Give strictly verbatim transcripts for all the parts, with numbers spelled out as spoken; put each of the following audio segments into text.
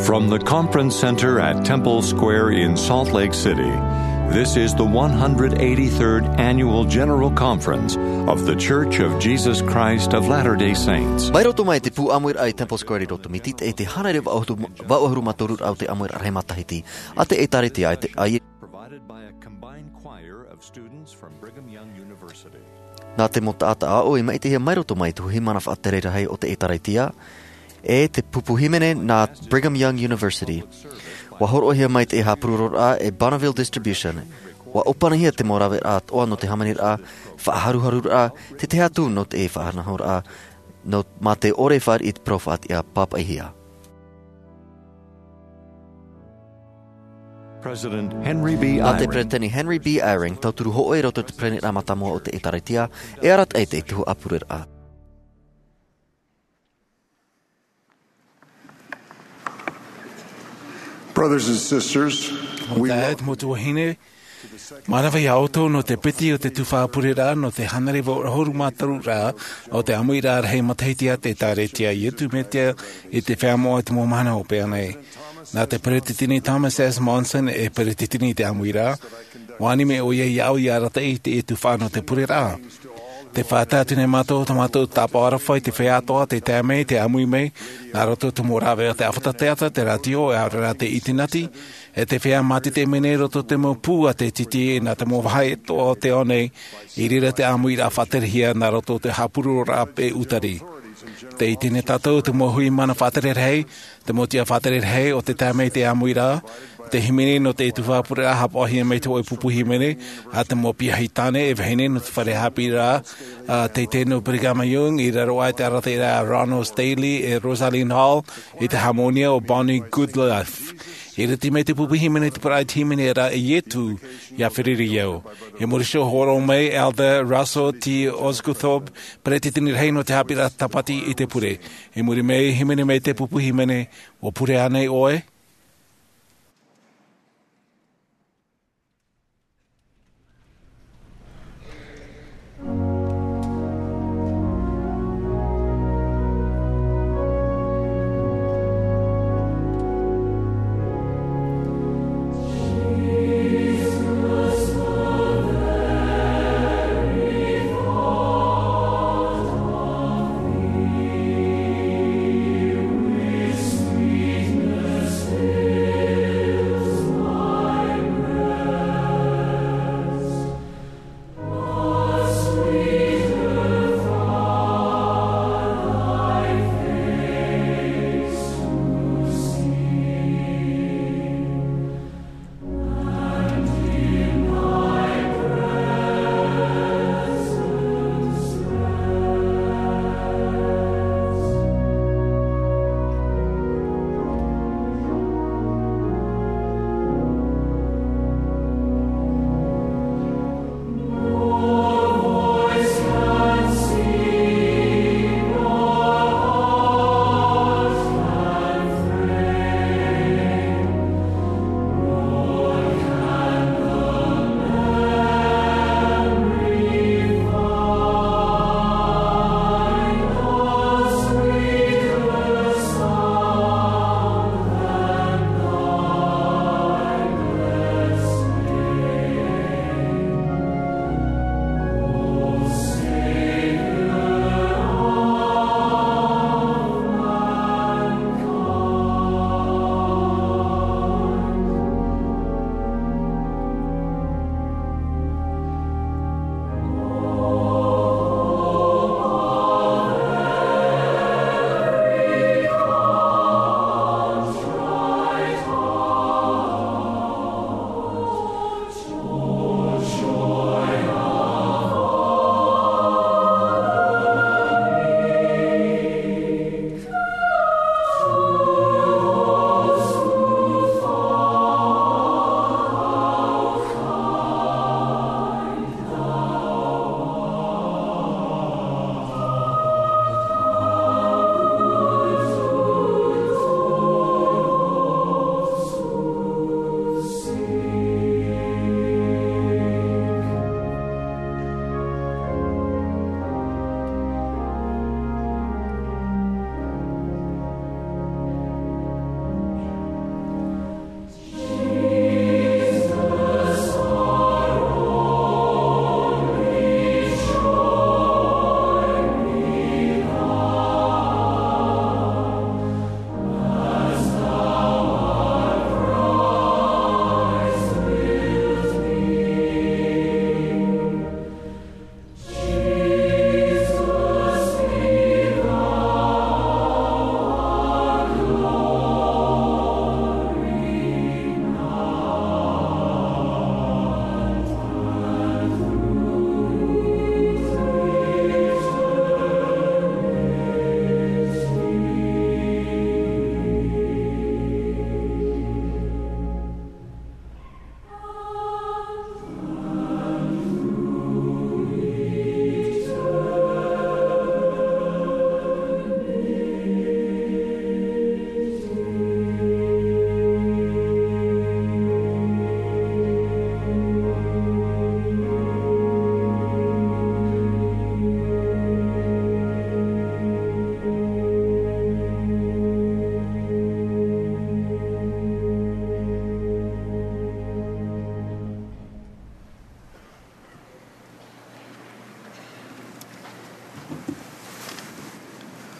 From the Conference Center at Temple Square in Salt Lake City, this is the one hundred eighty-third Annual General Conference of The Church of Jesus Christ of Latter-day Saints. Mai roto mai te pū ʻāmuiraʻa i Temple Square i roto mai te, i te hānere vaʻu-, vaʻu ʻahuru mā toru raʻa o te ʻāmuiraʻa rahi matahiti a te ʻĒtārētia i te, a Provided by a combined choir of students from Brigham Young University. Nā te mau taʻata ʻāʻau i maʻitihia mai roto mai te huaʻi mana faʻatere rahi o te ʻĒtārētia, e te pupu hīmene nā Brigham Young University. ʻUa hōroʻahia mai te haʻapurororaʻa e Bonneville Distribution. ʻUa ʻōpanihia te mau raveraʻa atoʻa nō te hāmaniraʻa, faʻaharuharuraʻa, te tahi atu nō te faʻanahoraʻa, nō, mā te ʻore fāriʻi i te parau faʻatiʻa pāpaʻihia. President Henry B. Nā te Eyring. Peretiteni Henry B. Eyring, tauturu hōʻē i roto i te pereniraʻa mātāmua o te ʻĒtārētia, e arataʻi i te tuhaʻa pureraʻa. Brothers and sisters, we Taeaʻe, mau tuahine, mānava iā ʻoutou nō te piti o te tuhaʻa pureraʻa nō te hānere vaʻu ʻahuru mā toru raʻa o te ʻāmuiraʻa rahi matahiti a te ʻĒtārētia Iesu Mesia i te Feiā Moʻa i te Mau Mahana Hopeʻa nei. Nā te Peretiteni Thomas S. Monson e peretiteni i te ʻāmuiraʻa, ʻua ani mai ʻoia iāʻu ʻia arataʻi i te tuhaʻa nō te pureraʻa. Tē faʻatae atu nei mātou, tā mātou tāpaʻo aroha i te feiā atoʻa tē tae mai, tē ʻāmui mai, nā roto i te mau rāveʻa o te ʻāfata teata, te rātio, e ʻaore rā te ʻītinati, e te feiā mātete mai nei i roto i te mau pū a te tītī, nā te mau vāhi atoʻa o te ao nei, i reira te ʻāmuiraʻa faʻaterehia nā roto i te haʻapurororaʻa e ʻūtari. Tē ʻite nei tātou te mau huaʻi mana faʻatere rahi, te mau tiʻa faʻatere rahi o tē tae mai i te ʻāmuiraʻa, te hīmene nō te tuhaʻa pureraʻa haʻapaʻohia mai te hōʻē pupu hīmene, a te mau piahi tāne e vahine nō te fare haʻapiʻiraʻa, a, teitei nō Brigham Young, i raro aʻe i te arataʻiraʻa a Ronald Stanley e Rosalyn Hall, i te hāmōnia o Bonnie Goodliffe. I ʻite mai te pupu hīmene i te parau hīmene ra e Iesu, ʻia feruri au. I muri iho hōroʻa mai Elder Russell T. Osguthorpe, peretiteni rahi nō te haʻapiʻiraʻa Tāpati i te pure. I muri mai, hīmene mai te pupu hīmene, ʻUa pure ānei ʻoe?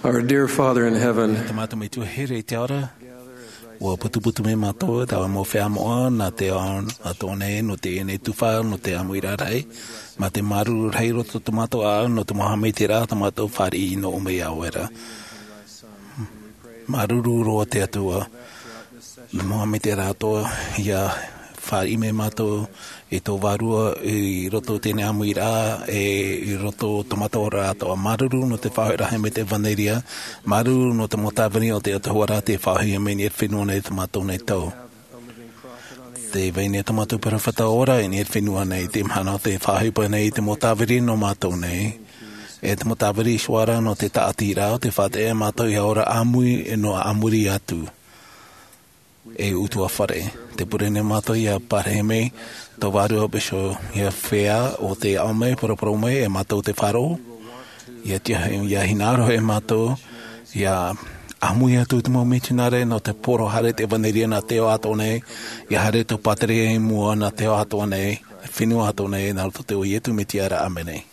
Our dear Father in heaven, Te Mātou Metua here i te ao ra, ua putuputu mai mātou, taua mau feiā moʻa, nā te ao atoʻa nei, nō teie nei tuhaʻa, nō te ʻāmuiraʻa rahi, mā te māuruuru rahi i roto tō mātou ʻāʻau, nō te mau haʻamaitaʻiraʻa tā mātou fāriʻi i nō ʻō mai iā ʻoe ra. Māuruuru roa te Atua, nō te mau haʻamaitaʻiraʻa atoʻa, ʻia fāriʻi mai mātou, i tō Vārua, i roto i teie ʻāmuiraʻa, e i roto i tō mātou oraraʻa atoʻa. Māuruuru nō te faʻahoʻiraʻa mai i te ʻevanelia, māuruuru nō te mau tāvini o te autahuʻaraʻa tei faʻahoʻi mai i niʻa i te fenua nei i tō mātou nei tau. Tē vai nei tō mātou peropheta ora i niʻa i te fenua nei, te mahana o te faʻahoʻi paʻi nei i te mau tāvini nō mātou nei. E te mau tāvini i suara nō te tāʻatiraʻa, ʻo tē faʻaʻite iā mātou ʻia ora ʻāmui, nō ʻāmui atu. E ʻutuāfare, tē pure nei mātou ʻia parahi mai tō Vārua Bishop, ʻia feiā ʻo tē aʻo mai, paraparau mai, e mātou tē faʻaroʻo, ʻia tiaʻi, ʻia hinaʻaro e mātou, ʻia ʻāmui atu i te mau mitionare nō te poro haere i te ʻevanelia nā te ao atoʻa nei, ʻia haere tō pātireia i mua nā te ao atoʻa nei, fenua atoʻa nei, nā roto i te iʻoa o Iesu Mesia ra, ʻāmene.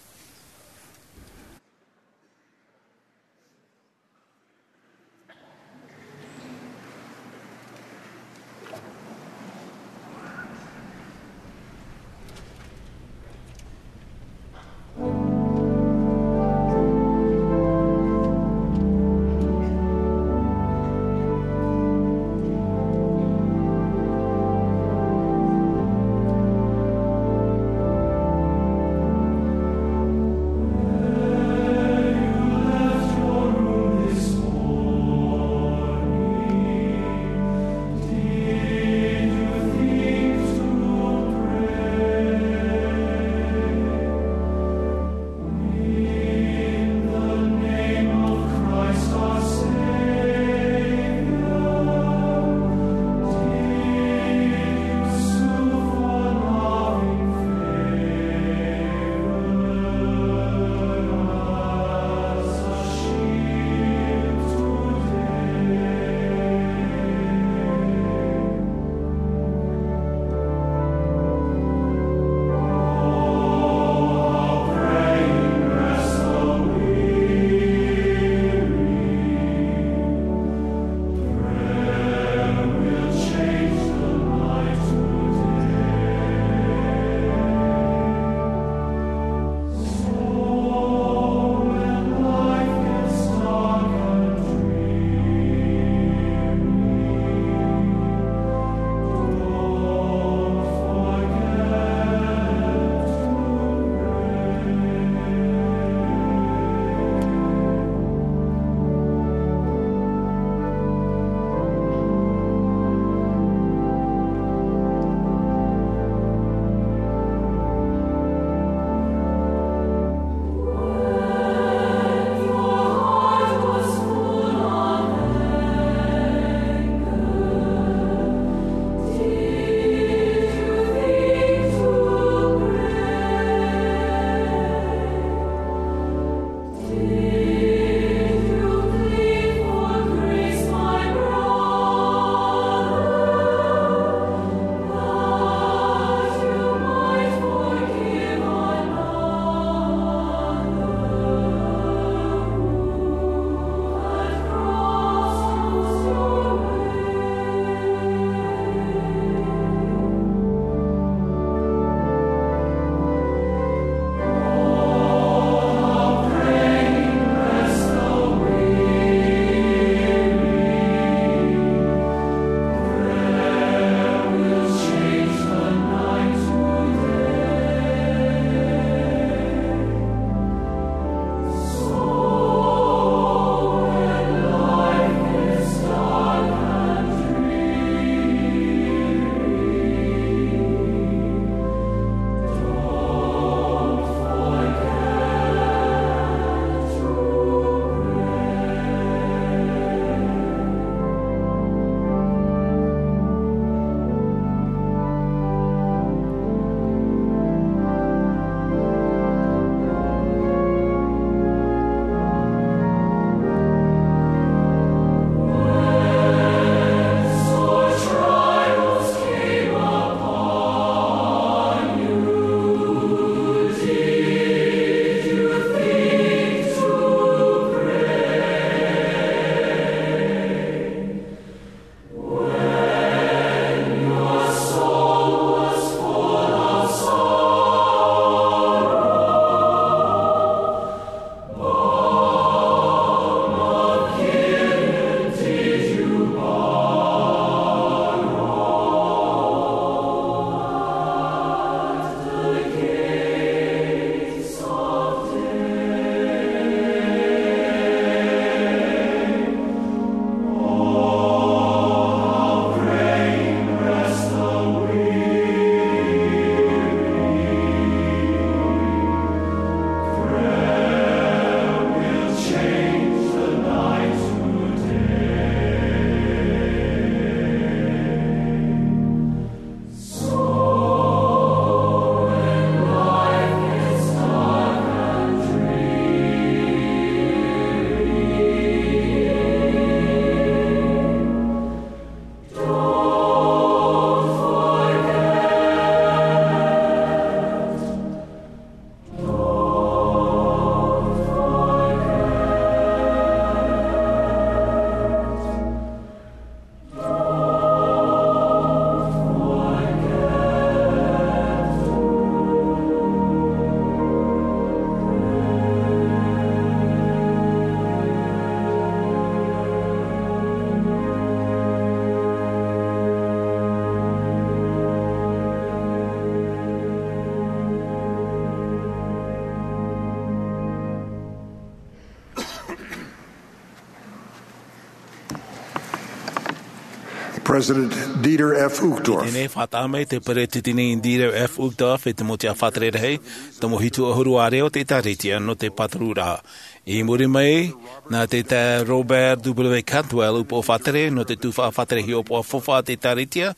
President Dieter F. Uchtdorf. Tēnei faʻataʻa mai te Peretiteni Dieter F. Uchtdorf e te mau tiʻa fātere rahi, tomo hitu ʻahuru ārea o te ʻĒtārētia nō te pātururaʻa. I muri mai, nā te taeaʻe Robert W. Cantwell, upoʻo fātere nō te tuhaʻa fātere hiʻopoʻa faufaʻa a te ʻĒtārētia,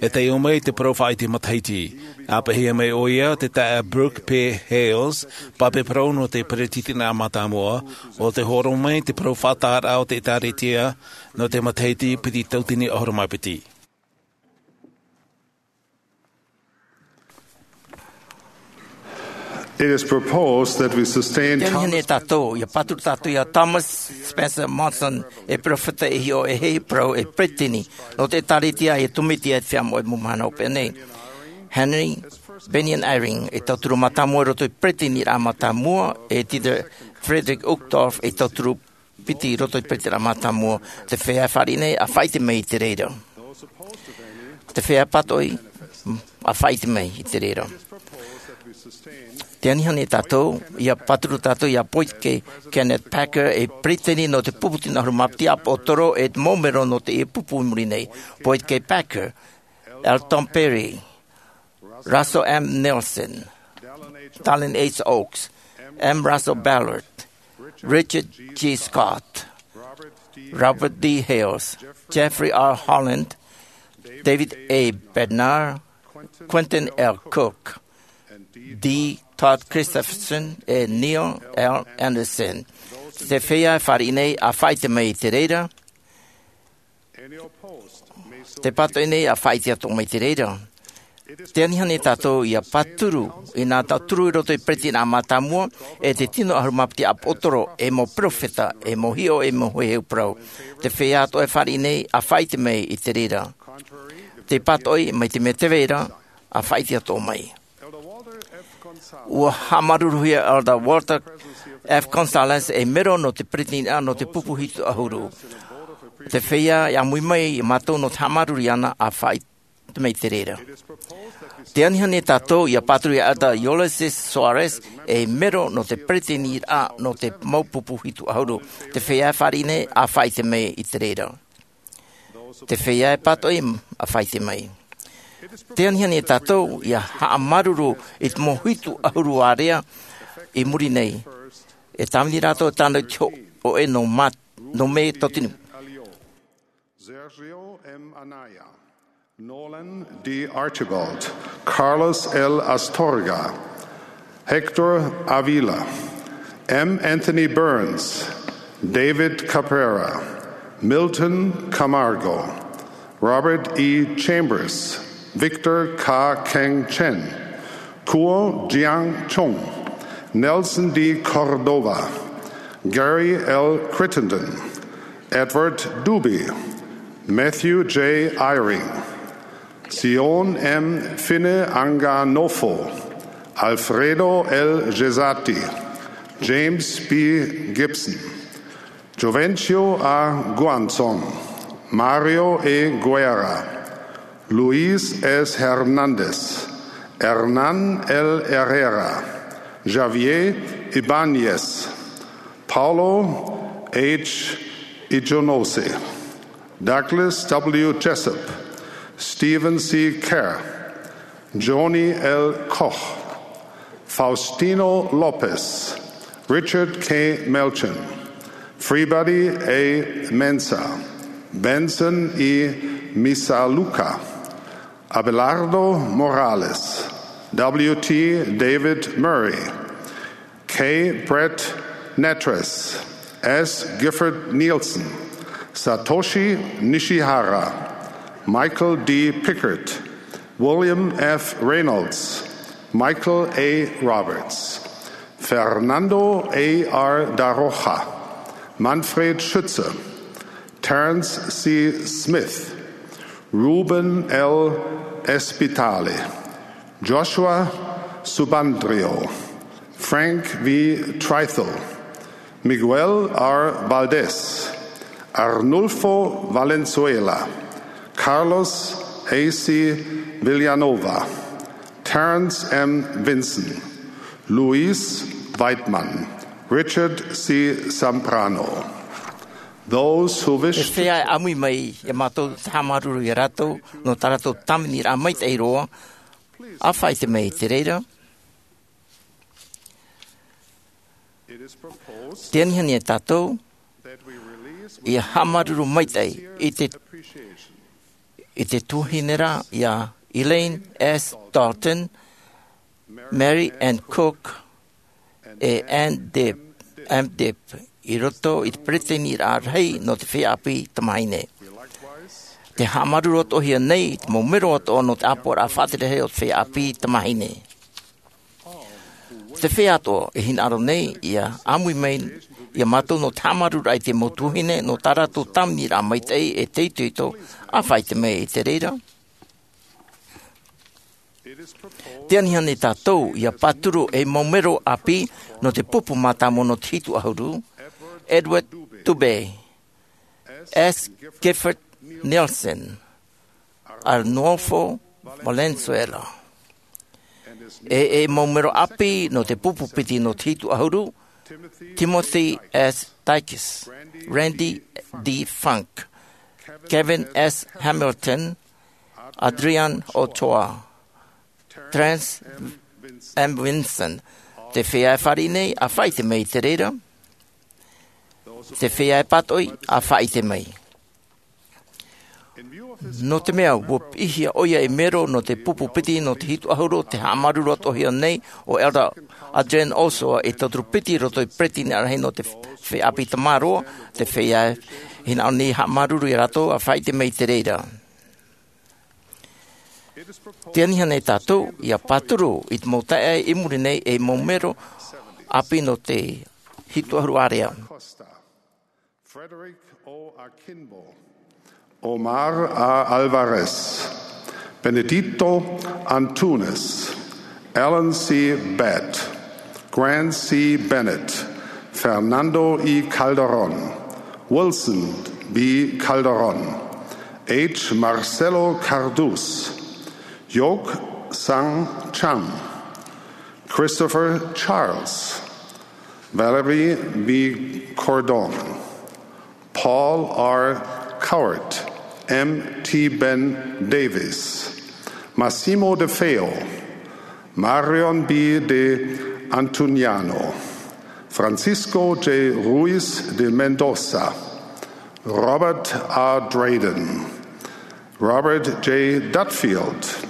e taiʻo mai te parau faʻaʻite matahiti. ʻĀpeʻehia mai ʻoia te taeaʻe Brooke P. Hales, pape parau nō te Peretiteniraʻa Mātāmua, ʻo tē hōroʻa mai te parau faʻataʻaraʻa o te ʻĒtārētia nō te matahiti piti tauatini ʻahuru mā piti. It is proposed that we sustain Tēnei nei tātou, ʻia pāturu tātou ia Thomas Spencer Monson, e peropheta e hiʻo e hei parau e peretiteni nō te ʻĒtārētia, e tōmite e te feiā moʻe mau mahana hopeʻa nei. Henry Bennion Eyring, e tauturu mātāmua i roto i te Peretiteniraʻa Mātāmua, e Dieter Friedrich Uchtdorf, e tauturu piti i roto i te Peretiteniraʻa Mātāmua. Te feiā e fāriʻi nei, ʻa faʻaʻite mai i te reira. Te feiā e pātoʻi, ʻa faʻaʻite mai i te reira. Tē aniani tātou, ʻia pāturu tātou ia Boyd K. Kenneth Packer, e peretiteni nō te pupu tino ʻahuru mā piti ʻāpoʻotoro, e te mau mero nō teie pupu i muri nei. Boyd K. Packer, Elton Perry, Russell M. Nelson, Dallin H. Oaks, M. Russell Ballard, Richard G. Scott, Robert D. Hales, Jeffrey R. Holland, David A. Bednar, Quentin L. Cook, D. Todd Christofferson, e Neil L. Andersen. Te feiā e fāriʻi nei, ʻa faʻaʻite mai i te reira. Tē pātoʻi nei, ʻa faʻaʻite atoʻa mai i te reira. Tē aniani tātou ia pāturu, ʻia tauturu i roto i te Peretiteniraʻa Mātāmua, e te tino ʻahuru mā piti ʻāpoʻotoro, e mau peropheta, e mau hiʻo, e mau heheu parau. Te feiā atoʻa e fāriʻi nei, ʻa faʻaʻite mai i te reira. Tē pātoʻi, mai te mea tē vai ra, ʻa faʻaʻite atoʻa mai. ʻUa haʻamāuruuruhia Elder Walter F. Gonzalez, e mero nō te Peretiteniraʻa nō te pupu hitu ʻahuru. Te feiā e ʻāmui mai ia mātou nō te haʻamāuruuru iāna, ʻa faʻaʻite mai i te reira. Tē aniani tātou ʻia pāturu ia Elder Ulysses Soares, e mero nō te Peretiteniraʻa nō te mau pupu hitu ʻahuru. Te feiā e fāriʻi nei, ʻa faʻaʻite mai i te reira. Te feiā e pātoʻi, ʻa faʻaʻite mai. Tē aniani tātou ʻia haʻamāuruuru i te mau hitu ʻahuru ārea i muri nei. E tāvini rātou tāna i te hōʻē nō mā-, nō mē tauatini. Sergio M. Anaya, Nolan D. Archibald, Carlos L. Astorga, Hector Avila, M. Anthony Burns, David Cabrera, Milton Camargo, Robert E. Chambers, Victor Ka Keng Chen, Kuo Jiang Chong, Nelson D. Cordova, Gary L. Crittenden, Edward Dube, Matthew J. Eyring, Sion M. Fineanganofo, Alfredo L. Gessati, James B. Gibson, Jovencio A. Guanzon, Mario E. Guerra, Luis S. Hernandez, Hernan L. Herrera, Javier Ibañez, Paulo H. Ijonose, Douglas W. Jessup, Stephen C. Kerr, Johnny L. Koch, Faustino Lopez, Richard K. Melchin, Freebody A. Mensah, Benson E. Misalucha, Abelardo Morales, W. T. David Murray, K. Brett Nattress, S. Gifford Nielsen, Satoshi Nishihara, Michael D. Pickard, William F. Reynolds, Michael A. Roberts, Fernando A. R. Da Rocha, Manfred Schütze, Terence C. Smith, Ruben L. Spitale, Joshua Subandrio, Frank V. Trythall, Miguel R. Valdez, Arnulfo Valenzuela, Carlos A. C. Villanova, Terence M. Vinson, Luis Weidman, Richard C. Zambrano. Those who wish e to feiā e ʻāmui mai iā mātou te haʻamāuruuru iā rātou nō tā rātou tāviniraʻa maitaʻi roa, ʻa faʻaʻite mai i te reira. Te anihani e tātou ia haʻamāuruuru maitaʻi i te, i te tuahine ra iā Elaine S. Dalton, Mary Ann Cook, e Ann Dibb, Ann Dibb, i roto i te peretiteniraʻa rahi nō te feiā ʻāpī tamāhine. Te haʻamāuruuru atoʻahia nei i te mau mero atoʻa nō te ʻāpoʻoraʻa faʻatere rahi o te feiā ʻāpī tamāhine. Te feiā atoʻa e hinaʻaro nei ia ʻāmui mai iā mātou nō te haʻamāuruururaʻa i te mau tuahine nō tā rātou tāviniraʻa maitaʻi e te itoito, ʻa faʻaʻite mai i te reira. Te anihani e tātou ia pāturu ei mau mero ʻāpī nō te pupu mātāmua nō te hitu ʻahuru: Edward Dubé, S. Gifford Nielsen, Arnulfo Valenzuela. E ei mau mero ʻāpī nō te pupu piti nō te hitu ʻahuru: Timothy S. Dykes, Randy D. Funk, Kevin S. Hamilton, Adrian Ochoa, Terence M. Vinson. Te feiā e fāriʻi nei, ʻa faʻaʻite mai i te reira. Te feiā e pātoʻi, ʻa faʻaʻite mai. Nō te mea ua piʻihia ʻoia ei mero nō te pupu piti nō te hitu ʻahuru, te haʻamāuruuru atoʻahia nei o Elder Adrian Ochoa ei tauturu piti i roto i te peretiteniraʻa rahi nō te feiā ʻāpī tamāroa. Te feiā e hinaʻaro nei ia haʻamāuruuru iā rātou, ʻa faʻaʻite mai i te reira. Te anihani e tātou ia pāturu i te mau taeaʻe i muri nei ei mau mero ʻāpī nō te hitu ʻahuru area. Frederick O. Akinbo, Omar A. Alvarez, Benedito Antunes, Alan C. Batt, Grant C. Bennett, Fernando E. Calderon, Wilson B. Calderon, H. Marcelo Cardus, Yok Sang Chang, Christopher Charles, Valerie B. Cordon, Paul R. Cowart, M. T. Ben Davis, Massimo De Feo, Marion B. De Antoniano, Francisco J. Ruiz de Mendoza, Robert A. Drayden, Robert J. Dudfield,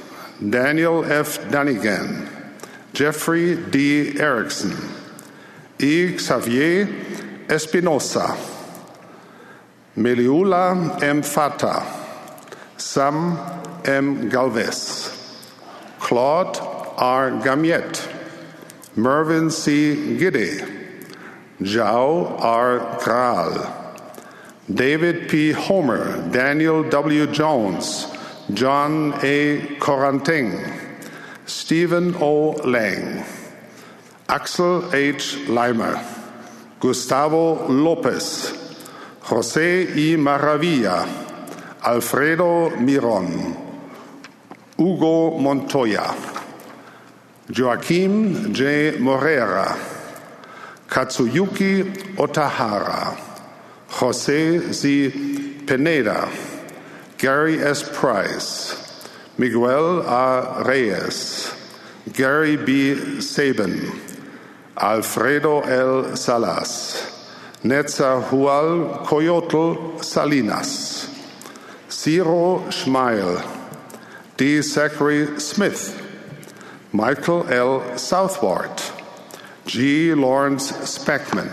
Daniel F. Dunnigan, Jeffrey D. Erickson, E. Xavier Espinosa, Meliula M. Fata, Sam M. Galvez, Claude R. Gamiette, Mervyn C. Gidde, Jao R. Grahl, David P. Homer, Daniel W. Jones, John A. Corantin, Stephen O. Lang, Axel H. Leimer, Gustavo Lopez, José E. Maravilla, Alfredo Miron, Hugo Montoya, Joaquim J. Moreira, Katsuyuki Otahara, José Z. Pineda, Gary S. Price, Miguel A. Reyes, Gary B. Sabin, Alfredo L. Salas, Netzahualcoyotl Salinas, Ciro Schmeil, D. Zachary Smith, Michael L. Southward, G. Lawrence Speckman,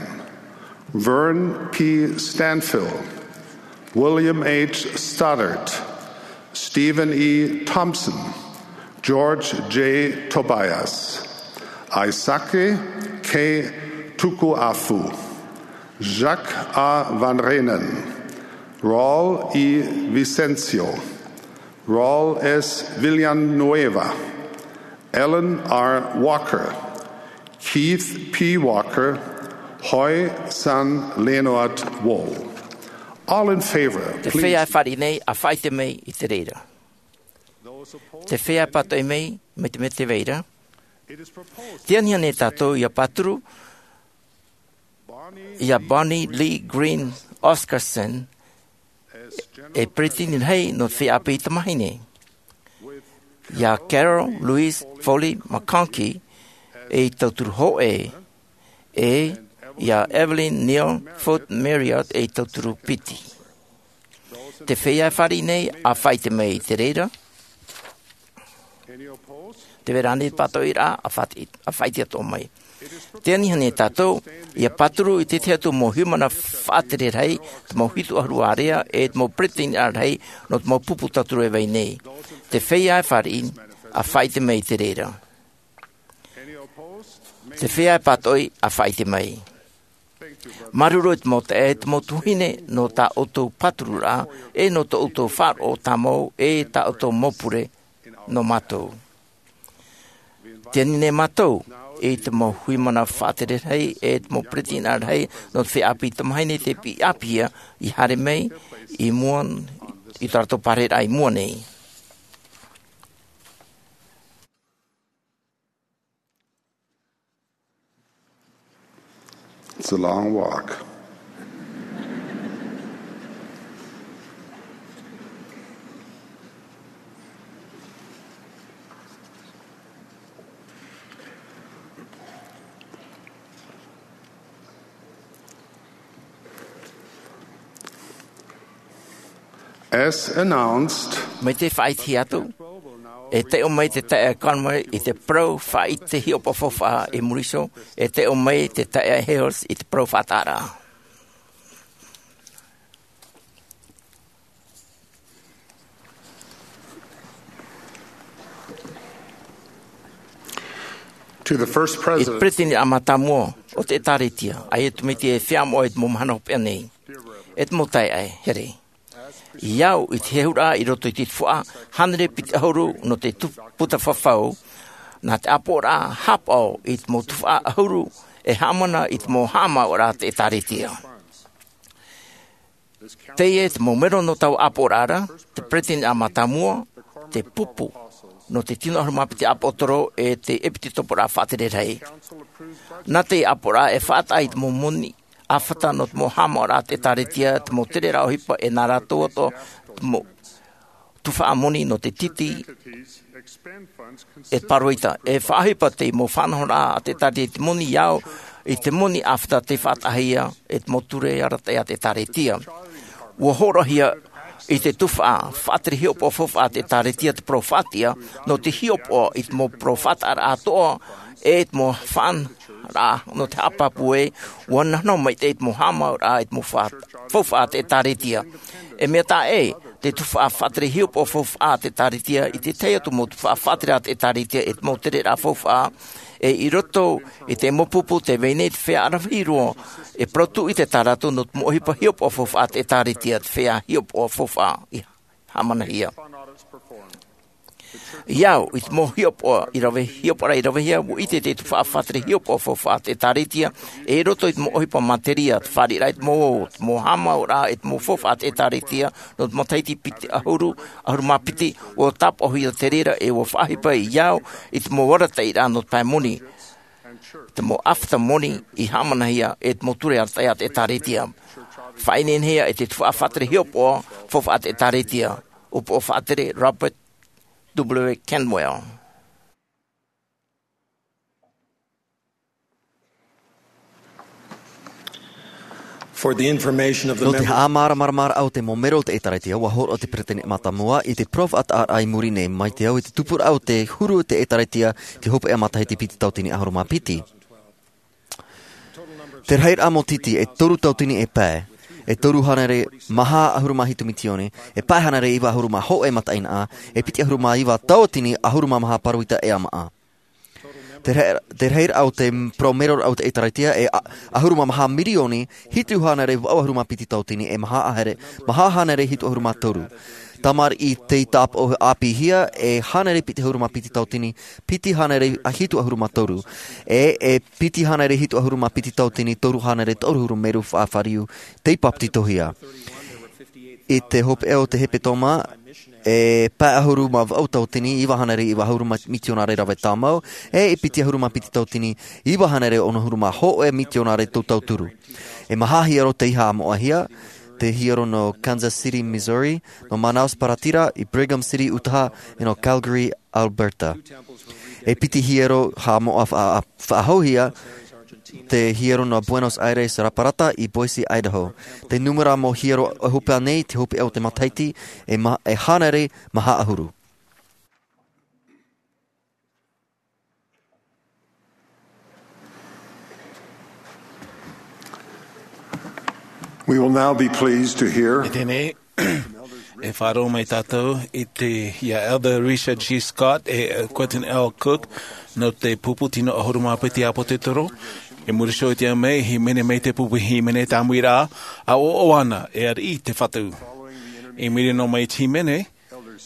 Vern P. Stanfill, William H. Stoddard, Stephen E. Thompson, George J. Tobias, Aisake K. Tukuafu, Jacques A. Van Reenen, Raul E. Vicencio, Raul S. Villanueva, Ellen R. Walker, Keith P. Walker, Hoi San Leonard Wall. All in favor, please. Te feiā e fāriʻi nei, ʻa faʻaʻite mai i te reira. Te feiā e pātoʻi mai, mai te mea tē vai ra. Te anihani e tātou ia pāturu iā Bonnie Lee Green Oscarson ei peresideni rahi nō te feiā ʻāpī tamāhine, iā Carol Louise Foley McConkie ei tauturu hōʻē, ʻe iā Evelyn Neal Foote Marriott ei tauturu piti. Te feiā e fāriʻi nei, ʻa faʻaʻite mai i te reira. Tē vai ra ānei te pātoʻiraʻa? ʻA faʻaʻite, ʻa faʻaʻite atoʻa mai. Tē ani nei tātou ʻia pāturu i te tahi atu mau haʻamana faʻatere rahi, te mau hitu ʻahuru ārea, ʻe te mau peresideni rahi nō te mau pupu tauturu e vai nei. Te feiā e fāriʻi, ʻa faʻaʻite mai i te reira. Te feiā e pātoʻi, ʻa faʻaʻite mai. Māuruuru i te mau taeaʻe, te mau tuahine, nō tā ʻoutou pātururaʻa, ʻe nō tō ʻoutou faʻaroʻo tāmau, ʻe tā ʻoutou mau pure nō mātou. Tē ani nei mātou i te mau haʻamana faʻatere rahi, ʻe te mau peresideni rahi nō te feiā ʻāpī tamāhine, tē piʻi ʻāpīhia, i haere mai i mua, i tā rātou pārahiraʻa i mua nei. It's a long walk. As announced, mai te faʻaʻitehia atu, e taiʻo mai te taeaʻe Conway i te parau faʻaʻite hiʻopoʻa faufaʻa i muri iho, e taiʻo mai te taeaʻe Hales i te parau faʻataʻaraʻa. To the first president. I te peresideni mātāmua o te ʻĒtārētia, ʻaita e tūmite e feiā moʻa i te mau mahana hopeʻa nei. E te mau taeaʻe here, ʻia au i te hehuraʻa i roto i te tuhaʻa hānere piti ʻahuru nō te tu-, puta fafau, nā te ʻāpoʻoraʻa haʻapaʻo i te mau tuhaʻa ʻahuru e haʻamana i te mau haʻamāuʻaraʻa a te ʻĒtārētia. Teie te mau mero nō taua ʻāpoʻoraʻa ra, te peresideni mātāmua, te pupu nō te tino ʻahuru mā piti ʻāpōsetolo, ʻe te ʻēpīsekopo faʻatere rahi. Nā te ʻāpoʻoraʻa e faʻataʻa i te mau moni ʻāfata nō te mau haʻamāuʻaraʻa a te ʻĒtārētia, te mau tereraʻa ʻohipa, ʻe nā rātou atoʻa te mau tuhaʻa moni nō te tītī, ʻe te pāroita, e faʻaʻohipa te mau faʻanahoraʻa a te ʻĒtārētia, te moni ʻia au i te moni ʻāfata tei faʻataʻahia e te mau ture arataʻi a te ʻĒtārētia. ʻUa hōroʻahia i te tuhaʻa faʻatere hiʻopoʻa faufaʻa a te ʻĒtārētia te parau faʻatiʻa, nō te hiʻopoʻa i te mau parau faʻataʻaraʻa atoʻa, ʻe te mau faʻanahoraʻa nō te haʻapāpū ē, ʻua nā-, nā-, maitaʻi te mau haʻamāuʻaraʻa i te mau fa-, faufaʻa a te ʻĒtārētia. E mea taʻa ʻē te tuhaʻa faʻatere hiʻopoʻa faufaʻa a te ʻĒtārētia i te tahi atu mau tuhaʻa faʻatere a te ʻĒtārētia ʻe te mau tereraʻa faufaʻa, ʻe i roto i te mau pupu tē vai nei te feiā ʻaravihi roa, e parau tūʻite tā rātou nō te mau ʻohipa hiʻopoʻa faufaʻa a te ʻĒtārētia, te feiā hiʻopoʻa faufaʻa i haʻamanahia. ʻIa au i te mau hiʻopoʻa i rave, hiʻopoʻaraʻa i ravehia, ʻua ʻite te tuhaʻa faʻatere hiʻopoʻa faufaʻa a te ʻĒtārētia, ʻe i roto i te mau ʻohipa materia, te fāriʻiraʻa i te mau ō, te mau haʻamāuʻaraʻa, ʻe te mau faufaʻa a te ʻĒtārētia, nō te matahiti piti ʻahuru, ʻahuru mā piti, ʻua tāpaʻohia te reira, ʻe ʻua faʻaʻohipa ʻia au i te mau arataʻiraʻa nō te pae moni, te mau ʻāfata moni i haʻamanahia, ʻe te mau ture arataʻi a te ʻĒtārētia. Faʻaineinehia e te tuhaʻa faʻatere hiʻopoʻa faufaʻa a te ʻĒtārētia, ʻōpuaʻa faʻatere Robert W. Cantwell. For the information of the Nō te members. Haʻamāramaramaraʻa o te mau mero o te ʻĒtārētia, ʻua hōroʻa te peresideni mātāmua i te parau faʻataʻaraʻa i muri nei, mai te au i te tupuraʻa o te huru o te ʻĒtārētia, te hopeʻa matahiti piti tauatini ʻahuru mā piti. Te rahiraʻa mau tītī, e toru tauatini e pae, e toru hānere maha ʻahuru mā hitu mitioni, e pae hānere iva ʻahuru mā hōʻē mataʻeinaʻa, e piti ʻahuru mā iva tauatini ʻahuru mā maha pāroita ʻē ʻāmaʻa. Te rahi-, te rahiraʻa o te parau meroraʻa o te ʻĒtārētia e a-, ʻahuru mā maha mirioni, hitu hānere vaʻu ʻahuru mā piti tauatini, e maha hānere, maha hānere hitu ʻahuru mā toru. Tamariʻi tei tāpaʻo ʻāpīhia, e hānere piti ʻahuru mā piti tauatini, piti hānere hitu ʻahuru mā toru. E, e piti hānere hitu ʻahuru mā piti tauatini, toru hānere toru ʻahuru mā toru faʻafāriu, tei bāpetizohia. I te hopeʻa o te hepetoma, e pae ʻahuru mā vaʻu tauatini, iva hānere iva ʻahuru mā-, mitionare rave tāmau, e i piti ʻahuru mā piti tauatini, iva hānere ono ʻahuru mā hōʻē mitionare tau tauturu. E maha hiero tei haʻamoʻahia, te hiero nō Kansas City, Missouri, nō Manaus, Paratira, i Brigham City, Utah, e nō Calgary, Alberta. E piti hiero haʻamoʻa faʻa-, faʻahouhia, te hiero nō Buenos Aires, Raparata, i Boise, Idaho. Te nūmera mau hiero ʻohipa nei, te hopeʻa o te matahiti, e ma-, e hānere maha ʻahuru. We will now be pleased to hear. E teie nei, e faʻaroʻo mai tātou i te, ia Elder Richard G. Scott e Quentin L. Cook, nō te pupu tino ʻahuru mā piti ʻāpōsetolo. I muri iho i te ao mai, hīmene mai te pupu hīmene tāmui ra, ʻa ʻoaʻoa ana, e ariʻi te Fatu. I muri noa mai i te hīmene,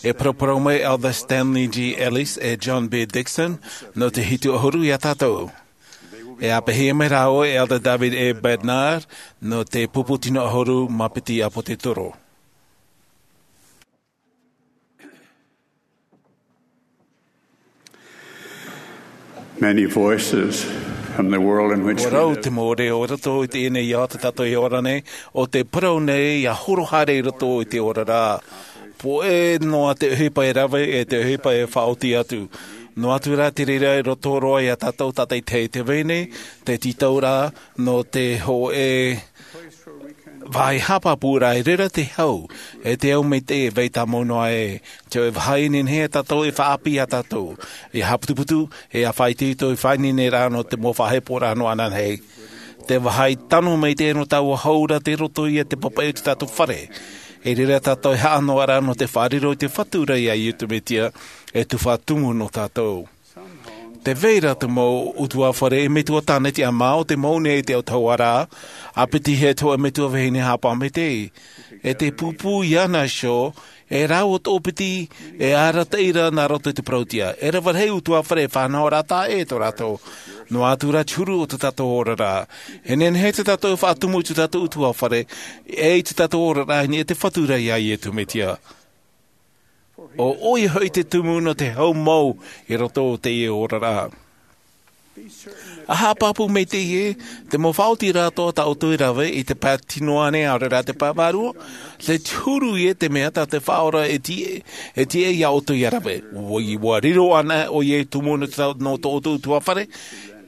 e paraparau mai Elder Stanley G. Ellis e John B. Dixon, nō te hitu ʻahuru ia tātou. E āpeʻehia mai rāua e Elder David A. Bednar, nō te pupu tino ʻahuru mā piti ʻāpōsetolo. Many voices from the world in which we Ua rau live. Te mau reo o roto i teie nei ao tā tātou e ora nei, ʻo tē parau nei ia horo haere i roto i te oraraʻa. Pōʻe noa te ʻohipa e rave, e te ʻohipa e faʻaoti atu. Noa atu rā te reira i roto roa ia tātou tātaʻitahi i te vai nei, te tītauraʻa nō te hōʻē vāhi haʻapāpū ra, e reira te hau, e te ao maitaʻi e vai tāmau noa ai. Te hōʻē vāhi e nehenehe tātou e faʻaʻāpī ia tātou, ia haʻaputuputu, e ia faʻaitoito i faʻaineineraʻa nō te mau faʻaheporaʻa nō ananahi. Te vāhi tano maitaʻi nō taua hau ra tei roto ia i te papaʻi o tō tātou fare. E reira tātou e haʻa noa ra nō te faʻariro i te Fatu ra ia Iesu Mesia, e tuhaʻa tumu nō tātou. Tē vai ra te mau ʻutuāfare e metua tāne tiʻamā ʻo tē mau nei i te autahuʻaraʻa, ʻāpitihia e te hōʻē metua vahine haʻapaʻo maitaʻi. E te pūpū iāna iho, e rāua toʻopiti, e arataʻi ra nā roto i te parau-tiʻa. E rave rahi ʻutuāfare e fānaʻo ra taʻa ʻē tō rātou. Noa atu rā te huru o tō tātou oraraʻa. E nehenehe tō tātou faʻatumu i tō tātou ʻutuāfare, e i tō tātou oraraʻa i niʻa i te Fatu ra ia Iesu Mesia. ʻO ʻoia hoʻi te tumu nō te hau mau i roto o teie oraraʻa. ʻA haʻapāpū maitaʻi ē, te mau faʻaotiraʻa atoʻa tā ʻoutou i rave i te pae tino ānei, ʻaore rā te pae vārua, te huru ïa te mea tā te Faʻaora e tiʻa, e tiʻa iā ʻoutou ʻia rave. ʻUa, ʻua riro anaʻe ʻoia ei tumu nō tō, nō tō ʻoutou ʻutuāfare,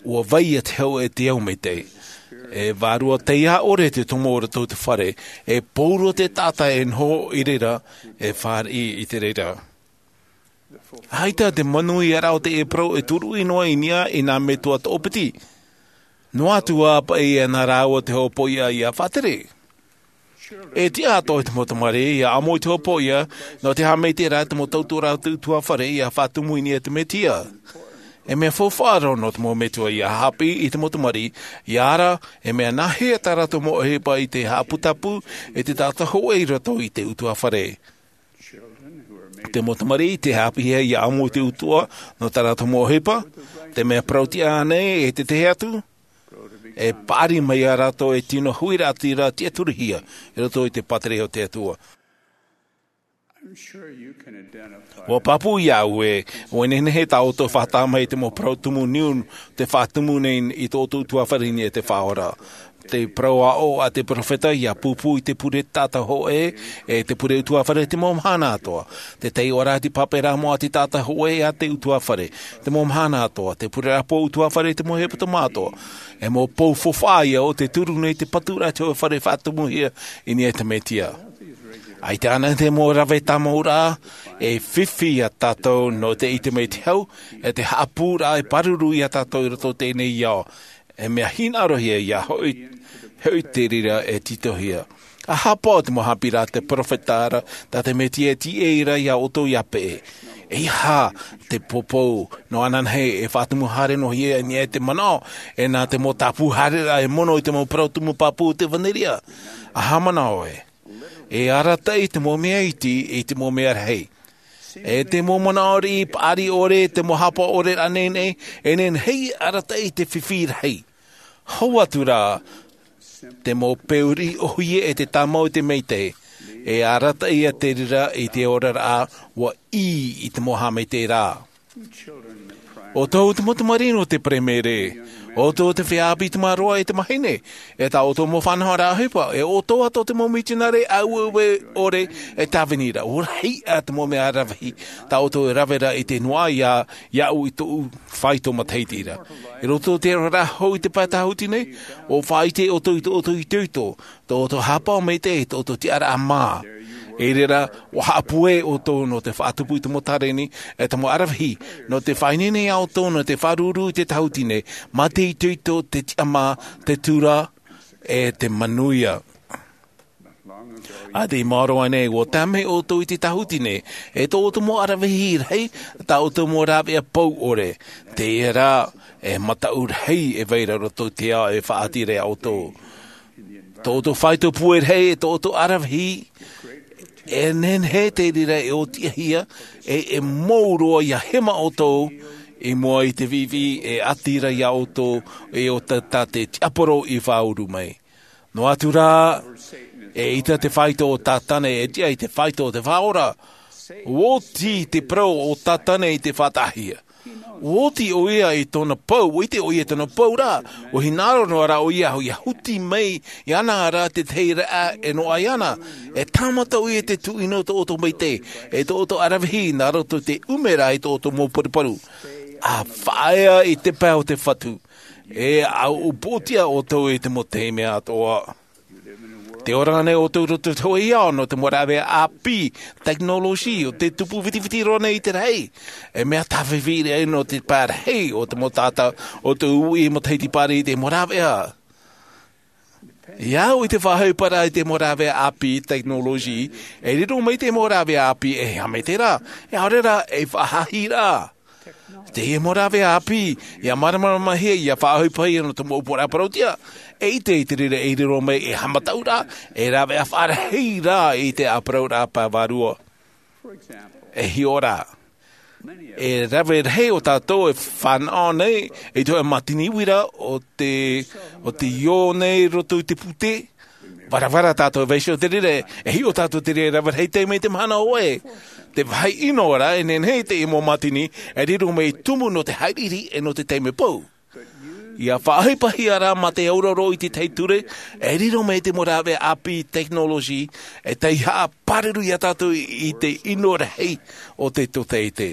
ʻua vai ïa te hau e te ao maitaʻi. E vārua taiā ʻore te tumu o roto i te fare, e pōrua te taʻata e noho i reira, e fāriʻi i te reira. ʻAita te manuiaraʻa o teie parau e turuʻi noa i niʻa i nā metua toʻopiti. Noa atu ā paʻi ia nā rāua te hopoiʻa ʻia faʻatere. E tiʻa atoʻa te mau tamariʻi ʻia ʻamo i te hopoiʻa, nō te haʻamaitaʻiraʻa i te mau tauturu a te ʻutuāfare ʻia faʻatumu i niʻa i te Mesia. E mea faufaʻa roa nō te mau metua ʻia haʻapiʻi i te mau tamariʻi, ʻia ara, e mea nāhea tā rātou mau ʻohipa i te haʻaputapū, e te taʻata hōʻē i roto i te ʻutuāfare. Te mau tamariʻi tei haʻapiʻihia ʻia ʻamo i te ʻutuāfare, nō tā rātou mau ʻohipa, te mea parau-tiʻa ānei e te tahi atu, e paʻari mai ia rātou ei tino huiraʻatira tiʻaturihia, i roto i te pātireia o te Atua. ʻUa pāpū iā ʻoe, ʻua nehenehe tā ʻoutou e faʻatāmā i te mau parau tumu niu, tē faʻatumu nei i tō ʻoutou ʻutuāfare i niʻa i te Faʻaora. Te parau aʻo a te peropheta ʻia pūpū i te pure taʻata hōʻē, e te pure ʻutuāfare te mau mahana atoʻa. Te taiʻoraʻa te pāpaʻiraʻa mau a te taʻata hōʻē a te ʻutuāfare, te mau mahana atoʻa. Te pureraʻa pou ʻutuāfare te mau hepetoma atoʻa. E mau pou faufaʻa ïa ʻo tē turu nei te paturaʻa te hōʻē fare faʻatumuhia i niʻa i te Mesia. ʻAita ānei te mau rave tāmauraʻa, e fifi ia tātou nō te ʻite mai i te hau, e te haʻapūraʻa e pāruru ia tātou i roto i teie nei ao. E mea hinaʻarohia ïa hoʻi, hoʻi te reira e tītauhia. ʻA haʻapaʻo te mau haʻapiʻiraʻa a te peropheta ra, tā te Mesia e tīaʻi ra iā ʻoutou ʻia peʻe. ʻEiaha te poupou nō ananahi e faʻatumu haere noa ïa i niʻa i te manaʻo, e nā te mau tāpū haereraʻa e mono i te mau parau tumu pāpū o te ʻevanelia. ʻA haʻamanaʻo ē. E arataʻi te mau mea iti i te mau mea rahi. E te mau manaʻo riʻi paʻari ʻore, te mau haʻapaʻo ʻore rānei, e nehenehe e arataʻi te fifi rahi. Hau atu rā, te mau peu riʻi ʻōhie e te tāmau i te maitaʻi, e arataʻi ia te reira i te oraraʻa, ʻua ʻī i te mau haʻamaitaʻiraʻa. ʻO tō te mau tamariʻi nō te peremerē, ʻo tō te feiā ʻāpī tamaroa e te mahine, e tā ʻoutou mau faʻanahoraʻa ʻohipa, e ʻo tō atoʻa te mau mitionare aueue ʻore e tāvini ra. ʻUa rahi ā te mau mea rave hī tā ʻoutou e rave ra i te noaʻa iā, iāʻu i tōʻu faito matahiti ra. I roto i te oraraʻa hou i te pae tāhuti nei, ʻua faʻaʻite ʻoutou i tō ʻoutou itoito, tō ʻoutou haʻapaʻo maitaʻi, tō ʻoutou tiʻaraʻa mā. I reira, ʻua haʻapūai ʻoutou nō te faʻatupu i te mau tāreni, e te mau aravihi, nō te faʻaineine iā ʻoutou nō te fāruru i te tāhuti nei, mā te itoito, te tiʻamā, te tura, e te manuia. ʻA te maoro ānei, ʻua tāmau ʻoutou i te tāhuti nei, e tō ʻoutou mau aravihi rahi, tā ʻoutou mau rāveʻa pou ʻore, teie rā, e mataʻu rahi e vai ra roto i te ao e faʻaʻite ra iā ʻoutou. Tō ʻoutou faito pūai rahi, e tō ʻoutou aravihi, e nehenehe te reira e ʻōtiʻahia, e, e mou roa ʻia hema ʻoutou, i mua i te viʻiviʻi e ʻati ra iā ʻoutou, e ʻo tā, tā te tiaporo i fāuru mai. Noa atu rā, eʻita te faito o Tātana e tiʻa i te faito o te Faʻaora. ʻUa oti te parau o Tātana i te faʻataʻahia. ʻUa oti ʻoia i tōna pou, ʻua ʻite ʻoia i tōna pou ra, ʻua hinaʻaro noa rā ʻoia, ʻia huti mai iāna rā te tahi raʻa e noaʻa iāna. E tāmata ʻoia i te tuʻino tō ʻoutou maitaʻi, e tō ʻoutou aravihi, nā roto i te ʻumeraʻa i tō ʻoutou mau paruparu. ʻA faʻaea i te pae o te Fatu. E ʻua upoʻotiʻa ʻoutou i te mau taime atoʻa. Tē ora nei ʻoutou i roto i te hōʻē ao nō te mau rāveʻa ʻāpī, tekinolosi, ʻo tē tupu vitiviti roa nei i te rahi. E mea tāfifi rahi nō te pae rahi o te mau taʻata, ʻo tē uʻi matahiti pāri i te mau rāveʻa. Iāʻu i te faʻaʻohiparaʻa i te mau rāveʻa ʻāpī, tekinolosi, e riro mai te mau rāveʻa ʻāpī e haʻamaitaʻi ra, e ʻaore rā, e faʻahaʻi ra. Teie mau rāveʻa ʻāpī, ʻia māramaramahia, ʻia faʻaʻohipahia nō te mau upoʻoraʻa parauʻtiʻa, e ʻite i te reira e riro mai e haʻamataʻuraʻa, e rāveʻa faʻarahi ra i te ʻāparauraʻa pae vārua. E hiʻo rā. E rave rahi o tātou e fānaʻo nei, i te hōʻē mātini uira o te, o te ʻio nei roto i te pūtē, Varavara tātou e vaiiho te reira, e hiʻo tātou te reira, rave rahi taime i te mahana hōʻē. Te vāhi ʻino ra, e nehenehe te mau mātini, e riro mai tumu nō te haʻiriʻiri e nō te taime pou. ʻIa faʻaʻohipahia rā mā te auraro i te tahi ture, e riro mai te mau rāveʻa ʻāpī tekinolosi, e taihaʻa pāruru iā tātou i te ʻino rahi o te tōtaiete.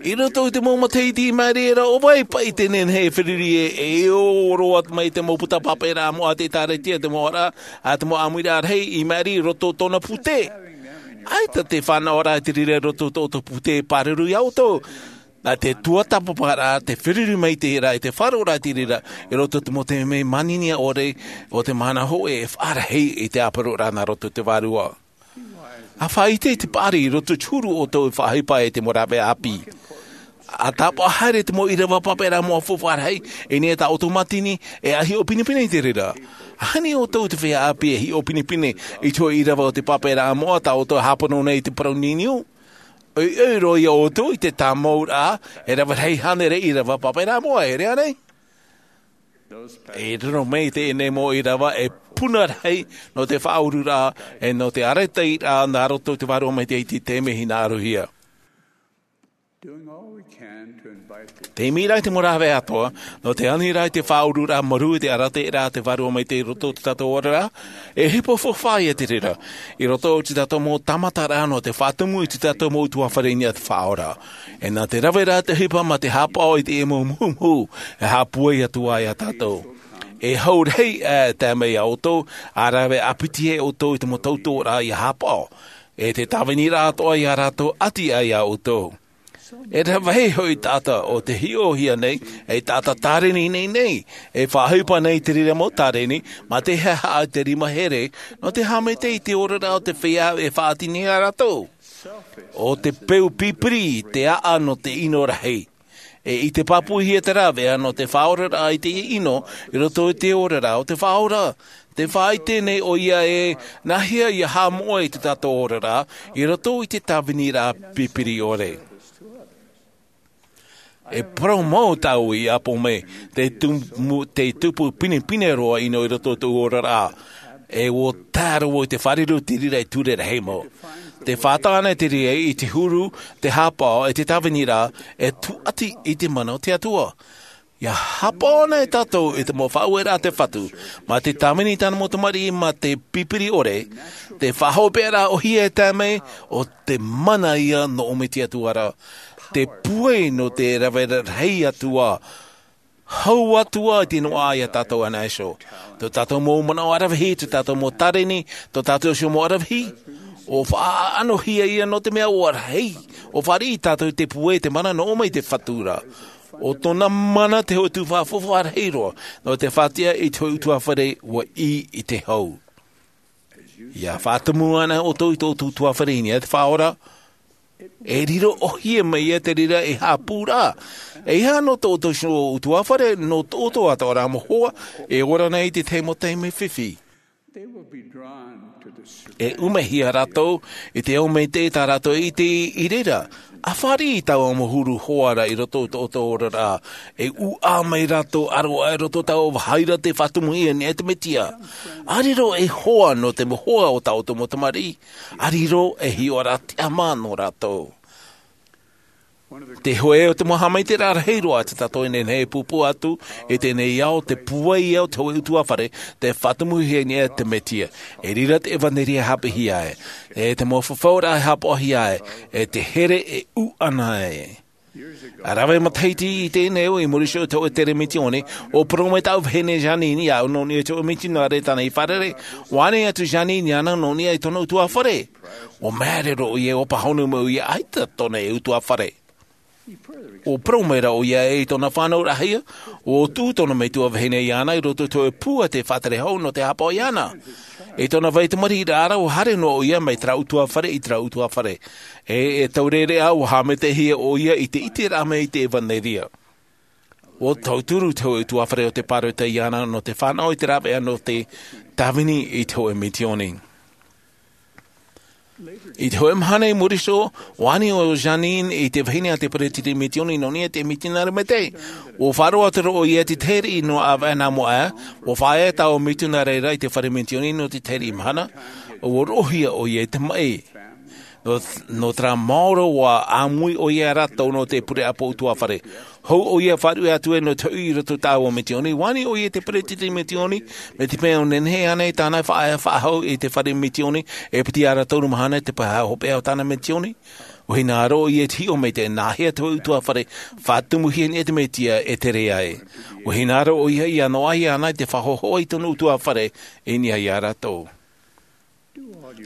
I roto i te mau matahiti i maʻiri ra, ʻo vai paʻi te nehenehe e feruri e, e ʻō roa mai te mau puta pāpaʻiraʻa moʻa a te ʻĒtārētia, te mau ʻāmuiraʻa, ʻa te mau ʻāmuiraʻa rahi i maʻiri i roto i tōna pūtē. ʻAita te fānaʻoraʻa i te reira i roto i tō ʻoutou pūtē pāruru iā ʻoutou. Nā te tuatāpaparaʻa, te feruri mai i te reira, i te faʻaroʻoraʻa i te reira, i roto i te mau taime manini ʻore o te mahana hōʻē e faʻarahi i te ʻāparauraʻa nā roto i te Vārua. ʻA faʻaʻite i te paʻari i roto i te huru o tō ʻoutou faʻaʻohipa e te mau rāveʻa ʻāpī. ʻA tāpaʻo haere te mau ʻīrava pāpaʻiraʻa moʻa faufaʻa rahi, i niʻa i tā ʻoutou mātini, e ʻa hiʻo pinepine i te reira. ʻAhani ʻoutou te feiā ʻāpī e hiʻo pinepine i te hōʻē ʻīrava o te pāpaʻiraʻa moʻa tā ʻoutou e hāpono nei i te parau niniu. ʻOiʻoi roa iā ʻoutou i te tāmauraʻa, e rave rahi hānere ʻīrava pāpaʻiraʻa moʻa, e ʻere ānei? E riro mai teie nei mau ʻīrava e puna rahi nō te faʻaururaʻa, e nō te ʻāraitiraʻa nā roto i te Vārua Maitaʻi i te taime hinaʻarohia. Te imi ra i te mau rāveʻa atoʻa, nō te ani ra i te faʻaururaʻa marū i te ʻāraitiraʻa a te Vārua Maitaʻi i roto i tō tātou oraraʻa, e ʻohipa faufaʻa ia te reira, i roto i tō tātou mau tāmataraʻa nō te faʻatumu i tō tātou mau ʻutuāfare i niʻa i te Faʻaora. E nā te rave ra te ʻohipa mā te haʻapaʻo i te mau muhumuhu, e haʻapūai atu ai iā tātou. E hau rahi e tae mai iā ʻoutou, ʻa rave ʻāpiti ai ʻoutou i te mau tautoʻoraʻa ʻia haʻapaʻo. E te tāviniraʻa atoʻa iā rātou ʻati ai iā ʻoutou. E rave rahi hoʻi taʻata ʻo tē hiʻohia nei, e taʻata tāreni nei nei, e faʻaʻohipa nei i te reira mau tāreni, mā te haʻahaʻa i te rima here, nō te haʻamaitaʻi i te oraraʻa o te feiā e faʻaʻati nei iā rātou. ʻO te peu pipiri te ʻāʻa nō te ʻino rahi. E ʻite pāpūhia te rāveʻa nō te faʻaoraraʻa i te ʻino, i roto i te oraraʻa o te Faʻaora. Tē faʻaʻite nei ʻoia e nāhea ʻia haʻamoʻe i tō tātou oraraʻa, i roto i te tāviniraʻa pipiri ʻore. E parau mau tāʻu i ʻapo mai, tē tumu-, tē tupu pinepine roa ʻino i roto i tōʻu oraraʻa. E ʻua tae roa i te fāriru i te reira i ture rahi mau. Te fātata ana te reira i te huru, te hāpaʻo e te tāviniraʻa, e tūʻati i te mana o te Atua. Ia hāpaʻo ana e tātou i te mau faʻaueraʻa a te Fatu, mā te tāvini i tāna mau tamariʻi mā te pipiri ʻore, te faʻahopeʻaraʻa ʻohie e tae mai, ʻo te mana ia nō ʻō mai te Atua ra, te pūai nō te rave rahi atu ā, hau atu ā i te noaʻa ia tātou ana iho. Tō tātou mau manaʻo aravihi, tō tātou mau tāreni, tō tātou iho mau aravihi, ʻo faʻaʻanohia ia nō te mea ʻua rahi, ʻo fāriʻi tātou te pūai te mana nō ʻō mai te Fatu ra. ʻO tōna mana te hōʻē tuhaʻa faufaʻa rahi roa, nō te faʻatiʻa i te hōʻē ʻutuāfare ʻua ʻī i te hau. Ia faʻatumu ana ʻoutou i tō ʻoutou ʻutuāfare i niʻa i te Faʻaora, e riro ʻohie mai ia te reira ei haʻapūraʻa. E ʻeiaha nō tō ʻoutou iho ʻutuāfare, nō tō ʻoutou atoʻa rā mau hoa, e ora nei i te tahi mau taime fifi. E ʻumehia rātou i te ao maitaʻi tā rātou e ʻite i reira. ʻA fāriʻi i taua mau huru hoa ra i roto i tō ʻoutou oraraʻa. E ʻūʻā mai rātou ʻaroʻa i roto i taua vāhi ra tē faʻatumuhia e niʻa i te Mesia. ʻA riro ei hoa nō te mau hoa o tā ʻoutou mau tamariʻi. ʻA riro ei hiʻoraʻa tiʻamā nō rātou. Te hōʻē o te mau haʻamaitaʻiraʻa rahi roa a te taʻata e nehenehe e pūpū atu i teie nei ao, te pūai ia o te hōʻē ʻutuāfare tē faʻatumuhia i niʻa i te Mesia. E riro te ʻevanelia haʻapiʻihia ē, e te mau fafauraʻa e hāpaʻohia ē, e te here e ʻūʻana ē. ʻA rave matahiti i teie nei ao, i muri iho i te hōʻē tere misiōni, ʻua parau mai tāʻu vahine Jeanene iāʻu nō niʻa i te hōʻē mitionare tāna i fārerei. ʻUa ani atu Jeanene iāna nō niʻa i tōna ʻutuāfare. ʻUa māere roa ʻoia, ʻua pāhono mai ʻoia, ʻaita tōna ʻutuāfare. ʻUa parau mai rā ʻoia ē, i tōna fānauraʻahia, ʻua tuʻu tōna metua vahine iāna i roto i te hōʻē pū a te faʻatere hau nō te hāpaʻo iāna. I tōna vai tamariʻiraʻa ra, ʻua haere noa ʻoia mai terā ʻutuāfare i terā ʻutuāfare. E, e taureʻareʻa, ʻua haʻamaitaʻihia ʻoia i te ʻiteraʻa mai i te ʻevanelia. ʻUa tauturu te hōʻē ʻutuāfare o te pāroita iāna nō te fānaʻo i te rāveʻa nō te tāvini i te hōʻē misiōni. I te hōʻē mahana i muri iho, ʻua ani ʻo Jeanene i te vahine a te peretiteni misiōni nō niʻa i te mitionare maitaʻi. ʻUa faʻaroʻo atu ra ʻoia i te tahi riʻi nō ʻāvaʻe nā mua aʻe, ʻua faʻaea taua mitionare ra i te fare misiōni nō te tahi riʻi mahana, ʻua roʻohia ʻoia i te maʻi. Nō, nō terā maoro ʻua ʻāmui ʻoia ia rātou nō te pure ʻāpō ʻutuāfare. Hou ʻoia faʻaruʻe atu ē nō te hoʻi i roto i taua misiōni, ʻua ani ʻoia i te peretiteni misiōni, mai te peu nehenehe ānei tāna e faʻaea faʻahou i te fare misiōni, e piti ʻahuru mā toru mahana te pae hopeʻa o tāna misiōni. ʻUa hinaʻaro ʻoia i te hiʻo mai i te nāhea te hōʻē ʻutuāfare faʻatumuhia i niʻa i te Mesia e tere ai. ʻUa hinaʻaro ʻoia ʻia noaʻa iāna i te faʻahohoʻa i tōna ʻutuāfare i niʻa ia rātou.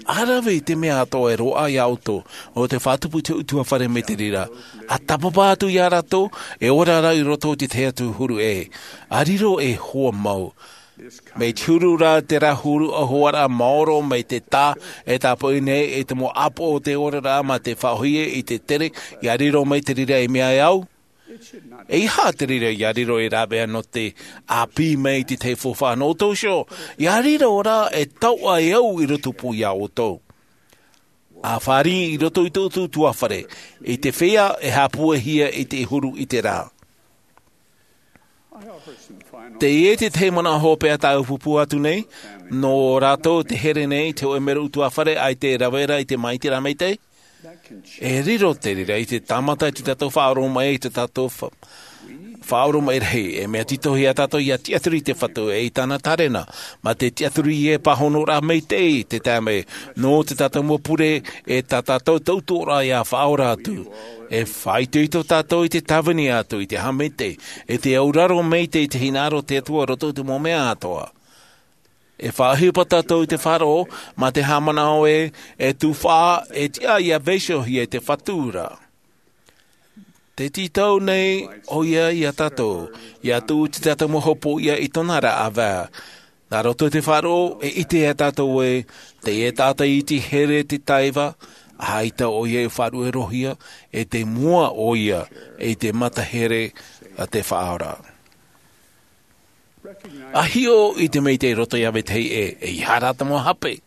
ʻA rave i te mea atoʻa e roaʻa ia ʻoutou, nō te faʻatupu i te ʻutuāfare mai te reira. ʻA tāpapa atu ia rātou, e ora rā i roto i te tahi atu huru ʻē. ʻA riro ei hoa mau. Mai te huru ra terā huru ʻahuaraʻa maoro mai te tā e tāpoʻi nei i te mau ʻāpō o te oraraʻa mā te faʻaʻohie i te tere, ʻia riro mai te reira ei mea e au. ʻEiaha te reira ʻia riro ei rāveʻa nō te ʻāpī mai i te tahi faufaʻa nō ʻoutou iho, ʻia riro rā ei tauʻa e au i rotopū ia ʻoutou. ʻA fāriʻi i roto i tō ʻoutou ʻutuāfare, i te feiā e haʻapūaihia i te huru i te rā. Teie te tahi manaʻo hopeʻa tāʻu e pūpū atu nei, nō rātou te here nei i te hōʻē mero ʻutuāfare ʻaita e rave ra i te māʻitiraʻa maitaʻi. E riro te reira i te tāmata i tō tātou faʻaoromaʻi, i tō tātou fa-, faʻaoromaʻi rahi. E mea tītauhia tātou ʻia tiʻaturi i te Fatu ʻe i tāna tārena. Mā te tiʻaturi e pāhonoraʻa maitaʻi te taime, nō tō tātou mau pure ʻe tā tātou tautoʻoraʻa ʻia faʻaora atu. E faʻaitoito tātou i te tāvini atu, i te haʻamaitaʻi, i te auraro maitaʻi i te hinaʻaro o te Atua i roto i te mau mea atoʻa. E faʻaʻohipa tātou i te faʻaroʻo, mā te haʻamanaʻo ē, e tufaʻa, e tiʻa ʻia vaiihohia e te Fatu ra. Tē tītau nei ʻoia ia tātou, ʻia tuʻu i tō tātou mau hopoiʻa i tōna ra ʻāvaʻe. Nā roto i te faʻaroʻo, e ʻite ia tātou ē, teie taʻata iti here te taiva, ʻaita ʻoia e faʻaruʻerohia, e te mua ʻoia, i te mata here a te Faʻaora. ʻA hiʻo i te maitaʻi i roto ia vetahi ʻē, ʻeiaha rā te mau hape.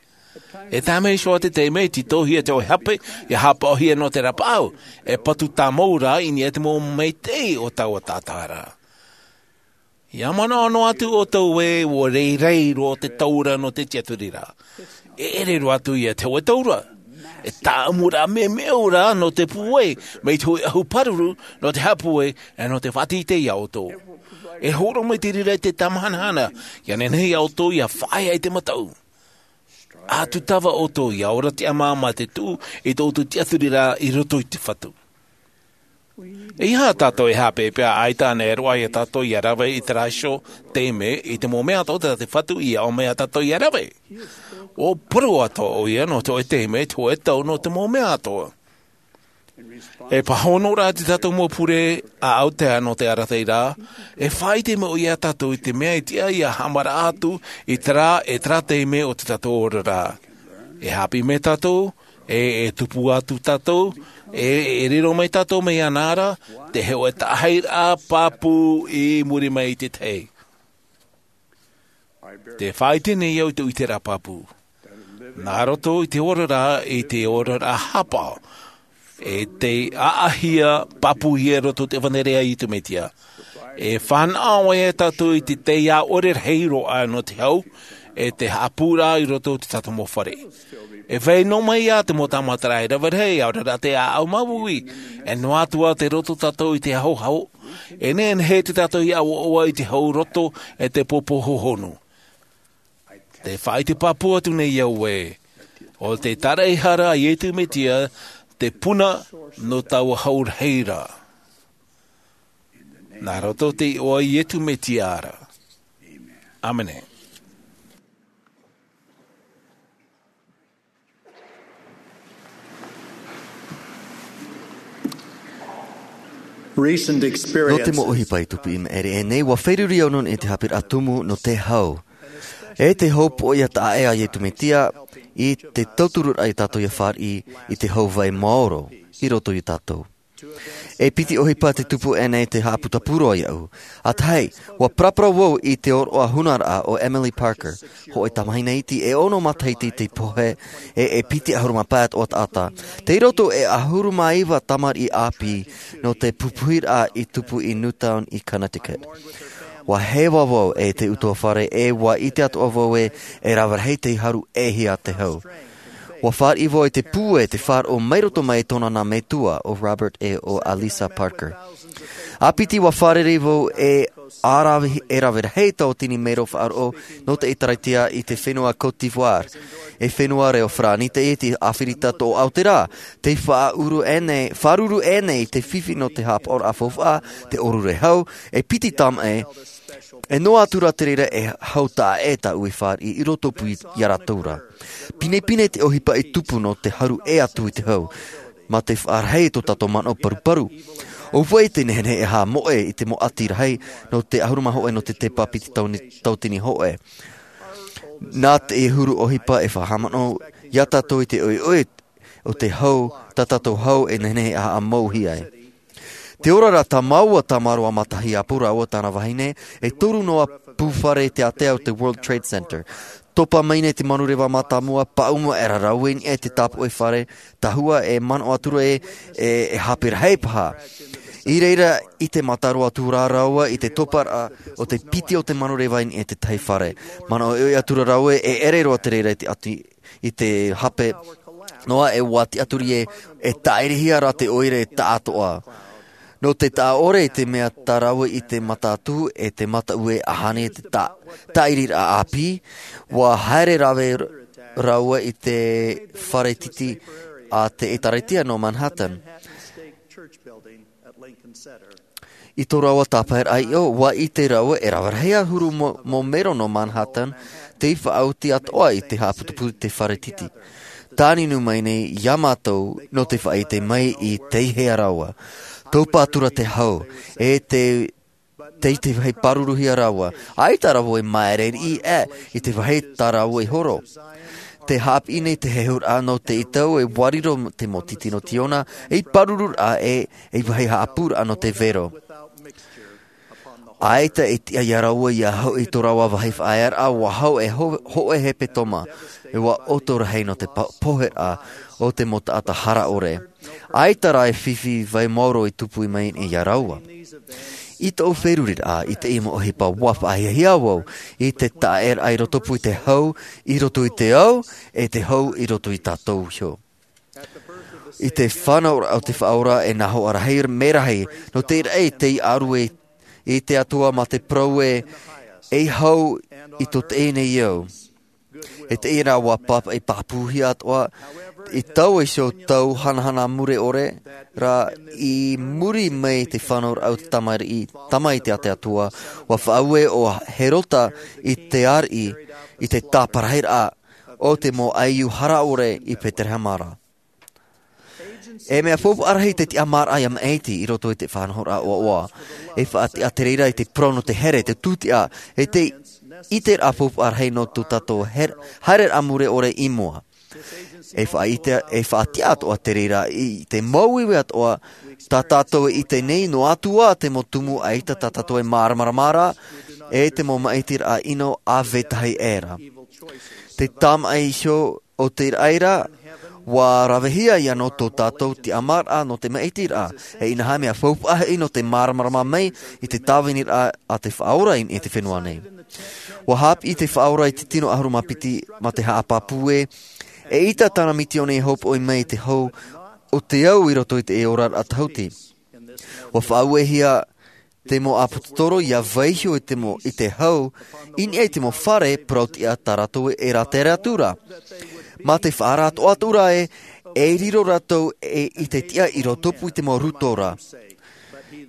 E tae mai iho ā te taime, tītauhia te hōʻē hape, ʻia haʻapaʻohia nō te rapaʻau, e patu tāmau rā i niʻa i te mau maitaʻi o taua taʻata ra. ʻIa manaʻo noa atu ʻoutou ē, ʻua rairai roa te taura nō te tiʻaturiraʻa. E ʻere roa atu ia te hōʻē taura. E tāʻamuraʻa memeʻo rā nō te pūai, mai te hōʻē ʻahu pāruru nō te haʻapūai, e nō te faʻateitei iā ʻoutou. E hōroʻa mai te reira i te tamahanahana, ia nehenehe iā ʻoutou ia faʻaea i te mataʻu. ʻA tūtava ʻoutou ia ora tiʻamā mā te tuʻu i tō ʻoutou tiʻaturiraʻa i roto i te Fatu. E aha tātou e haʻapeʻapeʻa ʻaita ānei e roaʻa iā tātou ia rave i terā iho taime i te mau mea atoʻa tā te Fatu i aʻo mai iā tātou ia rave? ʻUa parau atoʻa ʻoia nō te hōʻē taime, te hōʻē tau, nō te mau mea atoʻa. E pāhono rā te tātou mau pure ʻa Aotea nō te arataʻi rā, e faʻaʻite mai ʻoia iā tātou i te mea e tiʻa ia haʻamaraʻa atu i terā, e terā taime o te tātou oraraʻa. E haʻapiʻi mai tātou, e, e tupu atu tātou, e, e riro mai tātou mai iāna ra, te hōʻē taʻahiraʻa pāpū i muri mai i te tahi. Te faʻaʻite nei au i te ʻiteraʻa pāpū. Nā roto i te oraraʻa, i te oraraʻa hāpaʻo, e te ʻaʻahia pāpūhia i roto i te ʻevanelia a Iesu Mesia. E fānaʻo ʻoia iā tātou i te taiʻore rahi roa nō te hau, e te haʻapūraʻa i roto i te tātou mau fare. E vai noa mai ā te mau tāmataraʻa e rave rahi, ʻaore rā te ʻāʻau māuiui, e noa atu ā tei roto tātou i te hauhau, e nehenehe te tātou ia ʻoaʻoa i te hau roto e te pōpō hohonu. Te faʻaʻite pāpū atu nei au ē, ʻo te tāraʻehara a Iesu Mesia te puna nō taua hau rahi ra. Nā roto i te iʻoa o Iesu Mesia ra. ʻĀmene. Nō te mau ʻohipa i tupu i maʻiri aʻe nei, ʻua feruri au nō niʻa i te haʻapiʻiraʻa tumu nō te hau. E te hōpoiʻa taʻa ʻē a Iesu Mesia, i te tautururaʻa iā tātou ia fāriʻi i te hau vai maoro i roto iā tātou. E piti ʻohipa te tupu aʻenei te haʻaputapū roa iāʻu. ʻA tahi, ʻua paraparau vau i te ʻōroʻa hunaraʻa o Emily Parker, hōʻē tamahine iti e ono matahiti te pohe, e, e piti ʻahuru mā pae atoʻa taʻata. Tei roto e ʻahuru mā iva tamariʻi ʻāpī nō te pupuhiraʻa i tupu i Newtown i Connecticut. ʻUa heva vau e te ʻutuāfare e ʻua ʻite atoʻa vau ē, e rave rahi tei haru ʻē hia te hau. ʻUa fāriʻi vau i te pūai, te faʻaroʻo mai roto mai i tōna nā metua ʻo Robert e ʻo Alissa Parker. ʻA piti ʻua fārerei vau e ʻa rave, e rave rahi tauatini maero faʻaroʻo nō te ʻĒtārētia i te fenua Côte d'Ivoire. E fenua reo Farāni teie, te ʻĀfirita Toʻoʻa o te rā, tei faʻaʻuru aʻenei, fāruru aʻenei i te fifi nō te haʻapaʻoraʻa faufaʻa, te ʻōrure hau, e piti tāmaʻi, e noa atu rā te reira e hau taʻa ʻē tāʻu i fāriʻi i roto pū iā rātou ra. Pinepine te ʻohipa i tupu nō te haru ʻē atu i te hau, mā te faʻarahi i tō tātou manaʻo paruparu. ʻO vai te nehenehe e haʻamoʻe i te mau ʻati rahi nō te ʻahuru mā hōʻē nō te tepa piti tau-, tauatini hōʻē. Nā te huru ʻohipa e faʻahaʻamanaʻo iā tātou i te ʻoiʻoi o te hau, tā tātou hau e nehenehe e haʻamauhia ai. Te oraraʻa tā māua, tā Maroa Matahiapo rāua tāna vahine, e toru noa pū fare i te ātea o te World Trade Center. Topa mai nei te manureva mātāmua, paʻuma aʻera rāua i niʻa i te tāpoʻi fare, tahua e manaʻo atu ra ē, e, e hape rahi paha. I reira, ʻite mātāmua atu rā rāua i te toparaʻa o te piti o te manureva i niʻa i te tahi fare. Manaʻo ʻoiʻoi atu ra rāua ē, e ʻere roa te reira i te ʻati, i te hape noa, e ʻua tiʻaturi ē, e tāʻirihia rā te ʻoire taʻatoʻa. Nō te taʻa ʻore i te mea tā rāua i te mata atu, e te mataʻu e ʻahani e te tā-, tāʻiriraʻa ʻāpī, ʻua haere rave rāua i te fare titi a te ʻĒtārētia nō Manhattan. I tō rāua tāpaeraʻa ʻiʻo, ʻua ʻite rāua e rave rahi ʻahuru mau, mau maero nō Manhattan, tei faʻaoti atoʻa i te haʻaputupū i te fare titi. Tāninu mai nei iā mātou nō te faʻaʻite mai i tei hea rāua. Topa atu ra te hau, e te, tei te vāhi pāruruhia rāua. ʻAita rāua i māere riʻi ē, i te vāhi tā rāua i horo. Tē haʻapiʻi nei te hehuraʻa nō teie tau e ʻua riro te mau titi nō Tiona, ei pārururaʻa e, ei vāhi haʻapūraʻa nō te vero. ʻAita e tiʻa iā rāua ia hoʻi i tō rāua vāhi faʻaearaʻa, ʻua hau e ho-, hōʻē hepetoma, e ʻua ʻoto rahi nō te pa-, poheraʻa o te mau taʻata hara ʻore. ʻAita rā e fifi vai maoro i tupu mai iā rāua. I tōʻu feruriraʻa i teie mau ʻohipa, ʻua faʻahiahia vau i te taʻaʻēraʻa i roto pū i te hau, i roto i te ao, e te hau i roto ia tātou iho. I te fānauraʻa o te Faʻaora e nā hoʻa rahi mē rahi nō te raʻi tei ʻaru e i te Atua mā te parau ē, ei hau i tō teie nei au. E teie rā ua pāpaʻi pāpūhia atoʻa i taua iho tau hanahana mure ʻore rā, i muri mai te fānauraʻa o te tamariʻi tamaiti a te Atua, ua faʻaue ʻo Herota i te ariʻi i te tāparahiraʻa o te mau ʻaiū hara ʻore i Peterehema ra. E mea faufaʻa rahi te tiʻamāraʻa ia maʻiti i roto i te faʻanahoraʻa ʻoaʻoa. E faʻatiʻa te reira i te parau nō te here, te tūtiʻa, e te ʻiteraʻa faufaʻa rahi nō tō tātou her- haereraʻa mure ʻore i mua. E faʻaʻite- e faʻatiʻa atoʻa te reira i te māuiui atoʻa tā tātou e ʻite nei, noa atu ā te mau tumu ʻaita tā tātou e māramarama ra, e te mau maʻitiraʻa ʻino ʻāvetahi ʻē ra. Te tāmaʻi iho o te raʻi ra, ua ravehia ia nō tō tātou tiʻamāraʻa nō te maʻitiraʻa, e inaha mea faufaʻa hoʻi nō te māramarama mai i te tāviniraʻa a te Faʻaora i niʻa i te fenua nei. Ua haʻapiʻi te Faʻaora i te tino ʻahuru mā piti mā te haʻapāpū ē, eʻita tāna misiōni e hopoʻi mai i te hau o te au i roto i te oraraʻa tahuti. Ua faʻauehia te mau ʻāpōsetolo ia vaiiho i te mau, i te hau, i niʻa i te mau fare parau-tiʻa tā rātou e rātere atu ra. Mā te faʻaara atoʻa atu ra ē, e riro rātou e, i te tiʻa i rotopū i te mau rūtō ra.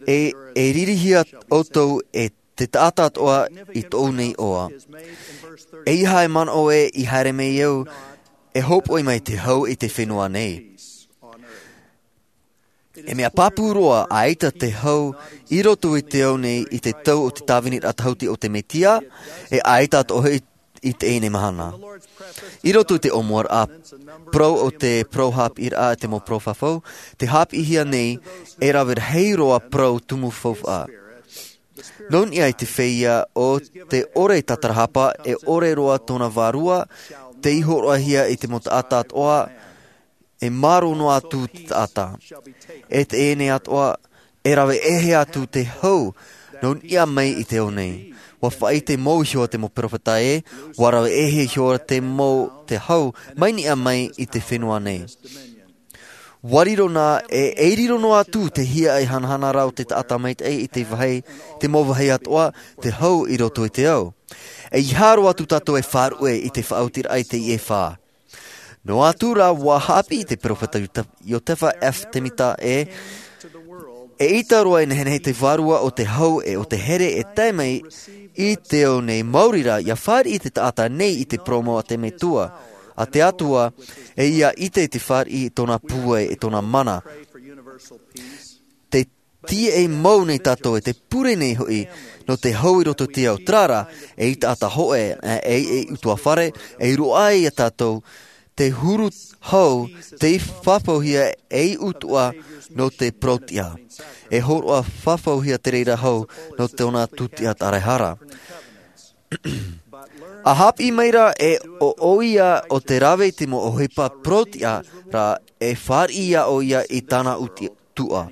E, e ririhia ʻoutou e te taʻata atoʻa i tōʻu nei iʻoa. E ʻeiaha e manaʻo ē i haere mai au, e hopoʻi mai te hau i te fenua nei. E mea pāpū roa, ʻaita te hau i roto i te ao nei i te tau o te tāviniraʻa tahuti o te Mesia, e ʻaita atoʻa hoʻi i teie nei mahana. I roto i te ʻōmuaraʻa parau o te parau haʻapiʻiraʻa a te mau parau fafau, tē haʻapiʻihia nei, e rave rahi roa parau tumu faufaʻa. Nō niʻa i te feiā o te ʻore tātarahapa, e ʻore roa tōna vārua, tei hōroʻahia i te mau taʻata atoʻa, e mārō noa atu te taʻata. E teie nei atoʻa, e rave ʻē atu te hau, nō niʻa mai i te ao nei. Ua faʻaʻite mau iho ā te mau peropheta ē, ua rave ʻē iho ā te mau te hau, mai niʻa mai i te fenua nei. Ua riro nā, e, e riro noa atu te hiaʻai hanahana ra o te taʻata maitaʻi i te vāhi, te mau vāhi atoʻa, te hau i roto i te ao. E ʻeiaha roa atu tātou e faʻaruʻe i te faʻaotiraʻa i teie fā. Noa atu rā, ua haʻapiʻi te peropheta Iota-, Iotefa F. Temita ē, eʻita roa e nehenehe te vārua o te hau e o te here e tae mai i te ao nei, maori rā, ia fāriʻi te taʻata nei i te parau mau a te Metua, a te Atua, e ia ʻite i te fāriʻi i tōna pūai, i tōna mana. Te tīaʻi mau nei tātou, e te pure nei hoʻi, nō te hau i roto i te ao, terā rā, ei taʻata hōʻē, e, ei, ei ʻutuāfare, ei roaʻa ia tātou, te huru hau, tei fafauhia ei ʻutuʻa nō te parau-tiʻa. E hōroʻa fafauhia te reira hau nō tōna tūtiʻa taraehara. ʻA haʻapiʻi mai rā e ʻo, ʻoia o te rave i te mau ʻohipa parau-tiʻa rā, e fāriʻi ia ʻoia i tāna ʻuti-, tuʻa.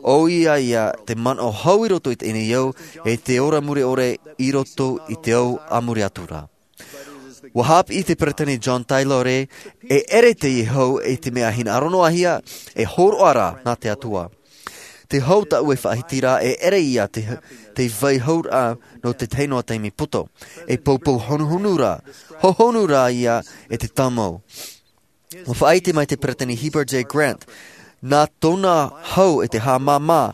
ʻOia ia te manaʻo hau i roto i teie nei ao, e te ora mure ʻore i roto i te ao a muri atu rā. Ua haʻapiʻi te Peresideni John Taylor ē, e ʻere teie hau i te mea hinaʻaro noa hia, e hōroʻa rā nā te Atua. Te hau tāʻu e faʻahiti ra, e ʻere ia te, te vai hau rā nō te tahi noa taime poto. E poupou honuhonu rā, hohonu rā ia e te tāmau. Ua faʻaʻite mai te Peresideni Heber J. Grant, nā tōna hau e te haʻamāmā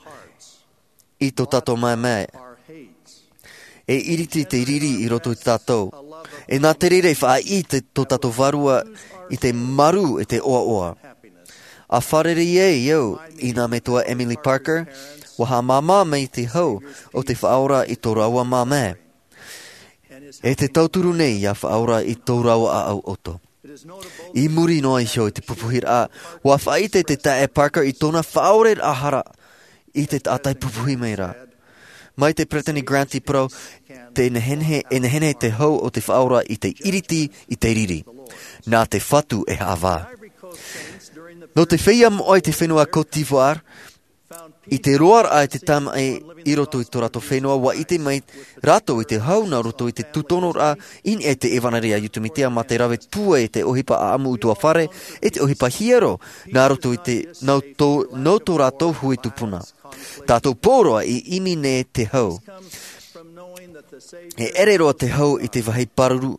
i tō tātou mamae. E iriti te riri i roto i tātou. E nā te reira e faʻaʻī te, tō tātou vārua i te marū e te ʻoaʻoa. ʻA fārerei ai au i nā metua Emily Parker, ua haʻamāmā mai te hau o te Faʻaora i tō rāua mamae. E te tauturu nei ia Faʻaora i tō rāua ʻāʻau ʻoutou. I muri noa iho i te pupuhiraʻa, ua faʻaʻite te taeaʻe Parker i tōna faʻaoreraʻa hara i te taʻata i pupuhi mai ra. Mai te Peresideni Grant i parau, te nehenehe, e nehenehe te hau o te Faʻaora i te iriti i te riri. Nā te Fatu e haʻavā. Nō te feiā moʻa i te fenua Côte d'Ivoire, I te roaraʻa e te tamaʻi i roto i tō rātou fenua, ua ʻite mai rātou i te hau nā roto i te tūtonoraʻa i niʻa i te ʻevanelia a Iesu Mesia, mā te rave pūai i te ʻohipa ʻaʻamu utuafare, i te ʻohipa hiero nā roto i te nō tō, nō tō rātou hui tupuna. Tātou pōroa i ʻimi nei te hau. E ʻere roa te hau i te vāhi pāruru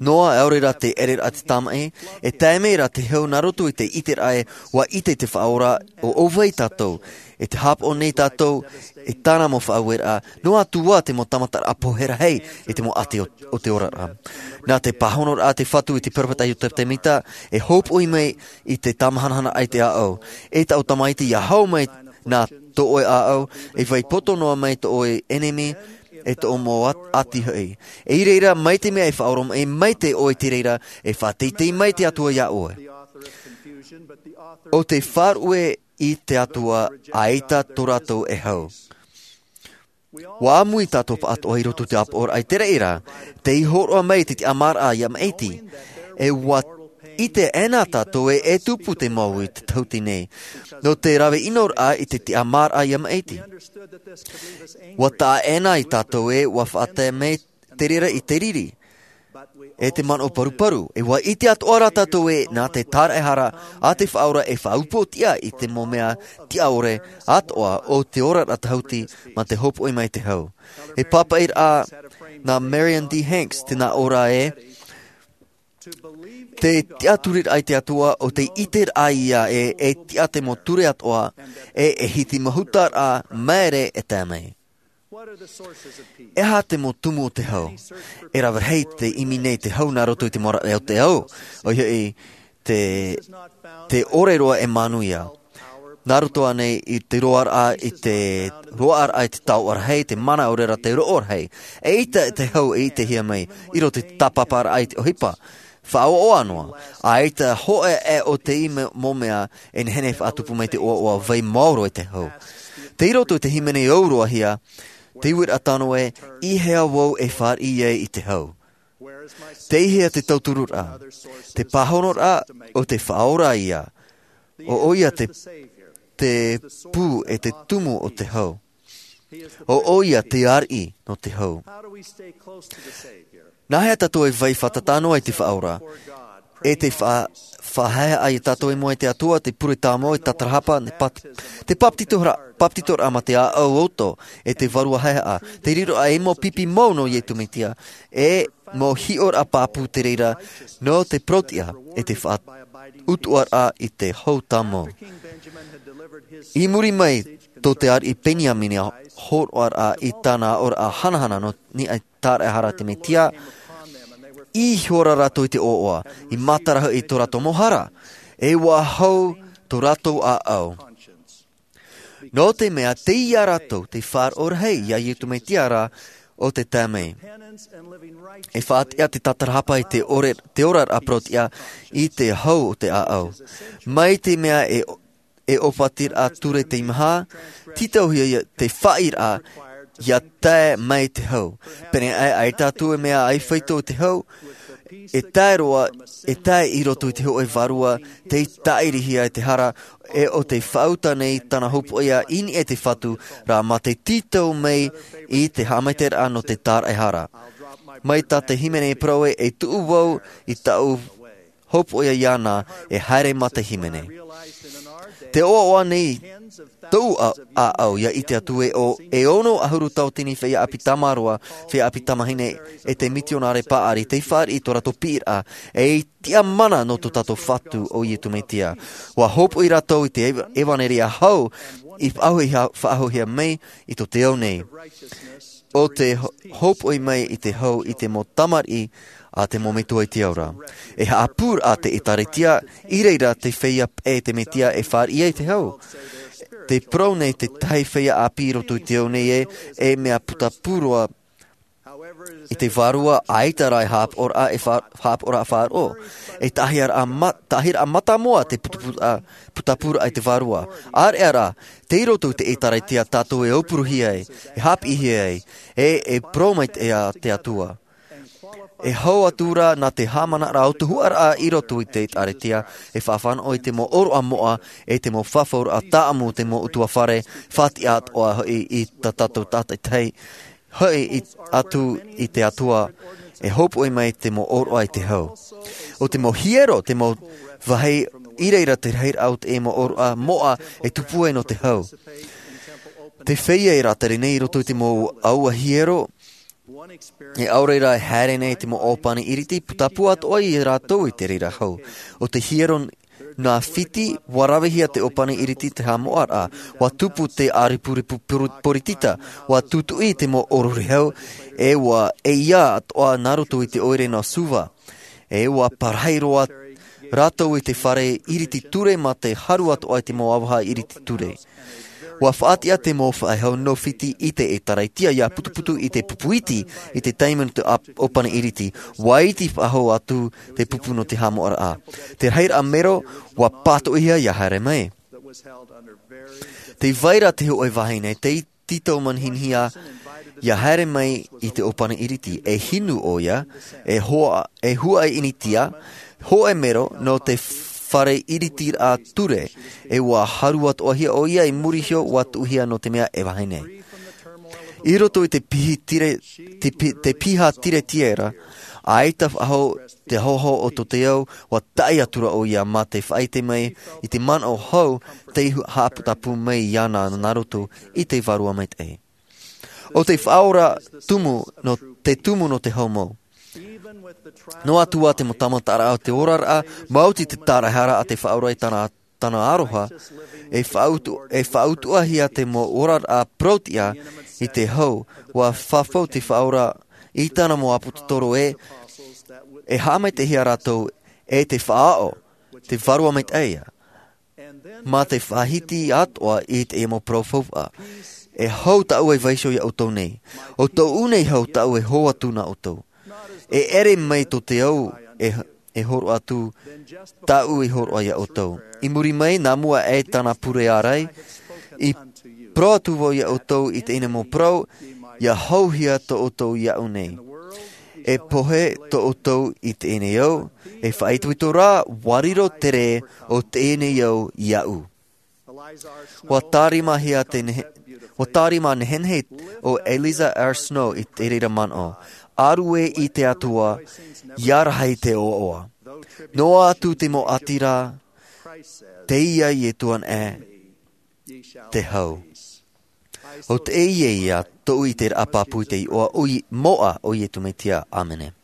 noa, ʻaore rā te ʻereraʻa te tamaʻi. E tae mai rā te hau nā roto i te ʻiteraʻa ē, ua ʻite te Faʻaora ʻo ʻo vai tātou, e te hāpaʻo nei tātou i tāna mau faʻaueraʻa, noa atu ā te mau tāmataraʻa pohe rahi i te mau ʻati o, o te oraraʻa. Nā te pāhonoraʻa a te Fatu i te peropheta Iosefa Semita, e hopoiʻa mai i te tāmahanahanaʻa i te ʻāʻau. E taʻu tamaiti, ʻia hau mai nā tō ʻoe ʻāʻau, e vai poto noa mai tō ʻoe ʻenemi, e tō ʻoe mau ʻat-, ʻati hoʻi. I reira, mai te mea e faʻaoromaʻi mai te ʻoe i te reira, e faʻateitei mai te Atua iā ʻoe. ʻO te faʻaruʻe i te Atua, ʻaita tō rātou e hau. ʻUa ʻāmui tātou pāʻatoʻa i roto i te ʻāpoʻoraʻa i te reira, tei hōroʻa mai te tiʻamāraʻa iā Maʻiti. E ʻua ʻite ʻē nā tātou ē, e tupu te mau i te tauatini nei, nō te rave ʻinoraʻa i te tiʻamāraʻa iā Maʻiti. ʻUa taʻa ʻē nā iā tātou ē, ʻua faʻatae mai te reira i te riri, e te manaʻo paruparu. E ʻua ʻite atoʻa rā tātou ē, nā te tāraʻehara a te Faʻaora e faʻaupoʻotiʻa i te mau mea tiʻa ʻore atoʻa o te oraraʻa tahuti mā te hopoiʻa mai i te hau. E pāpaʻiraʻa nā Marion D. Hanks te nā ʻō ra ē, te tiʻaturiraʻa i te Atua ʻo te ʻiteraʻa ia ē, e tiʻa te mau ture atoʻa, e, e hiti mahutaraʻa māere e tae mai. E aha te mau tumu o te hau? E rave rahi te ʻimi nei te hau nā roto i te mau raʻi o te ao, ʻoia hoʻi te, te ʻore roa e manuia. Nā roto ānei i te roaraʻa, i te roaraʻa, i te taoʻa rahi, te mana, ʻaore rā te roʻo rahi. E ʻaita te hau e ʻitehia mai i roto i te tāpaparaʻa i te ʻohipa. Faʻaʻoaʻoa noa, ʻaita hōʻē ʻē o te mau mea e nehenehe e faʻatupu mai te ʻoaʻoa, vai maoro i te hau. Tei roto i te hīmene ʻauroahia, te uiraʻa tano ē, i hea vau e fāriʻi ai i te hau? Tei hea te tautururaʻa? Te pāhonoraʻa ʻo te Faʻaora ia. ʻO ʻoia te, te pū e te tumu o te hau. ʻO ʻoia te ariʻi nō te hau. Nā hea tātou e vai fātata noa i te Faʻaora, e te fa-, faʻahaehaʻa iā tātou i mua i te Atua, te pure tāmau, e tātarahapa, te pat-, te papetitoraʻa, papetitoraʻa mā te ʻāʻau ʻoto, e te vārua haehaʻa, te riroraʻa i te mau pipi mau nō Iesu Mesia, e mau hiʻoraʻa pāpū te reira nō te parau-tiʻa, e te faʻautuʻaraʻa i te hau tāmau. I muri mai, tō te ariʻi Peniamina hōroʻaraʻa i tāna aʻoraʻa hanahana nō niʻa i te tāraʻehara a te Mesia, i hiʻo ra rātou i te ʻoaʻoa, i matara hoʻi i tō rātou mau hara, e ʻua hau tō rātou ʻāʻau. Nō te mea, tei iā rātou te faʻaroʻo rahi iā Iesu Mesia ra ʻo te tae mai. E faʻatiʻa te tātarahapa i te ʻore, te oraraʻa parau-tiʻa i te hau o te ʻāʻau. Mai te mea e, e ʻōpatiraʻa ture tei maha, tītauhia ia te faʻaʻiraʻa ʻia tae mai te hau. Pēneiaʻe, ʻaita atu e mea ʻaifeito i te hau, e tae roa, e tae i roto i te hōʻē vārua, tei tāʻirihia e te hara, e ʻo tei faʻauta nei tāna hopoiʻa i niʻa i te Fatu, rā mā te tītau mai i te haʻamaitaʻiraʻa nō te tāraʻehara. Mai tā te hīmene e parau ē, e tuʻu vau i tāʻu hopoiʻa iāna, e haere mā te hīmene. Tē ʻoaʻoa nei tōʻu ʻā-, ʻāʻau ʻia ʻite atu ē, ʻo, e ono ʻahuru tauatini feiā ʻāpī tamāroa, feiā ʻāpī tamāhine, e te mitionare paʻari, tei fāriʻi i tō rātou piʻiraʻa, ei tiʻamana nō tō tātou Fatu ʻo Iesu Mesia. ʻUa hopoiʻa rātou i te eva-, ʻevanelia hau i faʻahoʻihia, faʻahoʻihia mai i tō te ao nei. ʻO te ho-, hopoiʻa mai i te hau i te mau tamariʻi a te mau metua i te ao ra. E haʻapūraʻa te ʻĒtārētia, i reira te feiā paʻi a te Mesia e fāriʻi ai te hau. Tē parau nei te tahi feiā ʻāpī i roto i te ao nei ē, e mea putapū roa i te vārua, ʻaita rā e haʻapaʻoraʻa, e fa-, haʻapaʻoraʻa faʻaroʻo. E tāhiraʻa ma-, tāhiraʻa mātāmua te putapūraʻa, putapūraʻa i te vārua. ʻĀreʻa rā, tei roto i te ʻĒtārētia tātou e aupuruhia ai, e haʻapiʻihia ai, e, e parau mai te, te Atua. E hau atu rā nā te haʻamanaraʻa o te huaraʻa i roto i te ʻĒtārētia, e faʻafānaʻo i te mau ʻōroʻa moʻa, e te mau fafauraʻa tāʻamu o te mau ʻutuāfare, faʻatiʻa atoʻa hoʻi i tā tātou tātaʻitahi, hoʻi i, atu i te Atua, e hōpoʻi mai te mau ʻōroʻa i te hau. ʻO te mau hiero, te mau vāhi i reira te rahiraʻa o te mau ʻōroʻa moʻa e tupu ai nō te hau. Te feiā e rātere nei i roto i te mau ʻāua hiero, e ʻaore rā e haere nei te mau ʻōpani iriti, putapū atoʻa ia rātou i te reira hau. ʻO te hiero nā Fiti, ʻua ravehia te ʻōpani iriti te haʻamoʻaraʻa, ʻua tupu te ʻāripurepu poritita, ʻua tūtuʻi te mau ʻōrore hau, e ʻua ʻeiā atoʻa nā roto i te ʻoire nō Suva. E ʻua parahi roa rātou i te fare iriti ture mā te haru atoʻa i te mau avaha iriti ture. ʻUa faʻatiʻa te mau faʻehau nō Fiti i te ʻĒtārētia ʻia putuputu i te pupu iti, i te taime nō te ʻōp-, ʻōpani iriti, ʻua iti faʻahou atu te pupu nō te haʻamoʻaraʻa. Te rahiraʻa mero, ʻua pātoʻihia ʻia haere mai. Tē vai ra te hōʻē vāhi nei, tei tītau manihini ʻia haere mai i te ʻōpani iriti, e hinu ʻoia, e hoa-, e huaʻai initia, hōʻē mero nō te fare iritiraʻa ture, e ʻua haru atoʻahia ʻoia i muri iho ʻua tuʻuhia nō te mea e vāhi nei. I roto i te piha tire-, te pi-, te piha tiretia ra, ʻaita faʻahou te hōhō o tō te au, ʻua taʻi atura ʻoia mā te faʻaʻite mai i te manaʻo hou tei hu-, haʻaputapū mai iāna nā roto i te Vārua Maitaʻi. ʻO te faʻaora tumu nō, te tumu nō te hau mau. Noa atu ā te mau tāmataraʻa o te oraraʻa, maoti te taraehara a te Faʻaora i tāna, tāna aroha, e faʻautu-, e faʻautuʻahia te mau oraraʻa parauʻtiʻa i te hau, ʻua fafau te Faʻaora i tāna mau ʻāpōsetolo ē, e haʻamaitaʻihia rātou e te faʻaʻo, te Vārua Maitaʻi ïa. Mā te faʻahiti atoʻa i te mau parau faufaʻa. E hau tāʻu e vaiiho iā ʻoutou nei. ʻO tōʻu nei hau tāʻu e hō atu nā ʻoutou. E ʻere mai tō te au e, e hōroʻa atu, tāʻu e hōroʻa iā ʻoutou. I muri mai, nā mua aʻe tāna pure ārai, i parau atu vau iā ʻoutou i teie nei mau parau, ʻia hauhia tō ʻoutou iāʻu nei. E pohe tō ʻoutou i teie nei au, e faʻaitoito rā, ʻua riro te rē o teie nei au iāʻu. ʻUa tārimahia te nehe-, ʻua tārima nehenehe ʻo Eliza R. Snow i te reira manaʻo. ʻĀruʻe i te Atua, ʻia rahi te ʻoaʻoa. Noa atu te mau ʻati ra, teie Ietu anaʻe, te hau. ʻO teie ïa tōʻu ʻiteraʻa pāpū i te iʻoa o Ie-, moʻa o Ietu Metia. ʻĀmene.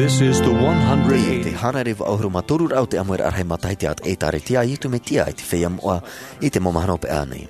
This is the one hundred eighty. Te hānere vaʻu ʻahuru mā toru ra o te ʻāmuiraʻa rahi matahiti a te ʻĒtārētia a Ietu Metia i te feiā moʻa i te mau mahana hopeʻa nei.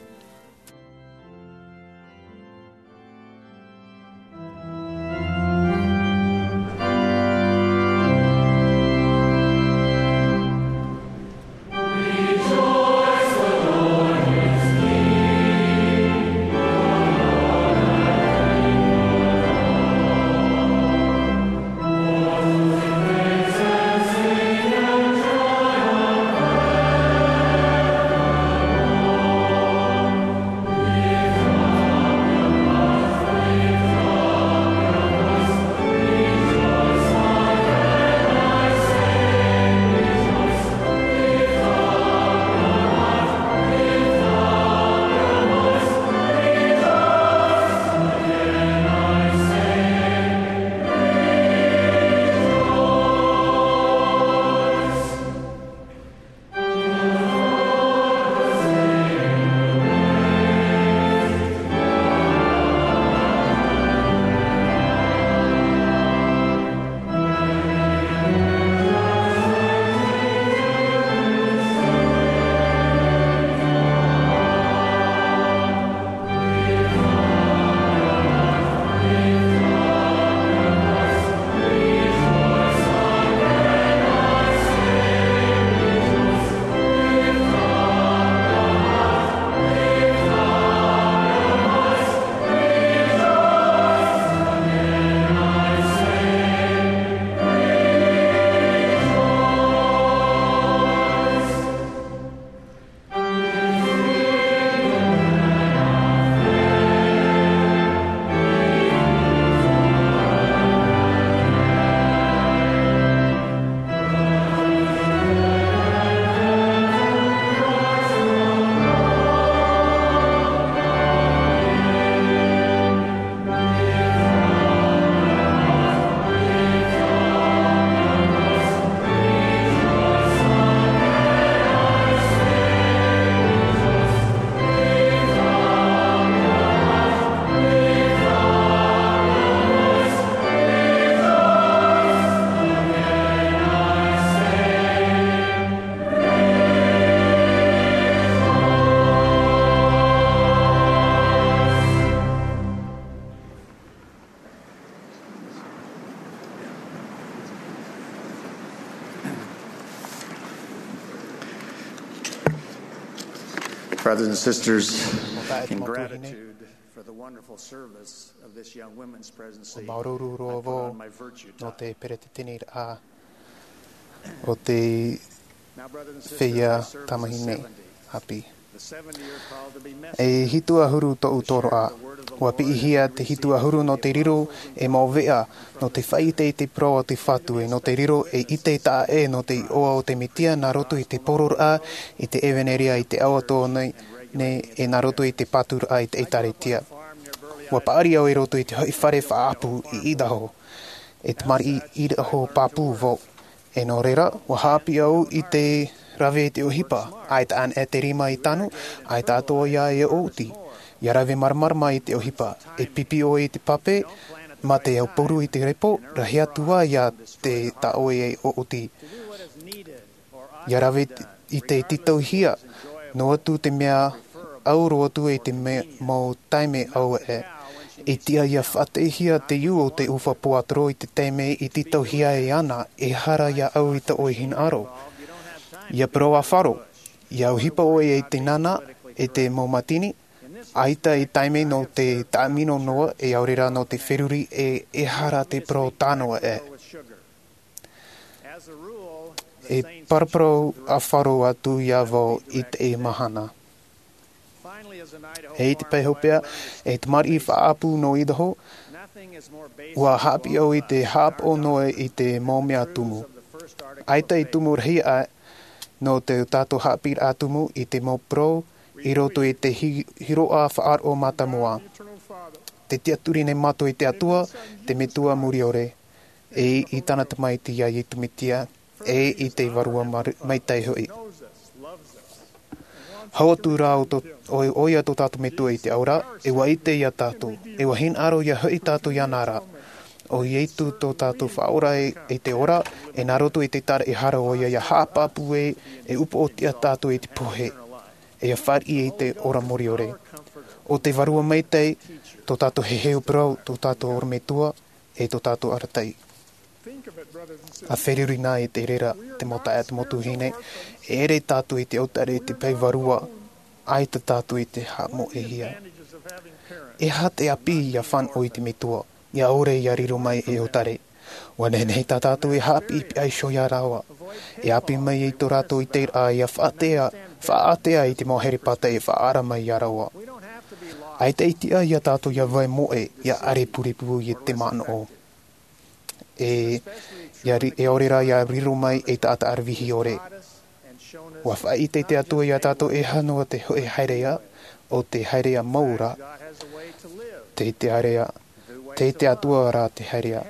Brothers and sisters, in gratitude for the wonderful service of this young women's presidency, I put on my virtue tie. Māuruuru roa vau nō te peretiteniraʻa o te feiā tamahine ʻāpī. E hitu ʻahuru tōʻu toroʻa. ʻUa piʻihia te hitu ʻahuru nō te riro e mau veʻa, nō te faʻaʻite i te parau a te Fatu, e nō te riro e ʻite taʻa ʻē nō te iʻoa o te Mesia nā roto i te poroʻraʻa i te ʻevaneria i te ao atoʻa nei, e nā roto i te pāturaʻa i te ʻĒtārētia. ʻUa paʻari au i roto i te hoʻi fare faʻaʻapu i Idaho, e tamariʻi Idaho pāpū vau. E nō reira, ʻua haʻapiʻi au i te rave i te ʻohipa, ʻaita anaʻe te rima i tanu, ʻaita atoʻa ia e ʻōti. ʻIa rave māramarama i te ʻohipa, e pipi ʻoe i te pape, mā te aupuru i te repo, rahi atu ā ia te tā ʻoe e ʻōti. ʻIa rave i te tītauhia, noa atu te mea ʻau roa atu i te mea mau taime ʻau ē. E tiʻa ʻia faʻateʻehia te iu o te ʻufa pōatoro i te taime i tītauhia e ana, e hara ia ʻau i tō ʻoe hinaʻaro. ʻIa parau ā Faro, ʻia ʻohipa ʻoe i te nana, e te mau mātini, ʻaita e taime nō te taʻamino noa, e ʻaore rā nō te feruri, e, e hara te parau tā noa ē. E paraparau a Faro atu ia vau i teie mahana. E i te pae hopeʻa, e tamariʻi faʻaʻapu nō Idaho, ʻua haʻapiʻi au i te haʻapaʻo noa i te mau mea tumu. ʻAita e tumu rahi aʻe nō tō tātou haʻapiʻiraʻa tumu i te mau parau i roto i te hi-, hiroʻa faʻaroʻo mātāmua. Tē tiʻaturi nei mātou i te Atua, te Metua Muriore, e i tāna Tamaiti ia Iesu Mesia, e i te Vārua Mar-, Maitaʻi hoʻi. Hau atu rā ʻo tō, ʻo, ʻoia tō tātou Metua i te ao ra, e ʻua ʻite ia tātou, e ʻua hinaʻaro ia hoʻi tātou iāna ra. ʻO Iesu tō tātou Faʻaora e, e te ora, e nā roto i te taraʻehara ʻoia ʻia haʻapaʻo ē, e upoʻotiʻa tātou i te pohe, e ʻia fāriʻi i te ora muriore. ʻO te Vārua Maitaʻi, tō tātou heheu parau, tō tātou orometua, e tō tātou arataʻi. ʻA feruri na i te reira, te mau taeaʻe, te mau tuahine, e ʻere tātou i te ʻautare i te pae vārua, ʻaita tātou i te haʻamoʻehia. E aha te ʻāpī ʻia fānaʻo i te Metua, ʻia ʻore ʻia riro mai ei ʻautare? ʻUa nehenehe tā tātou e haʻapiʻipiʻi iho ia rāua. E ʻāpī mai i tō rātou ʻiteraʻa ʻia faʻaʻātea, faʻaʻātea i te mau here pātai e faʻaara mai ia rāua. ʻAita e tiʻa ia tātou ʻia vai moʻe, ʻia ʻare purepure i te manaʻo. E, ʻia ri-, e ʻaore rā ʻia riro mai ei taʻata aravihi ʻore. ʻUa faʻaʻite te Atua ia tātou e aha noa te hōʻē haereʻa, ʻo te haereʻa mau ra. Tei te haereʻa, tei te Atua rā te haereʻa.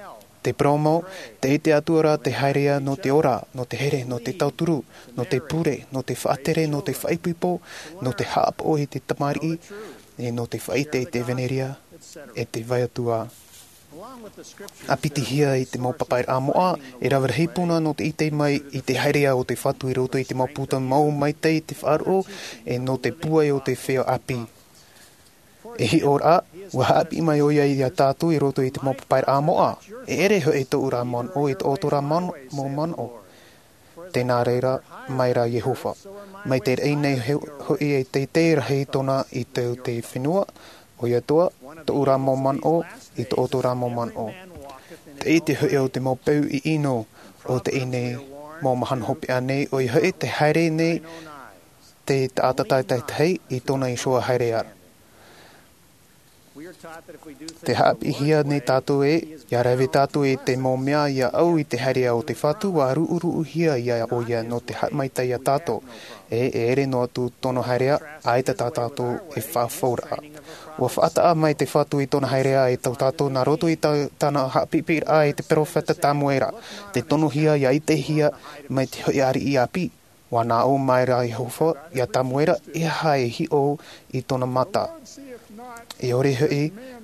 Te parau mau, tei te Atua rā te haereʻa nō te ora, nō te here, nō te tauturu, nō te pure, nō te faʻatere, nō te faʻaipoipo, nō te haʻapaʻo i te tamariʻi, e nō te faʻaʻite i te ʻevaneria, e te vai atu ā. ʻA pitihia i te mau papaʻiraʻa moʻa, e rave rahi puna nō te ʻite mai i te haereʻa o te Fatu i roto i te mau puta mau maitaʻi i te faʻaroʻo, e nō te pūai o te feiā ʻāpī. E hiʻo rā, ʻua haʻapiʻi mai ʻoia ia tātou i roto i te mau papaʻiraʻa moʻa. E ʻere hoʻi tōʻu ra manaʻo i tō ʻoutou ra man-, mau manaʻo. Tē nā reira mai ra Iehova. Mai te raʻi nei he-, hoʻi e teitei rahi tōna i tō te fenua, ʻoia atoʻa, tōʻu ra mau manaʻo i tō ʻoutou ra mau manaʻo. Te ʻite hoʻi o te mau peu ʻino o teie nei mau mahana hopeʻa nei, ʻoia hoʻi te haere nei te taʻata tātaitahi i tōna iho ā haereʻa. Tē haʻapiʻihia nei tātou ē, ʻia rave tātou i te mau mea ʻia ʻau i te haereʻa o te Fatu, ʻua ruʻuruʻuhia ia ʻoia nō te haʻamaitaʻi ia tātou. E, e ʻere noa atu tōna haereʻa, ʻaita tā tātou e faʻafauraʻa. ʻUa faʻataʻa mai te Fatu i tōna haereʻa e tō tātou nā roto i tā-, tāna haʻapiʻipiʻiraʻa i te peropheta Tamuera. Tē tonohia ʻia ʻitehia mai te hōʻē ariʻi ʻāpī. ʻUa nā ʻō mai ra Iehova ia Tamuera, e aha e hiʻo i tōna mata? E ʻore hoʻi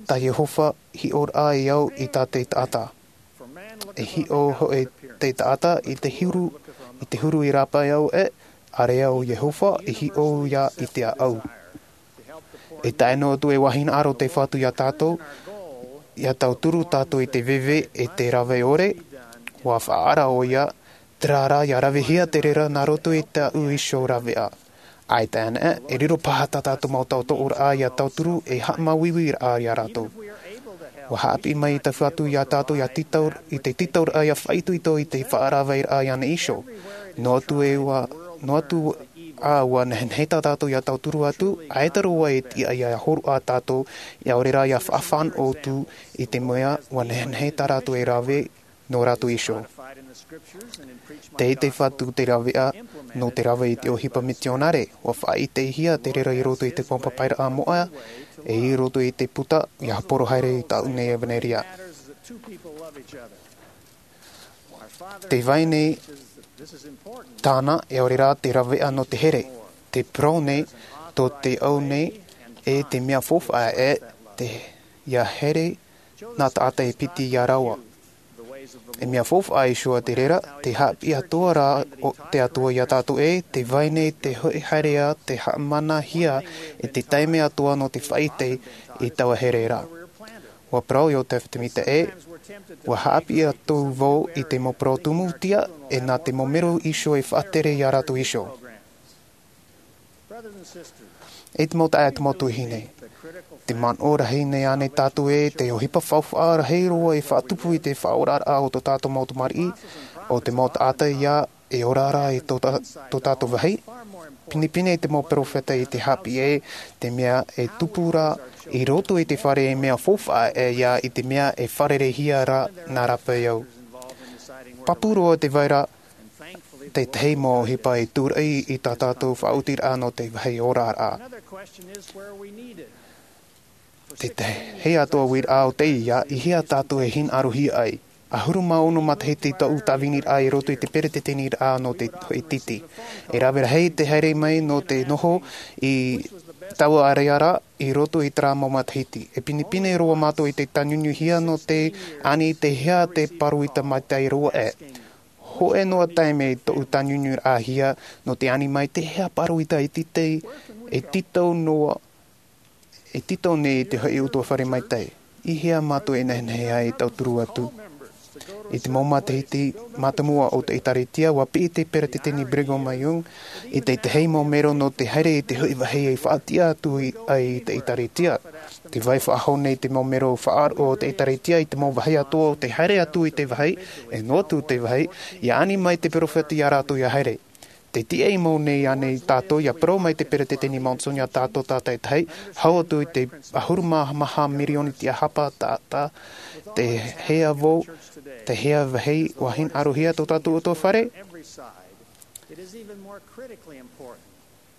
tā Iehova hiʻoraʻa e au i tā te taʻata. E hiʻo hoʻi te taʻata i te huru, i te huru i rāpae au ē, ʻāreʻa ʻo Iehova e hiʻo ia i te ʻāʻau. E tae noa atu e vāhi hinaʻaro te Fatu ia tātou, ʻia tauturu tātou i te veve e te rave ʻore, ʻua faʻaara ʻoia, terā rā ʻia ravehia te reira nā roto i tāʻu iho raveʻa. ʻAita ana, e riro paha tā tātou mau tautooraʻa ia tauturu e haʻamāuiuiraʻa ia rātou. Ua haʻapiʻi mai i te Fatu ia tātou ia tītau, i te tītauraʻa ia faʻaitoito i te faʻaravaʻiraʻa i ʻōna iho. Noa atu e ua, noa atu ā ua nehenehe tā tātou ia tauturu atu, ʻaita roa e tiʻa ia hōroʻa tātou, ia ʻore rā ia faʻafānaʻo atu i te mea ua nehenehe tā rātou e rave nō rātou iho. Tei te Fatu te raveʻa nō te rave i te ʻohipa mitionare, ua faʻaʻitehia te reira i roto i te mau papairaʻa moʻa, e i roto i te puta, ia haporo haere i tāʻu nei ʻevanelia. Te vai nei tāna, e ʻore rā te raveʻa nō te here, te parau nei, tō te au nei, e te mea faufaʻa e te, ia here nā taʻata e piti ia rāua. E mea faufaʻa iho te reira, te haʻapiʻi atoʻa rā o te Atua ia tātou ē, te vai nei te hoʻi haereʻa, te haʻamanahia e te taime atoʻa nō te faʻaʻite i taua here ra. Ua parau Iosepha Semita ē, ua haʻapiʻi atu vau i te mau parau tumutia, e nā te mau mero iho e faʻatere ia rātou iho. E te mau taeaʻe, te mau tuahine, te manaʻo rahi nei ānei tātou ē, te ʻohipa faufaʻa rahi roa e faʻatupu i te faʻaoraraʻa o tō tātou mau tamariʻi, o te mau taʻata ia e ora ra i tō tā-, tō tātou vāhi? Pinepine te mau peropheta i te haʻapiʻi ē, te mea e tupu ra i roto i te fare e mea faufaʻa ʻē ia i te mea e fārereihia ra nā rāpae au. Pāpū roa te vai ra, tētahi mau ʻohipa e tūraʻi i tā tātou faʻaotiraʻa nō te vāhi oraraʻa. Te tahi atoʻa uiraʻa o teie, i hea tātou e hinaʻarohia ai? ʻAhuru mā ono matahiti tōʻu tāviniraʻa i roto i te peretiteniraʻa nō te hoʻi tītī. E rave rahi te haere mai nō te noho i taua area ra i roto i terā mau matahiti. E pinepine roa mātou i te tānunuhia nō te ani te hea te pāroita maitaʻi roa ē. Hōʻē noa taime tōʻu tānunuhia nō te ani mai te hea pāroita e tītau, e tītau noa, e tītau nei i te hoʻi ʻutuāfare maitaʻi. I hea mātou e nehenehe ai e tauturu atu? I te mau matahiti mātāmua o te ʻĒtārētia, ua piʻi te peretiteni Brigham Young i te tahi mau mero nō te haere i te hoʻi vāhi e faʻatiʻa atu i, ai i te ʻĒtārētia. Te vai faʻahou nei te mau mero faʻaroʻo o te ʻĒtārētia i te mau vāhi atoʻa o te haere atu i te vāhi, e noa atu te vāhi, ia ani mai te peropheta ia rātou ia haere. Te tiʻa mau nei ānei tātou ia parau mai te peretiteni Monson ia tātou tātaʻitahi, hau atu i te ʻahuru mā maha mirioni tiʻahapa taʻata, te hea vau, te hea vāhi ua hinaʻarohia tō tātou ʻutuāfare? It is even more critically important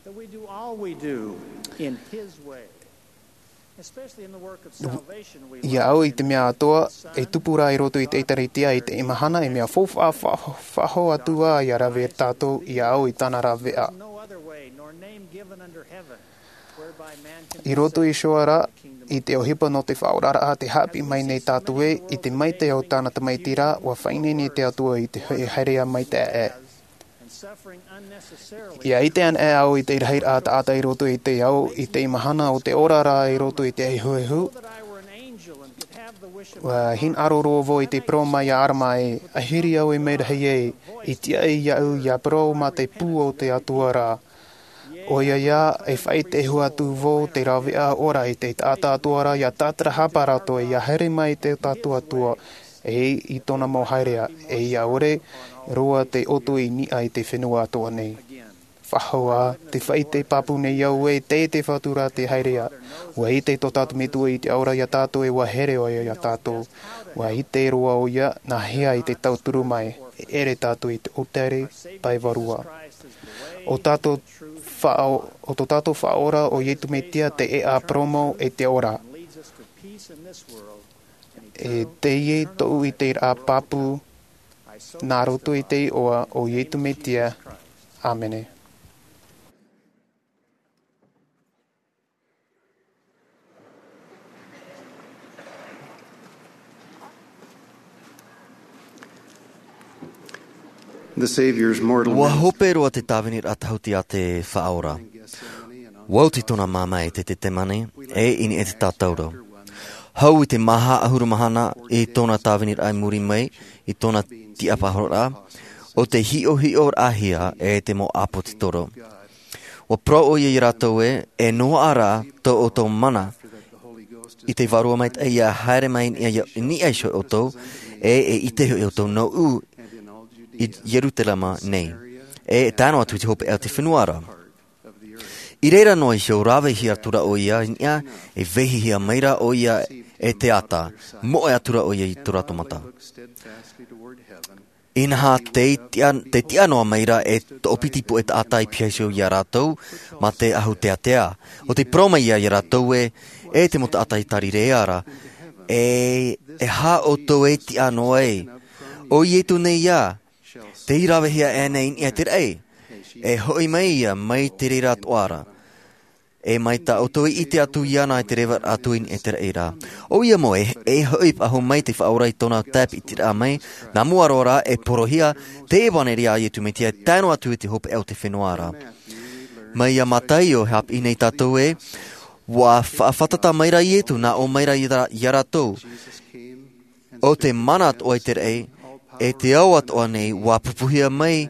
that we do all we do in His way, especially in the work of salvation we Ia au i te mea atoʻa, e tupu ra i roto i te ʻĒtārētia i te mahana, e mea faufaʻa, fa-, faʻahou atu ā ia rave tātou, ia au i tāna raveʻa. No other way nor name given under heaven whereby man can I roto iho ra, i te ʻohipa nō te faʻaoraraʻa te haʻapiʻi mai nei tātou ē, i te maitaʻi o tāna Tamaiti ra, ua faʻaineine te Atua i te hoʻi haereʻa maitaʻi ē. Ia ʻite ana ē au i te rahiraʻa taʻata i roto i te ao, i te mahana o te ora ra i roto i te ehuehu. Ua hinaʻaro roa vau i te parau mai iā ʻArama ē, ʻahiri au e mea rahi ē, i tiʻa iāʻu ia parau mā te pū o te Atua ra. ʻOia ā, e faʻaʻite hua atu vau te raveʻa ora i te taʻata atoʻa ra ia tātarahapa rātou ia haere mai i tō tātou Atua, e i tōna mau haereʻa, e ia ʻore roa te ʻoto i niʻa i te fenua atoʻa nei. Faʻahou ā, te faʻaʻite pāpū nei au ē, tei te Fatu ra te haereʻa. Ua ʻite tō tātou Metua i te ao ra iā tātou e ua here ʻoia iā tātou. Ua ʻite roa ʻoia, nā hea i te tauturu mai, e ʻere tātou i te ʻōtare pae vārua. ʻO tātou faʻa-, ʻo tō tātou Faʻaora ʻo Iesu Mesia te ʻēʻa parau mau e te ora. E teie tōʻu ʻiteraʻa pāpū, nā roto i te iʻoa o Iesu Mesia. ʻĀmene. The Savior's mortal Ua ministry. Hope roa te tāviniraʻa tāhuti a te Faʻaora. Ua oti tōna māmā i te Tetemane, e i niʻa i te tātauro. Hau i te maha ʻahuru mahana i tōna tāviniraʻa i muri mai, i tōna tiʻaparahiraʻa, ʻo te hiʻohiʻoraʻahia e te mau ʻāpōsetolo. Ua parau ʻoia iā rātou ē, e noaʻa rā tō ʻoutou mana i te Vārua Maitaʻi ʻia haere mai i niʻa, i niʻa iho iā ʻoutou, ʻe e ʻite hoʻi ʻoutou nōʻu i Ierutarema nei, ʻe e tae noa atu i te hopeʻa o te fenua ra. I reira noa iho, ravehia atura ʻoia i niʻa, e vehihia maira ʻoia e te ata, moʻe atura ʻoia i tō rātou mata. Inaha te tiʻa, te tiʻa noa maira e toʻopiti puʻe taʻata i piha iho iā rātou, mā te ahu teatea. ʻO tē parau mai iā, iā rātou ē, e te mau taʻata i Tarirea ra, e, e aha ʻoutou e tiʻa noa ai? ʻO Ietu nei ïa, tei ravehia e nei i niʻa i te raʻi, e hoʻi mai ïa mai te reira atoʻa ra. ʻE mai tā ʻoutou i ʻite atu iāna i te reva atu i niʻa i te raʻi ra. ʻOia mau ē, e hoʻi faʻahou mai te Faʻaora i tōna tāpitiraʻa mai, nā mua roa rā e porohia te ʻevaneria a Ietu Metia e tae noa atu i te hopeʻa o te fenua ra. Mai iā Mataio, e haʻapiʻi nei tātou ē, ua faʻafātata maira Ietu, nā ʻō maira iā, iā rātou, ʻo te mana atoʻa i te raʻi, ʻe te ao atoʻa nei, ua pupuhia mai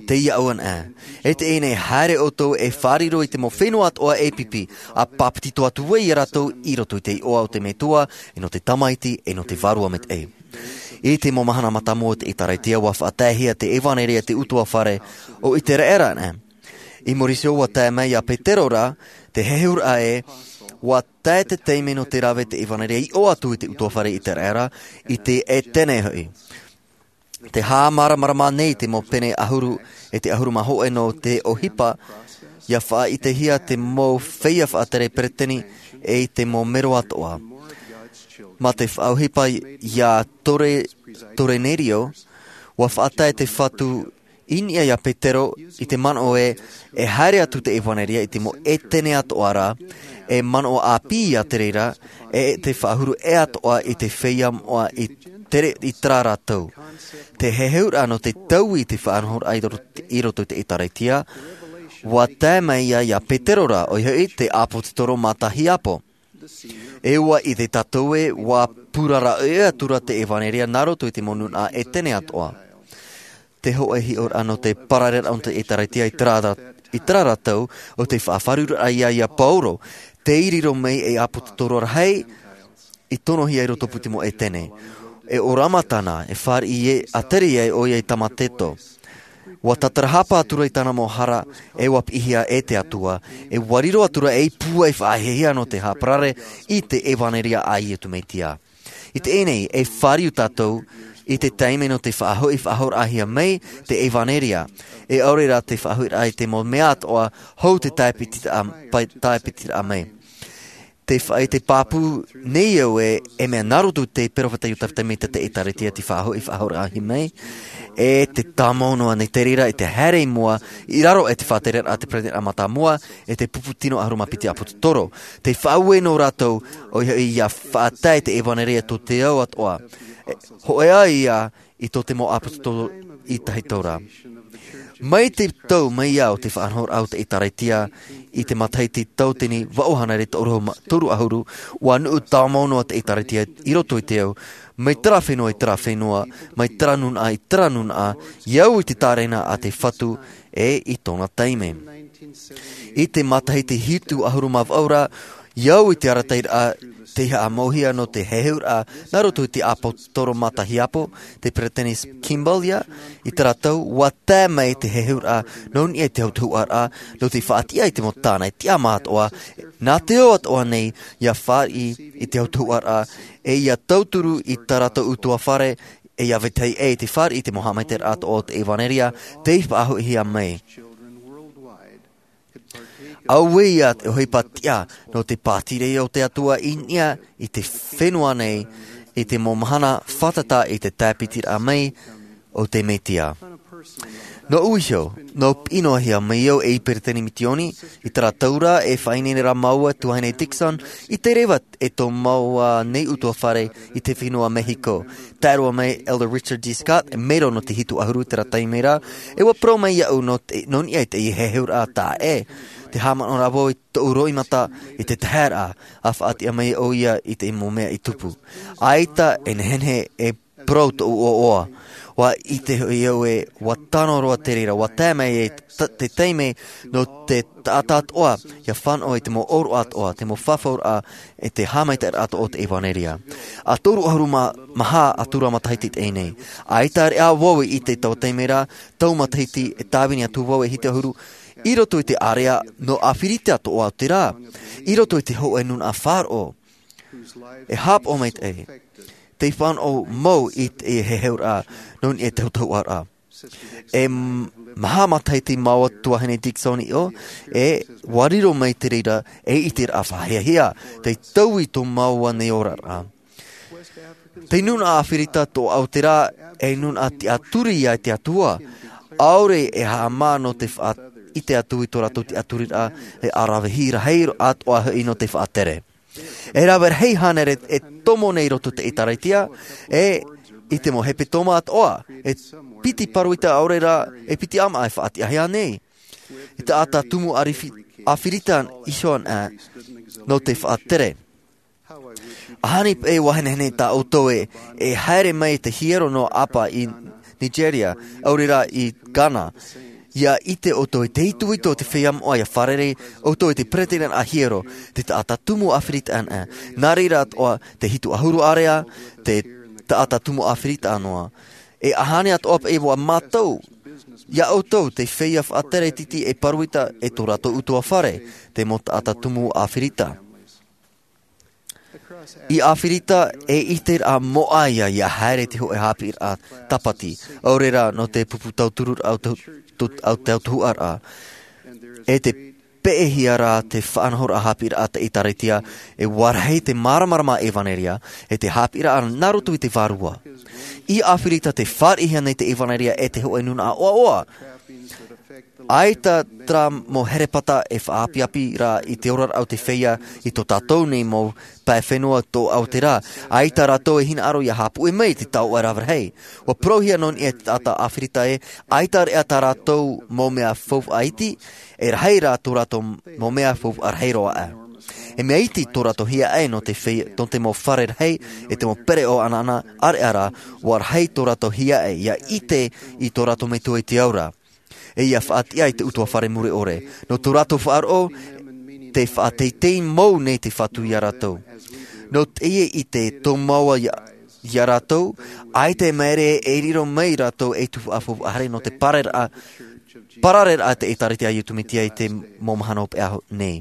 teie ʻāuanaʻa. E teie nei, haere ʻoutou e fāriro i te mau fenua atoʻa e pipi, ʻa pāpetito atu ai iā rātou i roto i te iʻoa o te Metua, ʻe nō te Tamaiti, ʻe nō te Vārua Maitaʻi. I te mau mahana mātāmua o te ʻĒtārētia, ua faʻataehia te ʻevaneria i te ʻutuāfare o Iteraera na. I muri iho, ua tae mai iā Petero ra te heheuraʻa ē, ua tae te taime nō te rave te ʻevaneria i ʻō atu i te ʻutuāfare Iteraera, i te Etene hoʻi. Tē haʻamāramarama nei te mau pene ʻahuru ʻe te ʻahuru mā hōʻē nō te ʻohipa, ʻia faʻaʻitehia te mau feiā faʻatere peretiteni ʻe i te mau mero atoʻa. Mā te faʻaʻohipa iā Tore-, Torenerio, ua faʻatae te Fatu i niʻa iā Petero i te manaʻo ē, e haere atu te ʻevaneria i te mau Etene atoʻa ra, e manaʻo ʻāpī iā te reira, ʻe te faʻahuru ʻē atoʻa i te feiā moʻa i tere i terā ra tau. Te heheuraʻa nō te taui i te faʻanahoraʻa i ro-, i roto i te ʻĒtārētia, ua tae mai iā, iā Petero ra, ʻoia hoʻi te ʻāpōsetolo Matahiapo. E ʻua ʻite tātou ē, ua purara ʻē atura te ʻevaneria nā roto i te mau nūnaʻa Etene atoʻa. Te hōʻē hiʻoraʻa nō te parareraʻa o te ʻĒtārētia i terā ra-, i terā ra tau, ʻo te faʻafaʻaroʻoraʻa iā, iā Paulo, tei riro mai ei ʻāpōsetolo rahi, i tonohia i roto pū te mau Etene. E ʻōrama tāna, e fāriʻi ē, a tere ai ʻoia i Tamateto. Ua tātarahapa atura i tāna mau hara, e ua piʻihia e te Atua, e ua riro atura ei pūai faʻahiahia nō te haʻaparare i te ʻevaneria a Ietu Metia. I teie nei, e fāriu tātou i te taime nō te faʻahoʻi faʻahouraʻahia mai te ʻevaneria, e ʻaore rā te faʻahoʻiraʻa i te mau mea atoʻa hou te tāpitiraʻa, pa-, tāpitiraʻa mai. Te faʻaʻite pāpū nei au ē, e mea nā roto te peropheta Iosepha Sāmita te ʻĒtārētia te faʻahoʻi faʻahouraʻahia mai, e te tāmau noa nei te reira i te haere i mua, i raro i te faʻatereraʻa a te peretiteni mātāmua, e te pupu tino ʻahuru mā piti ʻāpōsetolo. Te faʻaue nō rātou, ʻoia hoʻi ʻia faʻatae te ʻevaneria tō te ao atoʻa. E, hōʻē ā ïa i tō te mau ʻāpōsetolo i tahito ra. Mai te tau mai ā o te faʻanahoraʻa o te ʻĒtārētia i te matahiti tauatini vaʻu hānere toru ma-, toru ʻahuru, ua nuʻu tāmau noa te ʻĒtārētia i roto i te ao, mai terā fenua i terā fenua, mai terā nūnaʻa i terā nūnaʻa, i au i te tārena a te Fatu ʻe i tōna taime. I te matahiti hitu ʻahuru mā vaʻu ra, i au i te arataʻiraʻa tei haʻamauhia nō te heheuraʻa nā roto i te ʻāpōsetolo Matahiapo, te peretiteni Kimball ïa, i terā tau, ua tae mai te heheuraʻa nō niʻa i te autahuʻaraʻa, nō te faʻatiʻa i te mau tāne tiʻamā atoʻa, nā te ao atoʻa nei, ʻia fāriʻi i te autahuʻaraʻa, e ʻia tauturu i tā rātou ʻutuāfare, e ʻia vetahi ʻē i te fāriʻi i te mau haʻamaitaʻiraʻa atoʻa o te ʻevaneria, tei faʻahoʻihia mai. Auē ïa te ʻohipa tiʻa nō te pātireia o te Atua i niʻa i te fenua nei, i te mau mahana fātata i te tāpitiraʻa mai o te Metia. Nōʻu iho, nō piʻi noa hia mai au ei peretiteni misiōni, i terā tau ra e faʻaineine ra māua e tuahine Dixon, i te reva e tō māua nei ʻutuāfare i te fenua Mehiko. Tae roa mai Elder Richard G. Scott, e mero nō te hitu ʻahuru i terā taime ra, e ua parau mai iāʻu nō te, nō niʻa i te heheuraʻa taʻa ʻē. Tē haʻamanaʻo ra vau i tōʻu roimata i te taheraʻa, ʻa faʻatiʻa mai ʻoia i te mau mea i tupu. ʻAita e nehenehe e parau tōʻu ʻoaʻoa. ʻUa ʻite hoʻi au ē, ʻua tano roa te reira, ʻua tae mai e ta-, te taime nō te taʻata atoʻa, ʻia fānaʻo i te mau ʻōroʻa atoʻa, te mau fafauraʻa, e te haʻamaitaʻiraʻa atoʻa o te ʻevanelia. ʻA toru ʻahuru mā, maha atu ra matahiti teie nei. ʻAita reʻa vau i ʻite i taua taime ra, taua matahiti e tāvini atu vau e hitu ʻahuru, i roto i te ārea nō ʻĀfirita atoʻa o te rā, i roto i te hōʻē nūnaʻa faʻaroʻo. E haʻapaʻo maitaʻi, tei fānaʻo mau i te heheuraʻa, nō niʻa i te tauturu ra. E m-, maha matahiti mau atu tuahine Dixon i ʻō, e ʻua riro mai te reira, e ʻiteraʻa faʻahiahia, tei taui tō māua nei oraraʻa. Te nūnaʻa ʻĀfirita tō Aotearoa, e nūnaʻa tiʻaturi ia i te Atua. ʻAore e haʻamā nō te faʻaʻite atu i tō rātou tiʻaturiraʻa, e ʻaravihi rahi atoʻa hoʻi nō te faʻatere. E rave rahi hānere e tomo nei i roto i te ʻĒtārētia, e i te mau hepetoma atoʻa, e piti pāroita ʻaore rā, e piti ʻāmaʻa e faʻatiʻahia nei. E taʻata tumu ʻārifi-, ʻĀfirita iho anaʻe, nō te faʻatere. ʻAhani paʻi ʻua nehenehe tā ʻoutou e, e haere mai te hiero nō Apa i Nigeria, ʻaore rā i Ghana. ʻIa ʻite ʻoutou i te itoito o te feiā moʻa ʻia fārerei ʻoutou i te peretiteni hiero, te taʻata tumu ʻĀfirita anaʻe. Nā reira atoʻa, te hitu ʻahuru ārea, te taʻata tumu ʻĀfirita noa. E ʻahani atoʻa paʻi ʻua mātau, ia ʻoutou te feiā faʻatere tītī e pāroita e tō rātou ʻutuāfare, te mau taʻata tumu ʻĀfirita. I ʻĀfirita e ʻiteraʻa moʻa ia, ʻia haere te hōʻē haʻapiʻiraʻa tāpati, ʻaore rā nō te pupu tautururaʻa o te, o te, o te tautuhuʻaraʻa. E te peʻehia rā te faʻanahoraʻa haʻapiʻiraʻa te ʻĒtārētia, e ʻua rahi te māramarama ʻevanelia, e te haʻapiʻiraʻa nā roto i te vārua. I ʻĀfirita tē fāriʻihia nei te ʻevanelia e te hōʻē nūnaʻa ʻoaʻoa. ʻAita terā mau herepata e faʻaʻapiʻapi ra i te oraraʻa o te feiā i tō tātou nei mau pae fenua tō Aotearoa. ʻAita rātou e hinaʻaro ʻia haʻapuʻe mai i te taoʻa rave rahi. ʻUa parauhia nō niʻa i te taʻata ʻĀfirita ē, ʻaita reʻa tā rātou mau mea faufaʻa iti, e rahi rā tō rātou mau mea faufaʻa rahi roa aʻe. E mea iti tō rātou hiaʻai nō te fei-, nō te mau fare rahi, e te mau pereʻoʻo anaʻana, ʻāreʻa rā, ʻua rahi tō rātou hiaʻai, ʻia ʻite i tō rātou Metua i te ao ra. E ʻia faʻatiʻa i te ʻutuāfare mure ʻore. Nō tō rātou faʻaroʻo, tē faʻateitei mau nei te Fatu ia rātou. Nō teie ʻite tō māua ia, ia rātou, ʻaita e māere e riro mai rātou ei tuhaʻa faufaʻa rahi nō te parareraʻa, parareraʻa te ʻĒtārētia a Iesu Mesia i te mau mahana hopeʻa nei.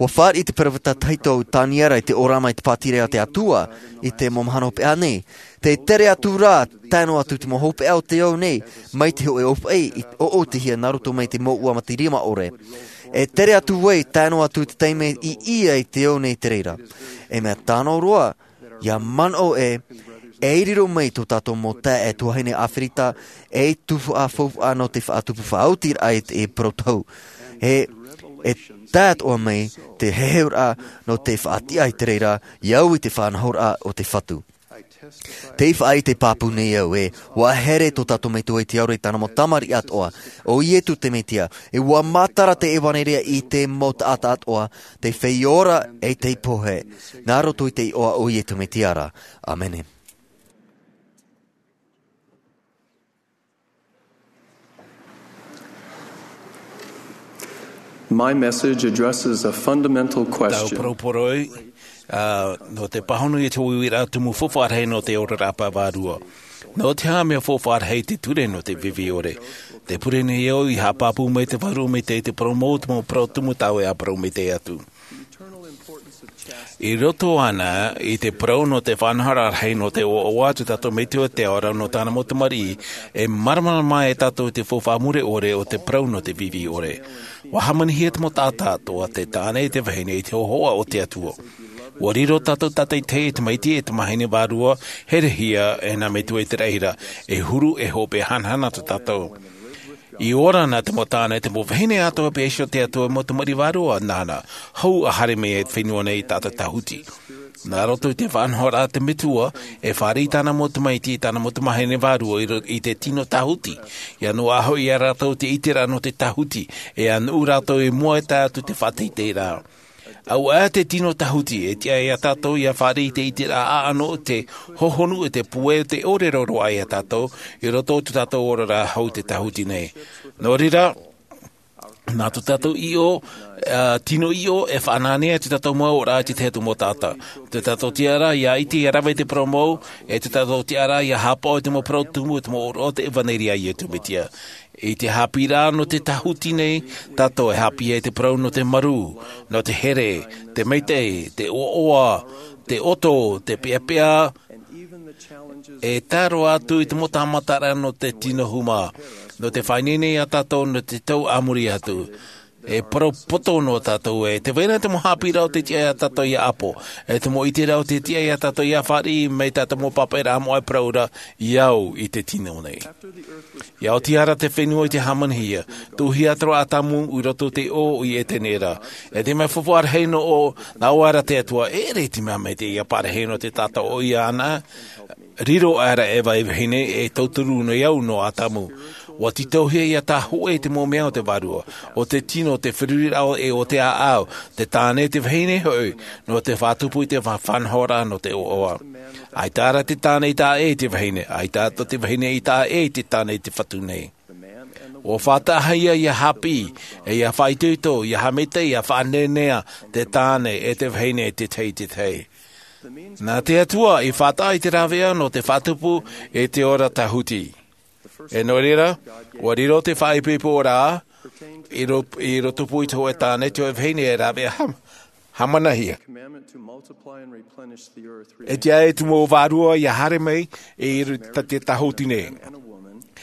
ʻUa fāriʻi te peropheta tahito Taniera i te ʻōrama i te pātireia a te Atua i te mau mahana hopeʻa nei. Tē tere atu ra, tae noa atu te mau hopeʻa o te ao nei, mai te hōʻē ʻōfaʻi i ʻoʻotihia nā roto mai te mouʻa mā te rima ʻore. E tere atu ai, tae noa atu te taime i ʻia i te ao nei te reira. E mea tano roa, ʻia manaʻo ē, e riro mai tō tātou mau taeaʻe tuahine ʻĀfirita, ei tuhaʻa faufaʻa nō te faʻatupu faʻaotiraʻa i te parau tohu. E, e tae atoʻa mai te heheuraʻa nō te faʻatiʻa i te reira, ʻia au i te faʻanahoraʻa o te Fatu. Tē faʻaʻite pāpū nei au ē, ʻua here tō tātou Metua i te ao ra i tāna mau tamariʻi atoʻa, ʻo Iesu te Mesia, e ʻua matara te ʻevanelia i te mau taʻata atoʻa, te feiā ora, e te pohe, nā roto i te iʻoa o Iesu Mesia ra. ʻĀmene. My message addresses a fundamental Tau question. Parau parau, ā, nō te pāhono i te uiuiraʻa tumu faufaʻa rahi nō te oraraʻa pae vārua. Nō te aha mea faufaʻa rahi te ture nō te fifi ʻore? Tē pure nei au i haʻapāpū mai te Vārua Maitaʻi i te parau mau, te mau parau tumu tāʻu e ʻāparau maitaʻi atu. I roto āna i te parau nō te faʻanahoraʻa rahi nō te ʻoaʻoa a tō tātou Metua i te ao ra nō tāna mau tamariʻi, e māramarama e tātou i te faufaʻa mure ʻore o te parau nō te fifi ʻore. ʻUa hāmanihia te mau taʻata atoʻa, te tāne e te vahine i te hōhoʻa o te Atua. ʻUa riro tātou tātaʻitahi e te tamaiti e te tamahine vārua, herehia e nā Metua i te raʻi ra, e huru, e hope, e hanahana tō tātou. I ora na te mau tāne, te mau vahine atoʻa, pea iho te Atua, mau tamariʻi vārua nāna, hou ʻa haere mai e te fenua nei i tātou tāhuti. Nā roto i te faʻanahoraʻa a te Metua, e fāriʻi tāna mau tamaiti, tāna mau tamahine vārua i ro-, i te tino tāhuti. ʻIa noaʻa hoʻi ia rātou te ʻiteraʻa nō te tāhuti, e ʻānuʻu rātou i mua e tae atu i te faʻateiteiraʻa. Auaʻa te tino tāhuti e tiʻa iā tātou ia fāriʻi i te ʻiteraʻa ʻaʻano, te hohonu, e te puʻe, te ʻōrero roa iā tātou i roto i tō tātou oraraʻa hou i te tāhuti nei. Nō reira, nā tō tātou ʻiʻo, ā, tino ʻiʻo e faʻanahonahohia tō tātou mau oraraʻa i te tahi atu mau taʻata. Tō tātou tiʻaraʻa ia ʻite, ia rave i te parau mau, e tō tātou tiʻaraʻa ia haʻapaʻo i te mau parau tumu, e te mau ʻōroʻa o te ʻevanelia a Iesu Mesia. I te haʻapiʻiraʻa nō te tāhuti nei, tātou e haʻapiʻi i te parau nō te marū, nō te here, te maitaʻi, te ʻoaʻoa, te ʻoto, te peʻapeʻa, e tae roa atu i te mau tāmataraʻa nō te tino huma, nō te faʻaineine iā tātou nō te tau a muri atu. E parau poto noa tātou ē, tē vai ra te mau haʻapiʻiraʻa o te tiʻa iā tātou ia ʻapo, e te mau ʻiteraʻa o te tiʻa iā tātou ia fāriʻi, mai tā te mau pāpaʻiraʻa moʻa e parau ra, ia au i te tino nei. Ia oti ra te fenua i te hāmanihia, tuʻuhia atu ra ʻo ʻĀtamu i roto i te ʻō i ʻētene ra. E te mea faufaʻa rahi nō ʻō, nā ʻō ra te Atua, e ʻere i te mea maitaʻi ia parahi nō te taʻata ʻoia anaʻe, riro aʻera ʻo Eva ei vahine, e tauturu nei au nō ʻĀtamu. ʻUa tītauhia ia tāhōʻē te mau mea o te Vārua, ʻo te tino, te feruriraʻa e ʻo te ʻāʻau, te tāne, te vahine hoʻi, nō te faʻatupu i te fa-, faʻanahoraʻa nō te ʻoaʻoa. ʻAita ra te tāne i taʻa ʻē i te vahine, ʻaita atoʻa te vahine i taʻa ʻē i te tāne i te Fatu nei. ʻUa faʻataʻahia ia haʻapiʻi, e ia faʻaitoito, ia haʻamaitaʻi, ia faʻanehenehe te tāne e te vahine i te tahi i te tahi. Nā te Atua i faʻataʻa i te rāveʻa nō te faʻatupu i te ora tāhuti. E nō reira, ʻua riro te faʻaipoiporaʻa i ro-, i roto pū i te hōʻē tāne, te hōʻē vahine e rāveʻa hām-, hāmanihia. E tiʻa ai te mau vārua ia haere mai i ro-, tā-, te tāhuti nei.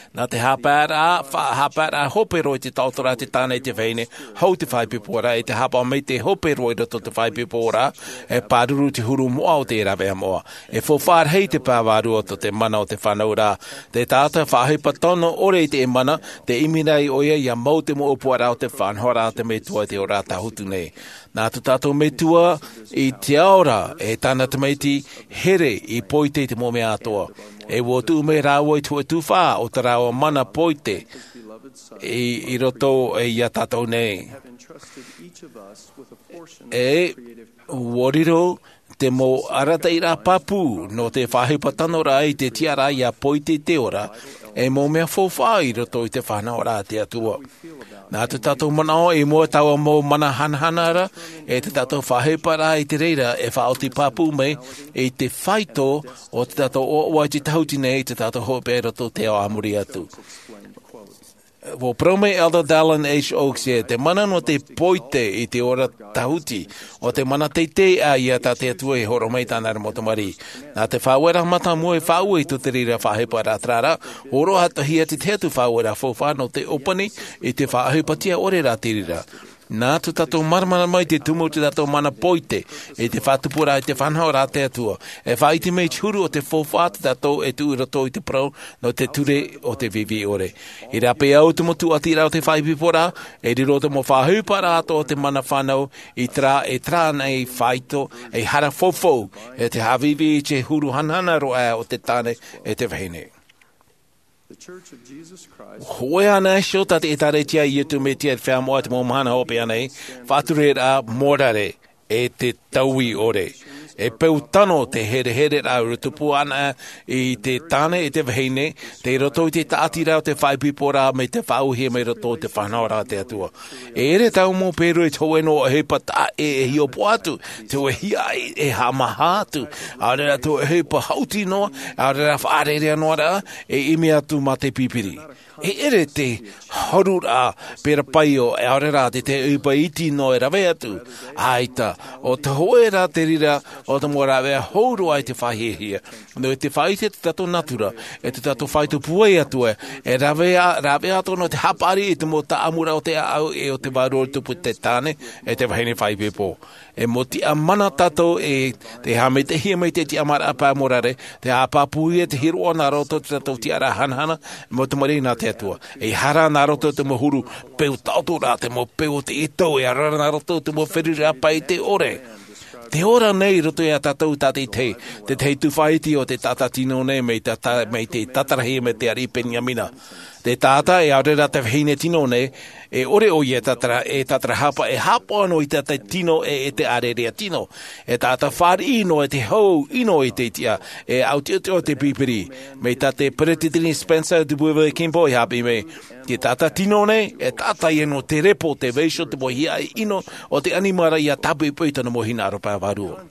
Nā te haʻapaʻoraʻa, fa-, haʻapaʻoraʻa hope roa i te taʻotoraʻa te tāne e te vahine, hou te faʻaipoiporaʻa, i te haʻapaʻo maitaʻi hope roa i roto i te faʻaipoiporaʻa, e pāruru te huru moʻa o te rāveʻa moʻa. E faufaʻa rahi te pae vārua tō te mana o te fānauraʻa. Te taʻata faʻaʻohipa tano ʻore i te mana, tē ʻimi nei ʻoia ia mau te mau ʻōpuaraʻa o te faʻanahoraʻa a te Metua i te ora tāhuti nei. Nā tō tātou Metua i te ao ra, e tāna tamaiti here i poite i te mau mea atoʻa. E ʻua tuʻu mai rāua i te hōʻē tuhaʻa o tā rāua mana poite i, i roto iā tātou nei. E ʻua riro te mau arataʻiraʻa pāpū nō te faʻaʻohipa tano ra i te tiʻaraʻa ia poite i te ora, e mau mea faufaʻa i roto i te faʻanahoraʻa a te Atua. Nā tō tātou manaʻo i mua i taua mau mana hanahana ra, e tō tātou faʻaʻohiparaʻa i te reira e faʻaoti pāpū mai i te faito o tō tātou ʻoaʻoa i te tāhuti nei, i tō tātou hopeʻa i roto i te ao a muri atu. ʻUa parau mai Elder Dallin H. Oaks ē, te mana nō te poite i te ora tāhuti, ʻo te mana teitei aʻe ia tā te Atua i hōroʻa mai i tāna ra mau tamariʻi. Nā te faʻaueraʻa mātāmua e faʻaue i tō te reira faʻaʻohiparaʻa terā ra, hōroʻahia te tahi atu faʻaueraʻa faufaʻa nō te ʻōpani i te faʻaʻohipa tiʻa ʻore ra te reira. Nā tō tātou māramarama i te tumu o tō tātou mana poite i te faʻatupuraʻa i te faʻanahoraʻa a te Atua, e faʻaʻite mai te huru o te faufaʻa tā tātou e tuʻu i roto i te parau nō te ture o te viʻiviʻi ʻore. I rāpae au te mau tūʻatiraʻa o te faʻaipoiporaʻa, e riro te mau faʻaʻohiparaʻa atoʻa o te mana fānau i terā, e terā nei faito, e hara faufau, e te haʻaviʻiviʻi i te huru hanahana roa aʻe o te tāne e te vahine. Hōʻē anaʻe iho tā te ʻĒtārētia a Iesu Mesia i te Feiā Moʻa i te mau mahana hopeʻa nei, faʻatureraʻa, morare, e te taui ʻore. E peu tano te herehereraʻa e tupu ana i te tāne e te vahine, tei roto i te tāʻatiraʻa o te faʻaipoiporaʻa mai te faʻaauhia mai roto i te faʻanahoraʻa a te Atua. E ʻere taua mau pēroi i te hōʻē noa ʻohipa taʻa ʻē e hiʻopoʻa atu, te hōʻē hiaʻai e haʻamāha atu, ʻaore rā te hōʻē ʻohipa haʻuti noa, ʻaore rā faʻarearea noa ra, e ʻimi atu mā te pipiri. E ʻere te horuraʻa pērā paio, ʻaore rā te tahi ʻohipa iti noa e rave atu. ʻAita, ʻo te hōʻē rā te reira o te mau rāveʻa hou roa i te faʻahiahia. Nō te faʻaʻite tō tātou natura, e tō tātou faito pūai atu ē, e rāveʻa, rāveʻa atoʻa nō te haʻapaʻari i te mau taʻamuraʻa o te ʻāʻau e o te vārua i tupu i te tāne, e te vahine faʻaipoipo. E mau tiʻamana tātou e te haʻamaitaʻihia mai te tiʻamāraʻa pae morare, te haʻapāpūhia te hiroʻa nā roto i tō tātou tiʻaraʻa hanahana, mau tamariʻi nā te Atua. E hara nā roto i te mau huru peu taʻoto ra, te mau peu o te ʻetau, e ʻaore rā nā roto i te mau feruriraʻa pae ʻore. Te ora nei i roto iā tātou tātaʻitahi, te tahi tufaʻa iti o te taʻata tino nei mai te ta-, mai te tātarahia mai te ariʻi Peniamina. Te taʻata e ʻaore rā te vahine tino nei, e ʻore ʻoia e tātarahapa, e hāpaʻo noa i te taʻata tino e te ʻārearea tino. E taʻata fāriʻi noa i te hau ʻino i te tiʻa, e ʻautiʻoti o te pipiri. Mai tā te peresideni Spencer W Kimball i hāpiʻi mai, te taʻata tino nei e taʻata ia nō te repo, te vaiiho, te mau hiaʻai ʻino o te ʻanimara ia tāpoʻipoʻi i tōna mau hinaʻaro pae vārua.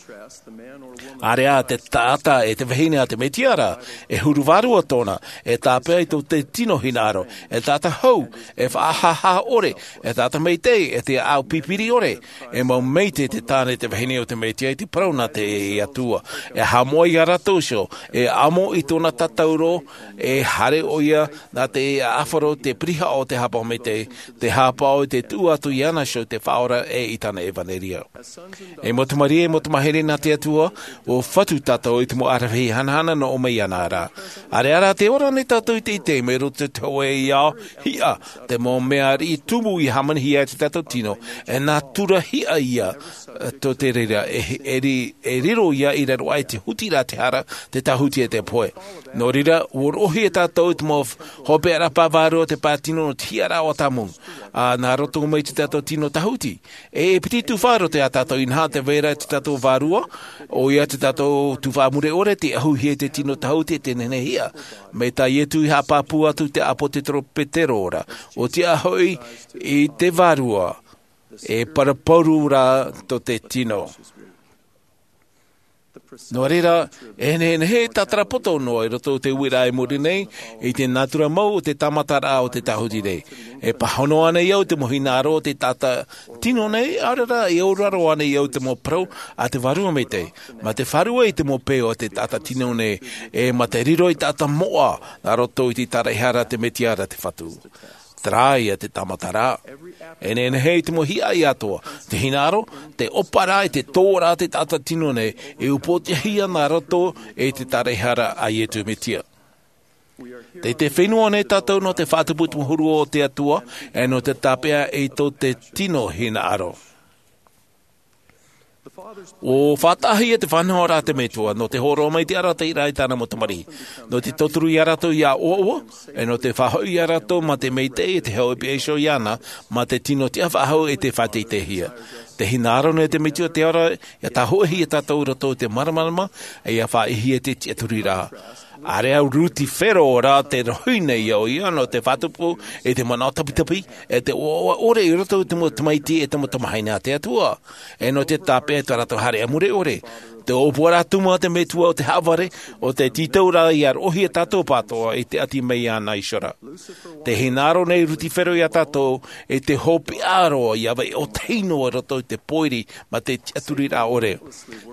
ʻĀreʻa te taʻata e te vahine a te mesia ra, e huru vārua tōna, e tāpeʻa i tō te tino hinaʻaro, e taʻata hau, e faʻahāhā ʻore, e taʻata maitaʻi, e te ʻāʻau pipiri ʻore. E mau maitaʻi te tāne te vahine o te mesia i te parau nā te atua, e haʻamoʻa ia rātou iho, e amo i tōna tatauro, e haere ʻoia nā te ʻāfaro, te pirihaʻa o te hāpaʻo maitaʻi, te hāpaʻo i te tuʻu atu iāna iho te faʻaora e i tāna ʻevanelia. E mau tamariʻi, e mau tamāhine nā te atua, ua fatu tātou i te mau aravihi hanahana nō ʻō mai iāna ra. ʻĀreʻa rā te ora nei tātou i te ite mai roto i te hōʻē ao hiʻa, te mau mea riʻi tumu i hāmanihia e te tātou tino, e nā tura hiʻa ia. Tō te reira e riro ia i raro aʻe i te huti rā te hara, te tāhuti e te pohe. Nō reira ua roʻohia tātou i te mau hopeʻa rā pae vārua o te pae tino nō te hiʻaraʻa o tamu, ā nā roto mai i te tātou tino tāhuti. E piti tufaʻa roto iā tātou inaha te vai ra te tātou vārua, ʻoia te tātou tufaʻa mure ʻore te ʻahuhia i te tino tāhuti e te nehenehe hiʻa. Mai tā iesu i haʻapāpū atu te ʻāpōsetolo petero ra, ua tiʻa hoʻi i te vārua e paraparau rā tō te tino. Nō reira, e nehenehe e tātara poto noa i roto i te uiraʻa i muri nei i te natura mau o te tāmataraʻa o te tāhuti nei. E pāhono ana i au te mau hinaʻaro o te taʻata tino nei, ʻaore rā e auraro ana i au te mau parau a te vārua maitaʻi, mā te fārua i te mau peu o te taʻata tino nei, e mā te riro i taʻata moʻa nā roto i te taraehara a te mesia ra te fatu. Terā ia te tāmataraʻa. E nehenehe i te mau hiʻa atoa, te hinaʻaro, te ʻōparaʻa, te tōraʻa te taʻata tino nei, e upoʻotiʻahia nā roto i te taraehara a iesu mesia. Tei te fenua nei tātou nō te faʻatupu tumu huru o te atua, e nō te tāpeʻa i tō te tino hinaʻaro. Ua faʻataʻahia te faʻanahoraʻa a te metua nō te hōroʻa mai i te arataʻiraʻa i tāna mau tamariʻi, nō te tauturu iā rātou ia ʻoaʻoa, e nō te faʻahoʻi iā rātou mā te maitaʻi e te hau e piʻa iho iāna, mā te tino tiʻa faʻahou e te faʻateiteihia. Te hinaʻaro nei te metua te ora ia tāhoʻihia tātou i roto i te māramarama, e ia faʻaʻitehia te tiʻaturiraʻa. ʻĀreʻa a rutifero rā te rohi nei ia ʻoia nō te faʻatupu i te manaʻo tapitapi, e te ʻoaʻoa ʻore i roto i te mau tamaiti e te mau tamāhine a te atua, e nō te tāpeʻa i tā rātou haereʻa mure ʻore. Te ʻōpuaraʻa tumu a te metua o te haʻavare, o te tītauraʻa ia roʻohia tātou pātoʻa i te ʻati mai iāna iho ra. Te hinaʻaro nei rutifero iā tātou i te hopeʻa roa ia vai ʻōtahi noa i roto i te pōiri mā te tiʻaturiraʻa ʻore.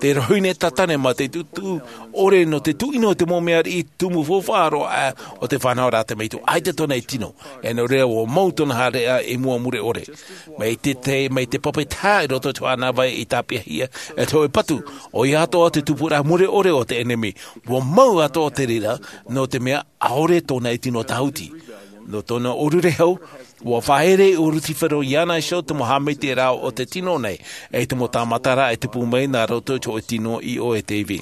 Te rohi nei tātane mā te tuʻutuʻu ʻore nō te tuʻino i te mau mea riʻi tumu faufaʻa roa o te faʻanahoraʻa a te metua, ʻaita tōna e tino. E nō reira ua mau tōna haereʻa i mua mure ʻore. Mai te te mai te pape taha i roto i te faʻanaho vai i tāpeʻahia e te hōʻē patu, ʻoia atoʻa te tupuraʻa mure ʻore o te ʻenemi. Ua mau atoʻa te reira, nō te mea ʻaore tōna e tino tāhuti. Nō tōna ʻōrurehau, ua faʻaere ʻo rutifero iāna iho te mau haʻamaitaʻiraʻa o te tino nei, e te mau tāmataraʻa e tupu mai nā roto i te hōʻē tino i ʻō e te ivi.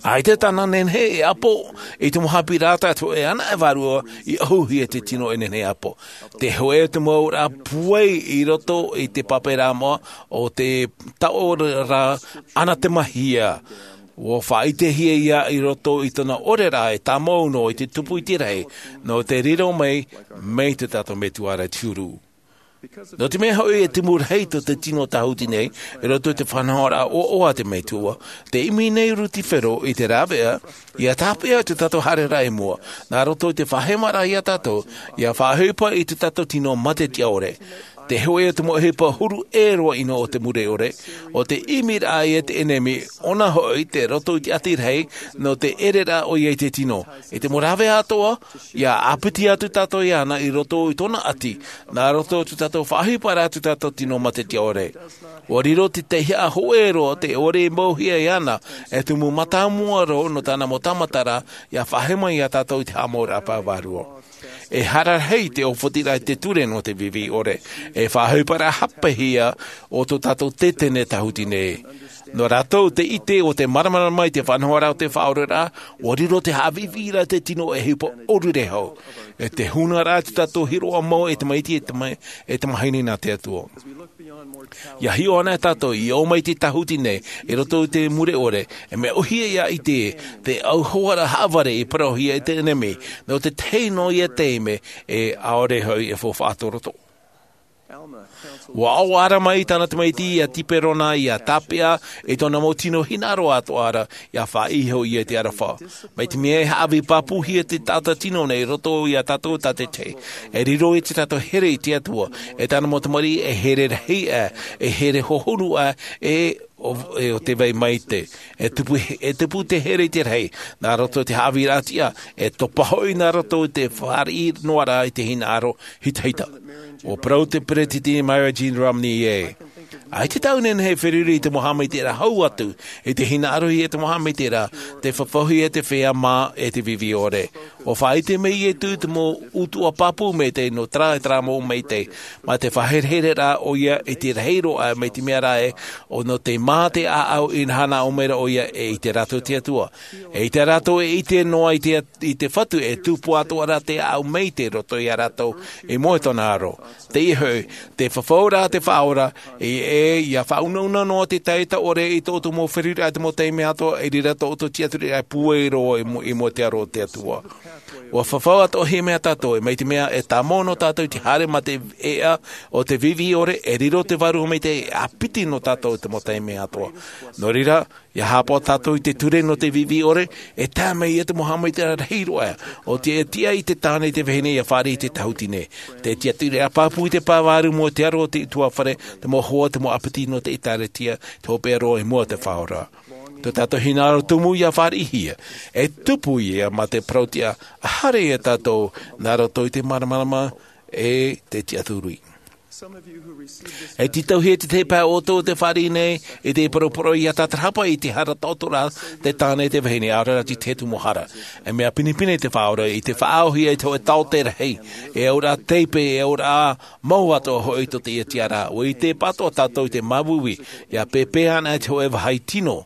ʻAita tāna nehenehe e ʻapo i te mau haʻapiʻiraʻa a te hōʻē anaʻe vārua i ʻahuhia e te tino e nehenehe e ʻapo. Te hōʻē o te mau auraʻa pūai i roto i te pape rā moʻa o te taʻoraʻa anathema-hia. Ua faʻaʻitehia ia i roto i tōna ʻoreraʻa e tāmau noa i te tupu i te rahi, nō te riro mai, mai te tātou metua ra te huru. Nō te mea hoʻi e tumu rahi tō te tino tāhuti nei i roto i te faʻanahoraʻa ʻoaʻoa a te metua, te ʻimi nei rutifero i te rāveʻa ia tāpeʻa i tō tātou haereraʻa i mua, nā roto i te faʻahemaraʻa iā tātou ia faʻaʻohipa i tō tātou tino mā te tiʻa ʻore. Te hōʻē o te mau ʻohipa huru ʻē roa ʻino o te mure ʻore, o te ʻimiraʻa ia te ʻenemi, ʻōna hoʻi te roto i te ʻati rahi, nō te ʻereraʻa ʻoia i te tino. I te mau rāveʻa atoʻa, ia ʻāpiti atu tātou iāna i roto i tōna ʻati, nā roto i tō tātou faʻaʻohiparaʻa i tō tātou tino mā te tiʻa ʻore. Ua riro te teiaha hōʻē roa te ʻore i mauhia iāna, e tumu mātāmua roa nō tāna mau tāmataraʻa, ia faʻahema iā tātou i te haʻamauraʻa pae vārua. E hara rahi te ʻōfatiraʻa i te ture nō te viivii ʻore, e faʻaʻohiparaʻa hāpeʻehia o tō tātou tetene tāhuti nei. Nō rātou te ʻite o te māramarama i te faʻanahoraʻa o te faʻaoraraʻa, ua riro te haʻaviʻiviʻiraʻa te tino e ʻohipa ʻōrure hau. E te huna rā te tātou hiroʻa mau e te maiti e te mai e te mahine nā te atua. Ia hiʻo ana e tātou i ō mai te tahuti nei i roto i te mure ʻore, e mea ʻohie ia ʻite te auhoara haʻavare i parauhia e te ʻenemi nō te tahi noa ia taime e ʻaore hoʻi e faufaʻa tō roto. Ua ʻoaʻoa mai tāna tamaiti ia tiperona ia tāpeʻa i tōna mau tino hinaʻaro atoʻa ra ia faʻaiho ia i te aroha. Mai te mea e haʻavī pāpūhia te taʻata tino nei i roto ia tātou tātaitahi, e riro i te tātou here i te atua, e tāna mau tamariʻi e here rahi ʻā, e here hohonu ʻā, e o te vai maite. E tupu e tupu te here i te rahi nā roto i te haʻavīraʻa tiʻa, e topa hoʻi nā roto i te fāriʻi noa rā i te hinaʻaro hitahita. Ua parau te peresideni Myra Jean Romney ē, ʻaita tāʻu nehenehe e feruri i te mau haʻamaitaʻiraʻa hau atu i te hinaʻaro i te mau haʻamaitaʻiraʻa te fafauhia te feiā mā e te vivi ʻore. Ua faʻaʻite mai iesu te mau utuʻa pāpū maitaʻi nō terā e terā mau maitaʻi, mā te faʻaherehereraʻa ʻoia i te rahi roa mai te mea rā ē, ʻo nō te mā te ʻāʻau i nā hana ʻō mai ra ʻoia e ʻite rātou te atua, e ʻite rātou e ʻite noa i te i te fatu e tupu atoʻa ra te ʻāʻau maitaʻi roto ia rātou i mua i tōna aro. Teie hoʻi te fafauraʻa te faʻaora, e ʻe ia faʻaunauna noa te taʻata ʻore i tō ʻoutou mau feruriraʻa i te mau taime atoʻa i reira tō ʻoutou tiʻaturiraʻa e pūai roa i mua i mua i te aro o te atua. Ua fafau atoʻa hia mea tātou e mai te mea e tāmau nō tātou i te haere mā te ʻeʻa o te vivi ʻore e riro te vārua maitaʻi e ʻāpiti nō tātou i te mau taime atoʻa. Nō reira ia hāpaʻo tātou i te ture nō te vivi ʻore, e tae mai ia te mau haʻamaitaʻiraʻa rahi roa ʻo te tiʻa i te tāne i te vahine ia fāriʻi i te tahuti nei. Te tiʻaturiraʻa pāpū i te pae vārua i mua i te aro o te ʻutuāfare, te mau hoa te mau ʻāpiti nō te ʻēkālesia, te hopeʻa roa i mua i te faʻaora. Tō tātou hinaʻaro tumu ia fāriʻihia, e tupu ia mā te parau tiʻa, ʻa haere ia tātou nā roto i te māramarama e te tiʻaturi. E tītauhia te tahi pae o ʻoutou te fāriʻi nei i te poroporo ia tātarahapa i te hara taʻoto ra te tāne i te vahine, ʻaore rā te tahi atu mau hara. E mea pinepine te faʻaora i te faʻaauhia i te hōʻē taote rahi, e auraʻa teipe, e auraʻa mau atoʻa hoʻi tō teie tiʻaraʻa. Ua ʻite pātoʻa tātou i te māuiui ia pēpē ana i te hōʻē vāhi tino.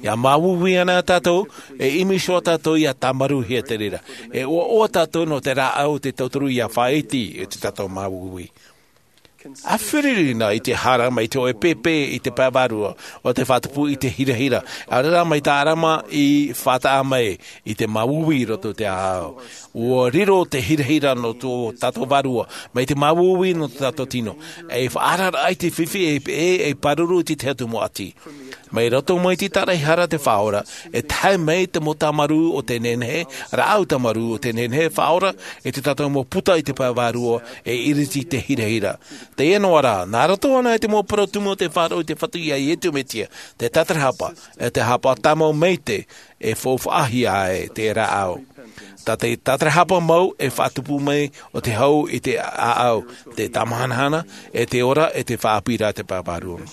Ia māuiui ana tātou, e ʻimi iho tātou ia tāmarūhia te reira. E ʻoaʻoa tātou nō te rāʻau o te tauturu ia faʻaiti i tō tātou māuiui. ʻA feruri na i te hara mai te hōʻē pēpē i te pae vārua, ʻo te faʻatupu i te hirahira, ʻaore rā mai te ʻarama i faʻataʻa mai i te māuiui i roto i te ʻāʻau. Ua riro te hirahira nō tō tātou vārua mai te māuiui nō tō tātou tino. E faʻaararaʻa i te fifi e, e, e pāruru i te tahi atu mau ʻati. Mai roto mai te tāraʻehara te faʻaora, e tae mai te mau tāmarū o te nehenehe, rāʻau tāmarū o te nehenehe faʻaora, e tō tātou mau puta i te pae vārua, e iriti te hirahira. Teie noa rā, nā roto ana i te mau parau tumu o te faʻaroʻo i te Fatu ia Iesu Mesia, te tātarahapa, e te hāpaʻo tāmau maitaʻi, e faufaʻahia ai te rāʻau. Tā te tātarahapa mau e faʻatupu mai o te hau i te ʻāʻau, te tāmahanahana, e te ora, e te faʻaʻāpīraʻa te pae vārua.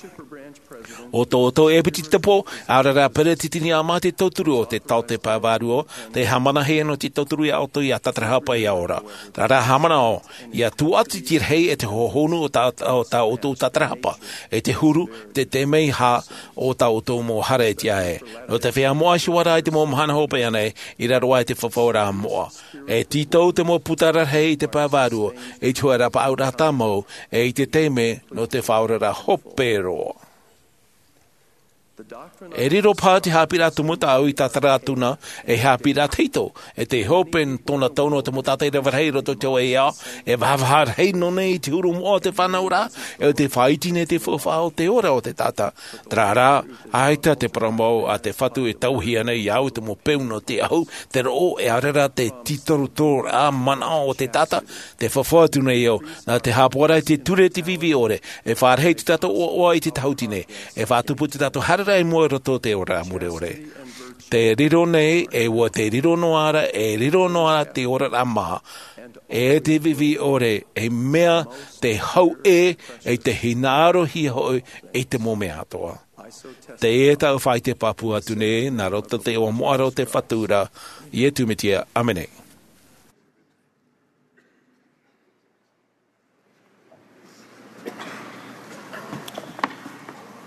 ʻO tō ʻoutou ʻepitepo, ʻaore rā peresideni ʻa mā te tauturu o te taote pae vārua, tē haʻamanahia nō te tauturu ia ʻoutou ia tātarahapa ia ora. Terā rā haʻamanaʻo, ia tūʻati te rahi e te hohonu o tā, o tā ʻoutou tātarahapa, e te huru, te taime hā o tā ʻoutou mau hara e tiʻa ai. Nō te feiā moʻa i te mau mahana hopeʻa nei, i raro aʻe i te fafauraʻa moʻa. E tītau te mau puta rarahi i te pae vārua, i te hōʻē rapaʻauraʻa tāmau, e i te taime nō te faʻaoraraʻa hope roa. E riro paha te haʻapiʻiraʻa tumu tāʻu i tātara atu na, e haʻapiʻiraʻa tahito, e te hope tōna tau nō te mau tātaʻi rave rahi i roto i te hōʻē ao, e vahavaha rahi nō nei i te huru moʻa o te fānauraʻa, e ʻo te faʻaiti nei te faufaʻa o te ora o te taʻata. Terā rā, ʻaita te parau mau a te Fatu e tauihi ana iāʻu te mau peu nō te ahu, te roʻo, e ʻaore rā te tītorotororaʻa manaʻo o te taʻata, tē fafau atu nei au, nā te haʻapaʻoraʻa i te ture te vivi ʻore, e fāriʻi tō tātou ʻoaʻoa i te tahuti nei, e faʻatupu tō tātou haereraʻa i mua i roto i te ora mure ʻore. Tē riro nei, e ʻua tē riro noa ra, e riro noa ra te oraraʻa maha, e te vivi ʻore, e mea te hau ʻē, e te hinaʻarohia hoʻi, i te mau mea atoʻa. Teie tāʻu faʻaʻite pāpū atu nei, nā roto i te iʻoa moʻa ra o te Fatu ra, Iesu Mesia, ʻāmene.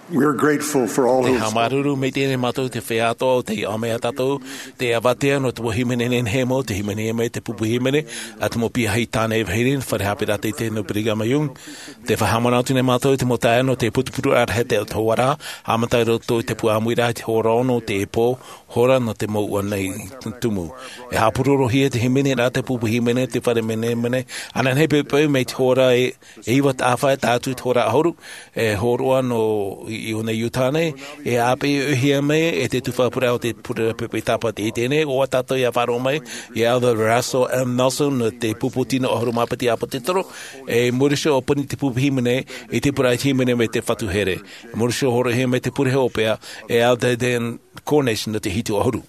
We're grateful for all those. Te haʻamāuruuru maitaʻi nei mātou te feiā atoʻa o tei ʻāmui iā tātou, te avatea nō te mau hīmene nehenehe mau, te hīmene mai te pupu hīmene, a te mau piahi tāne e vahine, fare haʻapiʻiraʻa teitei nō Brigham Young. Te faʻahaʻamanaʻo atu nei mātou i te mau taeaʻe nō te putuputuraʻa rahi te hora, haʻamata i roto i te pū ʻāmuiraʻa i te hora ono o te pō, hora nō te mouʻa nei tumu. E haʻapurorohia te hīmene rā te pupu hīmene, te fare menemene, ananahi poʻipoʻi mai te hora e, e iva taʻafae, tae atu i te hora ʻahuru, e hōroʻa nō i, i ʻō nei Utah nei, e ʻāpī ʻohie mai, e te tufa pura o te pure poʻipoʻi tāpati i teie nei, ʻo tātou ia faʻaroʻo mai, ia Elder Russell M. Nelson, nō te pupu tino ʻahuru mā piti ʻāpōsetolo, e Maurice ʻo Puni te pupu hīmene, i te pura i te hīmene mai te Fatu Here. Maurice ʻo hōroʻahia mai te pure hopeʻa, e Elder Dan Cornish nō te hitu ʻahuru.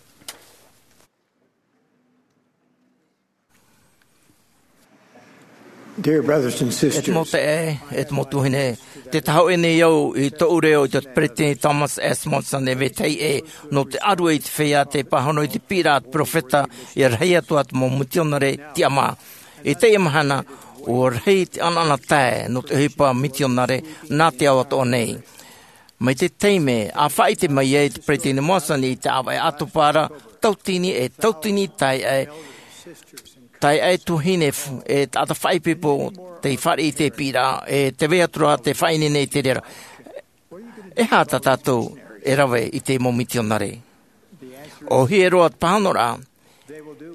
Dear brothers and sisters, e te mau taeaʻe, e te mau tuahine, tē tahoʻi nei au i tōʻu reo i te Peresideni Thomas S. Monson e vetahi ʻē, nō te ʻaru i te feiā tei pāhono i te piʻiraʻa a te peropheta, ia rahi atu ā te mau mitionare tiʻamā. I teie mahana, ʻua rahi te ʻanaʻanatae nō te ʻohipa mitionare nā te ao atoʻa nei. Mai te taime a faʻaʻite mai ai te Peresideni Monson i te ʻāvaʻe ʻātopa ra, tautini e tautini taeaʻe, taeaʻe tuahine f-, e taʻata faʻaipoipo tei fāriʻi i te piʻiraʻa, e tē vai atu ra te faʻaineine i te reira. E aha tā tātou e rave i te mau mitionare? ʻOhie roa te pāhonoraʻa,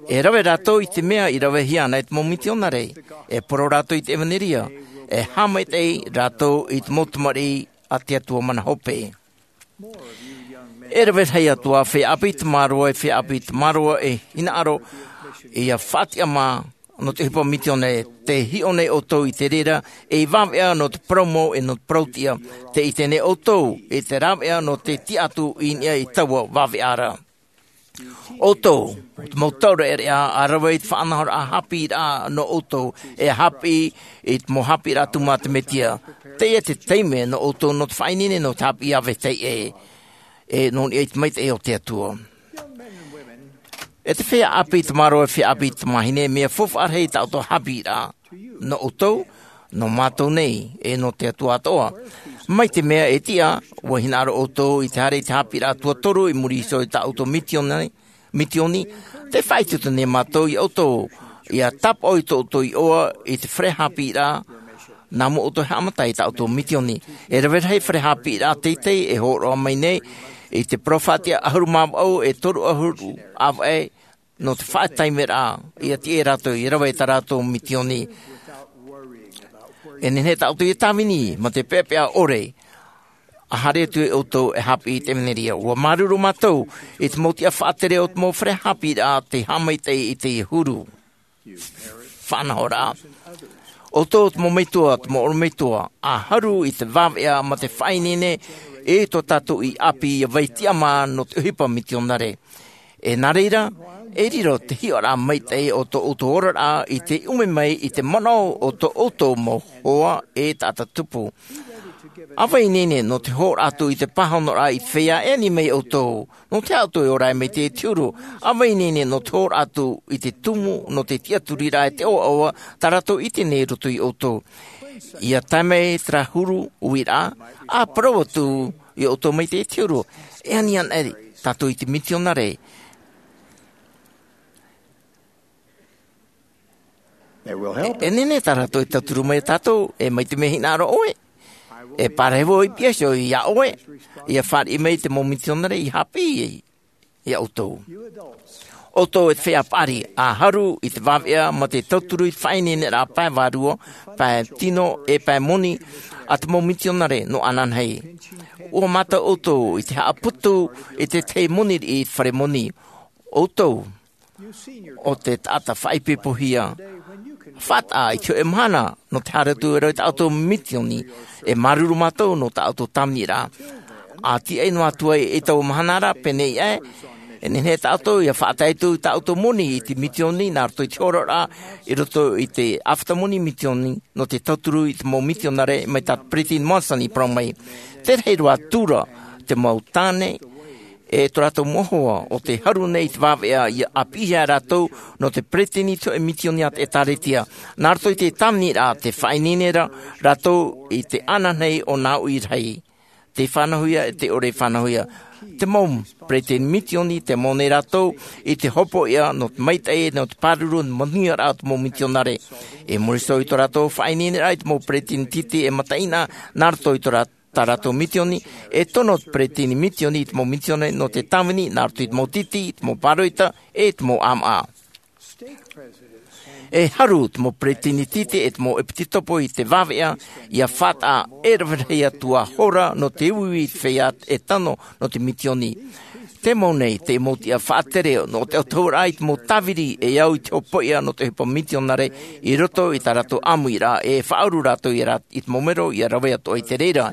e rave rātou i te mea i ravehia ana e te mau mitionare, e parau rātou i te ʻevanelia, e haʻamaitaʻi rātou i te mau tamariʻi a te Atua mana hope. E rave rahi atu ā feiā ʻāpī tamaroa, e feiā ʻāpī tamaroa e hinaʻaro ia faʻatiʻamā nō te ʻohipa misiōnia, tē hiʻo nei ʻoutou i te reira, ei vāveʻa nō te parau mau e nō te parau tiʻa, tē ʻite nei ʻoutou i te rāveʻa nō te tiʻa atu i niʻa i taua vāveʻa ra. ʻOutou, te mau taureʻareʻa, ʻa rave i te faʻanahoraʻa haʻapiʻiraʻa nō ʻoutou, e haʻapiʻi i te mau haʻapiʻiraʻa tumu a te Mesia. Teie te taime nō ʻoutou nō te faʻaineine nō te haʻapiʻi a vetahi ʻē, e nō niʻa i te maitaʻi o te Atua. E te feiā ʻāpī tamaroa, e feiā ʻāpī tamāhine, mea faufaʻa rahi tā ʻoutou haʻapiʻiraʻa. Nō ʻoutou, nō mātou nei, e nō te Atua atoʻa. Mai te mea e tiʻa, ʻua hinaʻaro ʻoutou i te haere i te haʻapiʻiraʻa tuatoru i muri iho i tā ʻoutou misiōni, misiōni, tē faʻaitoito nei mātou ia ʻoutou, ia tāpaʻo i tō ʻoutou iʻoa i te fare haʻapiʻiraʻa, nā mua ʻoutou e haʻamata i tā ʻoutou misiōni. E rave rahi fare haʻapiʻiraʻa teitei e hōroʻa mai nei, i te parau faʻatiʻa ʻahuru mā vaʻu e toru ʻahuru ʻāvaʻe, nō te faʻataimeraʻa, ia tiʻa rātou, ia rave i tā rātou misiōni. E nehenehe tā ʻoutou ia tāvini, mā te peʻapeʻa ʻore, ʻa haere atu ʻoutou e haʻapiʻi i te ʻevanelia. ʻUa māuruuru mātou, i te mau tiʻa faʻatere o te mau fare haʻapiʻiraʻa tei haʻamaitaʻi i teie huru. Faʻanahoraʻa. ʻOutou te mau metua, te mau ʻorometua, ʻa haru i te vāveʻa mā te faʻaineine, e tō tātou ʻāpī ia vai tiʻamā nō te ʻohipa misiōnia. E nā reira, e riro te hiʻoraʻa maitaʻi o tō ʻoutou oraraʻa i te ʻume mai i te manaʻo o tō ʻoutou mau hoa e taʻata tupu. ʻA vai ineine nō te hōroʻa atu i te pāhonoraʻa i te feiā e ani mai ʻoutou, nō te aha ʻoutou e ora ai mai te huru. ʻA vai ineine nō te hōroʻa atu i te tumu, nō te tiʻaturiraʻa e te ʻoaʻoa, tā rātou i ʻite nei i roto ia ʻoutou. Ia tae mai terā huru uiraʻa, ʻa parau atu ia ʻoutou mai te huru. E ani ana tātou i te misiōnia. E, e nehenehe tā rātou e tauturu mai ia tātou, e mai te mea hinaʻaro ʻoe. E pārahi vau i piha iho ia ʻoe, ia fāriʻi mai te mau misiōnia i haʻapiʻi ia ʻoutou. ʻOutou e te feiā paʻari, ʻa haru i te vāveʻa mā te tauturu i te faʻaineineraʻa pae vārua, pae tino, e pae moni, a te mau misiōnia nō ananahi. ʻUa mātau ʻoutou i te haʻaputu i te tahi moni riʻi i te fare moni. ʻOutou, ʻo te taʻata faʻaipoipohia. Faʻataʻa i te hōʻē mahana, nō te haere atu ra i tā ʻoutou misiōni, e māuruuru mātou nō tā ʻoutou tāviniraʻa. ʻA tiaʻi noa atu ai i taua mahana ra, pēneiaʻe, e nehenehe tā ʻoutou ia faʻatae atu i tā ʻoutou moni i te misiōni, nā roto i te hōroʻaraʻa, i roto i te ʻāfata moni misiōni, nō te tauturu i te mau misionare mai tā Peresideni Monson i parau mai. Tē rahi roa atu ra te mau tāne, e tō rātou mau hoa, ʻo tē haru nei i te vāveʻa ia ʻāpīhia rātou nō te peretiteni i te hōʻē misiōni a te ʻĒtārētia. Nā roto i te tāviniraʻa tē faʻaineine ra rātou i te ananahi o nā ʻoe rahi. te fānauhia e te ʻore fānauhia. Te mau peresideni misioni, tei mau nei rātou i te hopoiʻa nō te maitaʻi, nō te pāruru, nō te manuiaraʻa o te mau misionare. E muri iho i tō rātou faʻaineineraʻa i te mau peresideni tītī e mataʻina nā roto i tō rā-, tā rātou misioni, e tono te peresideni misioni i te mau misionare nō te tāvini nā roto i te mau tītī, i te mau pāroita, e te mau ʻāmaʻa. E haru te mau peresideni tītī e te mau ʻepisekopo i te vāveʻa, ʻia faʻataʻa e rave rahi atu ā hora nō te uiui i te feiā e tano nō te misioni. Te mau nei, te mau tiʻa faʻatere nō te autahuʻaraʻa i te mau tāviri e au i te hopoiʻa nō te ʻohipa misionare i roto i tā rātou ʻāmuiraʻa, e faʻauru rātou i rā-, i te mau mero ʻia rave atoʻa i te reira.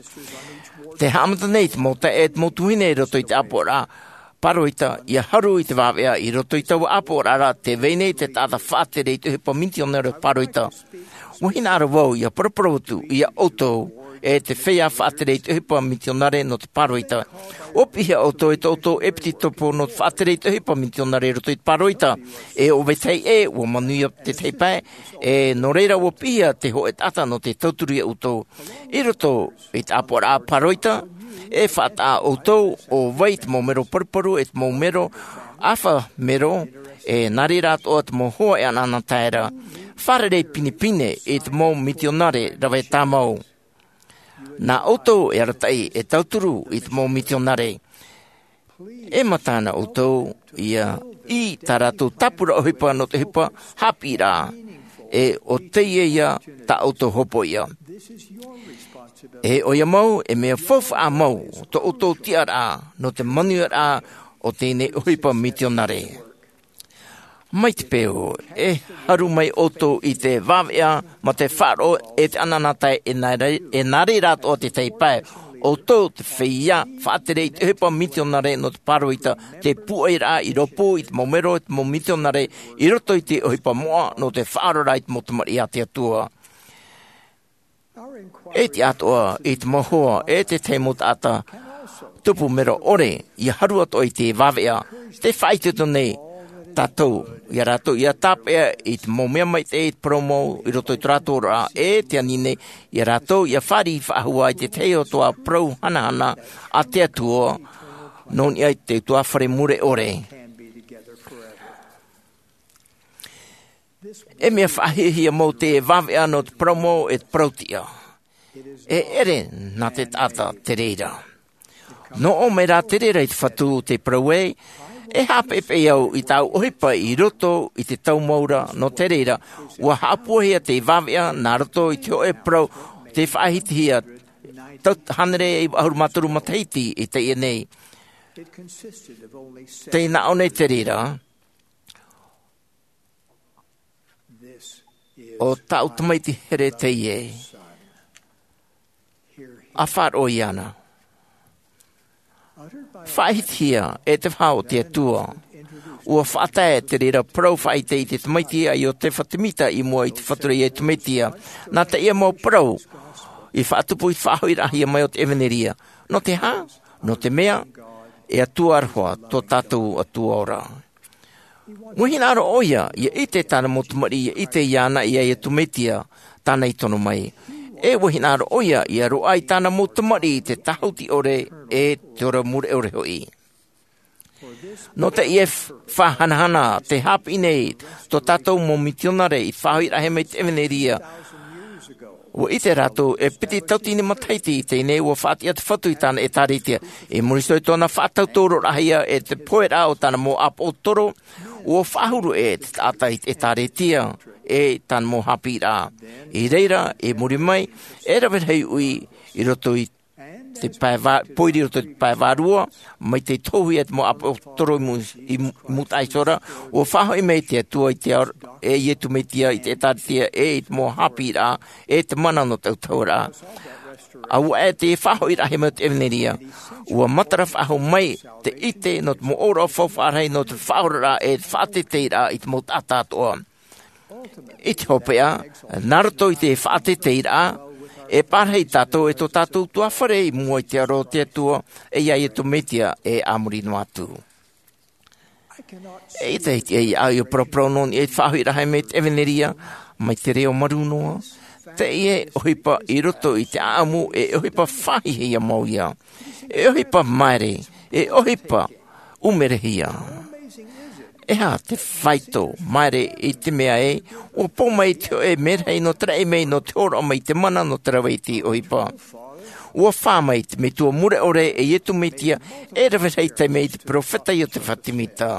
Tē haʻamata nei te mau taeaʻe, te mau tuahine i roto i te ʻāpoʻoraʻa pāroita, ʻia haru i te vāveʻa i roto i taua ʻāpoʻoraʻa, tē vai nei te taʻata faʻatere i te ʻohipa misionare pāroita. ʻUa hinaʻaro vau ʻia paraparau atu ia ʻoutou, e te feiā faʻatere i te ʻohipa misionare nō te pāroita. ʻUa piʻihia ʻoutou e tō ʻoutou ʻepisekopo nō te faʻatere i te ʻohipa misionare i roto i te pāroita. E ʻo vetahi ʻē, ʻua manuia te tahi pae, e nō reira ʻua piʻihia te hōʻē taʻata nō te tauturu ia ʻoutou. I roto i te ʻāpoʻoraʻa pāroita, e faʻataʻa ʻoutou ʻo vai te mau mero paruparu, e te mau mero ʻāfa mero, e nā reira atoʻa te mau hoa e anaanatae ra. Fārerei pinepine i te mau misionare rave tāmau. Nā ʻoutou e arataʻi e tauturu i te mau misionare. E mataʻina ʻoutou ʻia ʻī i tā rātou tāpura ʻohipa nō te ʻohipa haʻapiʻiraʻa. E ʻo teie ia tā ʻoutou hopoiʻa. E ʻoia mau, e mea faufaʻa mau tō ʻoutou tiʻaraʻa nō te manuiaraʻa o teie nei ʻohipa misionare. Mai te peu, e haru mai ʻoutou i te vāveʻa mā te faʻaroʻo e te anaanatae, e nā re-, e nā reira atoʻa te tahi pae. ʻOutou te feiā faʻatere i te ʻohipa misionare nō te pāroita, te pūʻoiraʻa i rōpū i te mau mero, te mau misionare i roto i te ʻohipa moʻa nō te faʻaoraraʻa i te mau tamariʻi a te Atua. E tiʻa atoʻa i te mau hoa e te tahi mau taʻata tupu mero ʻore ʻia haru atoʻa i te vāveʻa. Tē faʻaitoito nei tātou ia rātou ʻia tāpeʻa i te mau mea maitaʻi, i te parau mau i roto i tō rātou oraraʻa, e tē ani nei ia rātou ʻia fāriʻi faʻahou i te tahi atoʻa parau hanahana a te Atua nō niʻa i te ʻutuāfare mure ʻore. E mea faʻahiahia mau te vāveʻa nō te parau mau e te parau tiʻa. E ʻere nā te taʻata te reira. Nō ʻō mai rā te reira i te Fatu, tē parau ai, e haʻapeʻepeʻe au i tāʻu ʻohipa i roto i te tau mau ra, nō te reira, ʻua haʻapūaihia te vāveʻa nā roto i te hōʻē parau tei faʻahitihia, tau hānere iva ʻahuru mā toru matahiti i teie nei. Tei nā ʻō nei te reira, ʻo tāʻu tamaiti here teie. ʻA faʻaroʻo iāna. Faʻahitihia e te faʻaʻo o te Atua. ʻUa faʻatae te reira parau faʻaʻite i te tamaiti a Iotefa Temita i mua i te Fatu ra ia Iesu Mesia. Nā teie mau parau i faʻatupu i te faʻahoʻiraʻahia mai o te ʻevanelia. Nō te aha? Nō te mea, e Atua aroha tō tātou Atua ora. ʻUa hinaʻaro ʻoia ʻia ʻite tāna mau tamariʻi, ʻia ʻite iāna ia Iesu Mesia, tāna i tono mai. E ʻua hinaʻaro ʻoia ʻia roaʻa i tāna mau tamariʻi i te tāhuti ʻore e te ora mure ʻore hoʻi. Nō teie f-, faʻahanahana, tē haʻapiʻi nei tō tātou mau misionare i te faʻahoʻiraʻahia mai te ʻevanelia. ʻUa ʻite rātou e piti tauatini matahiti i teie nei ʻua faʻatiʻa te Fatu i tāna ʻētāretia. I muri iho i tōna faʻatautauroraʻahia e te poheraʻa o tāna mau ʻāpoʻotoro, ʻua faʻahuru ʻē te taʻata i te ʻētāretia e tāna mau haʻapiʻiraʻa. I reira, i muri mai, e rave rahi ui i roto i te pae vā-, pōiri i roto i te pae vārua, mai tei tohuhia te mau ʻāpoʻotoro i mū-, i mū-, i mūtaʻa iho ra, ʻua faʻahoʻi mai te Atua i te ao-, e Iesu Mesia i te ʻētāretia e i te mau haʻapiʻiraʻa, e te mana nō te autahuʻaraʻa. ʻA ʻoia e te faʻahoʻiraʻahia mai o te ʻevanelia, ʻua matara faʻahou mai te ʻite nō te mau ʻōroʻa faufaʻa rahi nō te faʻaoraraʻa e te faʻateiteiraʻa i te mau taʻata atoʻa. I te hopeʻa, nā roto i te faʻateiteiraʻa, e parahi tātou e tō tātou ʻutuāfare i mua i te aro o te Atua, e ia Iesu Mesia e a muri noa atu. E ʻite, e ʻite au ʻia paraparau nō niʻa i te faʻahoʻiraʻahia mai te ʻevanelia, mai te reo marū noa, Teie ʻohipa i roto i te ʻaʻamu e ʻohipa faʻahiahia mau ia. E ʻohipa maere, e ʻohipa ʻumerehia. E aha te faito maere i te mea ē, ua pō mai te hōʻē merahi nō te raʻi mai, nō te hōroʻa mai i te mana nō te rave i te ʻohipa. Ua fā mai te metua mure ʻore e Iesu Mesia, e rave rahi taime i te peropheta Iotefa Semita.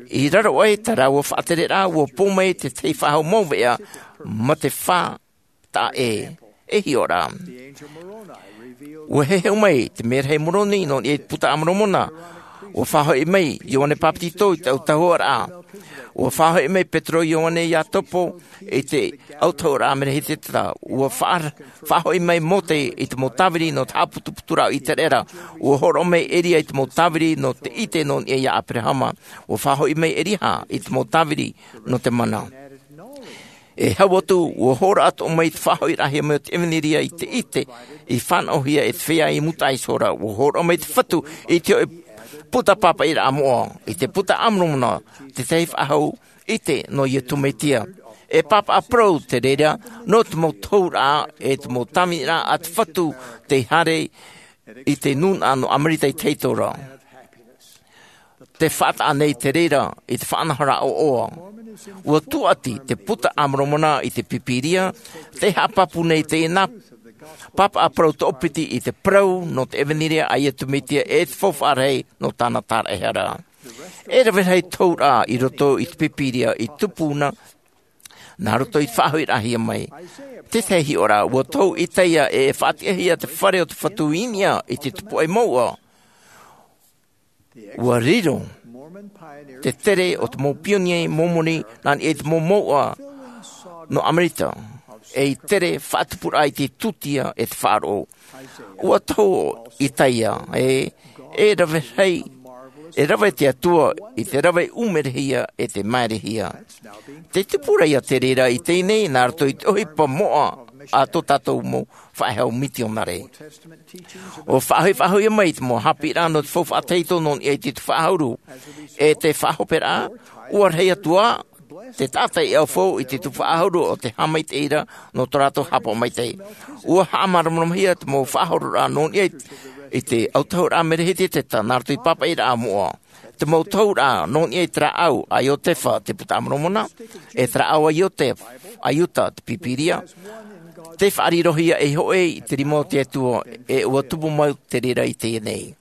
I raro aʻe tā rāua faʻatereraʻa, ua pō mai te tahi faʻahou mau veʻa mā te fā taʻa ʻē, e hiʻo ra. Ua heheu mai te merahi Moroni nō niʻa i te Buka a Moromona. Ua faʻahoʻi mai Ioane Papetito i te autahuʻaraʻa. Ua faʻahoʻi mai Petero, Ioane, Iakobo i te autahuʻaraʻa Mereheteta. Ua faʻa-, faʻahoʻi mai Mose i te mau tāviri nō te haʻaputuputuraʻa o Iseraela. Ua hōroʻa mai Eria i te mau tāviri nō te ʻite nō niʻa iā Aberahama. Ua faʻahoʻi mai Elia i te mau tāviri nō te mana. E hau atu, ua hōroʻa atoʻa mai te faʻahoʻiraʻahia mai o te ʻevanelia i te ʻite i fānaʻohia e te feiā i Iuta iho ra. Ua hōroʻa mai te Fatu i te hōʻē buka pāpaʻiraʻa moʻa, i te Buka a Moromona, te tahi faʻahou ʻite nō Iesu Mesia. E pāpaʻi parau te reira nō te mau tohuraʻa, e te mau tāviniraʻa a te Fatu tei haere i te nūnaʻa nō Amerika i te Hitora. Te faʻataʻa nei te reira i te faʻanahoraʻa ʻoaʻoa. Ua tūʻati te Buka a Moromona i te Bibilia, tē haʻapāpū nei teie nā pāpaʻi parau toʻopiti i te parau nō te ʻevanelia a Iesu Mesia e te faufaʻa rahi nō tāna tāraʻehara. E rave rahi tohuraʻa i roto i te Bibilia i tupuna nā roto i te faʻahoʻiraʻahia mai. Te tahi hiʻoraʻa, ua tohu Isaia e faʻatiʻahia te fare o te Fatu i niʻa i te tupu ʻai mouʻa. Ua riro te tere o te mau pionie Momoni nā niʻa i te mau mouʻa nō Amerika, ei tere faʻatupuraʻa i te tūtia e te faʻaroʻo. Ua tohu Isaia, e, e rave rahi, e rave te Atua i te rave ʻumerehia e te maerehia. Te tupu ra ia te reira i teie nei, nā roto i te ʻohipa moʻa a tō tātou mau faʻehau mitionare. ʻUa faʻahoʻi, faʻahoʻi mai te mau haʻapiʻiraʻa nō te faufaʻa tahito nō niʻa i te tupu faʻahuru. E te faʻahoperaʻa, ʻua rahi atu ā te taʻata i ʻaufau i te tupu faʻahuru o te haʻamaitaʻiraʻa nō tō rātou haʻapaʻo maitaʻi. ʻUa haʻamāramarama hia te mau faʻahororaʻa nō niʻa i, i te autahuʻaraʻa Mereheteta nā roto i te pāpaʻiraʻa moʻa. Te mau tohuraʻa nō niʻa i te rāʻau a Iotefa, te Buka a Moromona, e te rāʻau a Iotefa, a Iuta, te Bibilia, tē faʻarirohia ei hōʻē i te rima o te Atua, e ʻua tupu mau te reira i teie nei.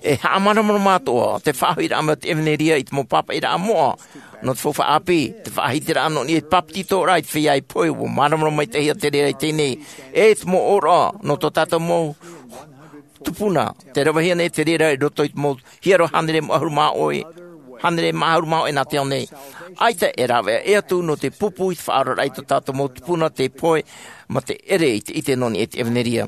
E haʻamāramarama atoʻa te faʻahoʻiraʻa mai o te ʻevanelia i te mau pāpaʻiraʻa moʻa nō te faufaʻa ʻāpī, te faʻahitiraʻa nō niʻa i te bāpetizoraʻa i te feiā i pohe, ʻua māramarama maitaʻihia te reira i teie nei, e te mau ʻōroʻa nō tō tātou mau tupuna, tē ravehia nei te reira i roto i te mau hiero hānere mā ʻahuru mā ʻoe, hānere mā ʻahuru mā ʻoe nā te ao nei. ʻAita e rāveʻa ʻē atu nō te pupu i te faʻaoraraʻa i tō tātou mau tupuna tei pohe mā te ʻere i te ʻite nō niʻa i te ʻevanelia.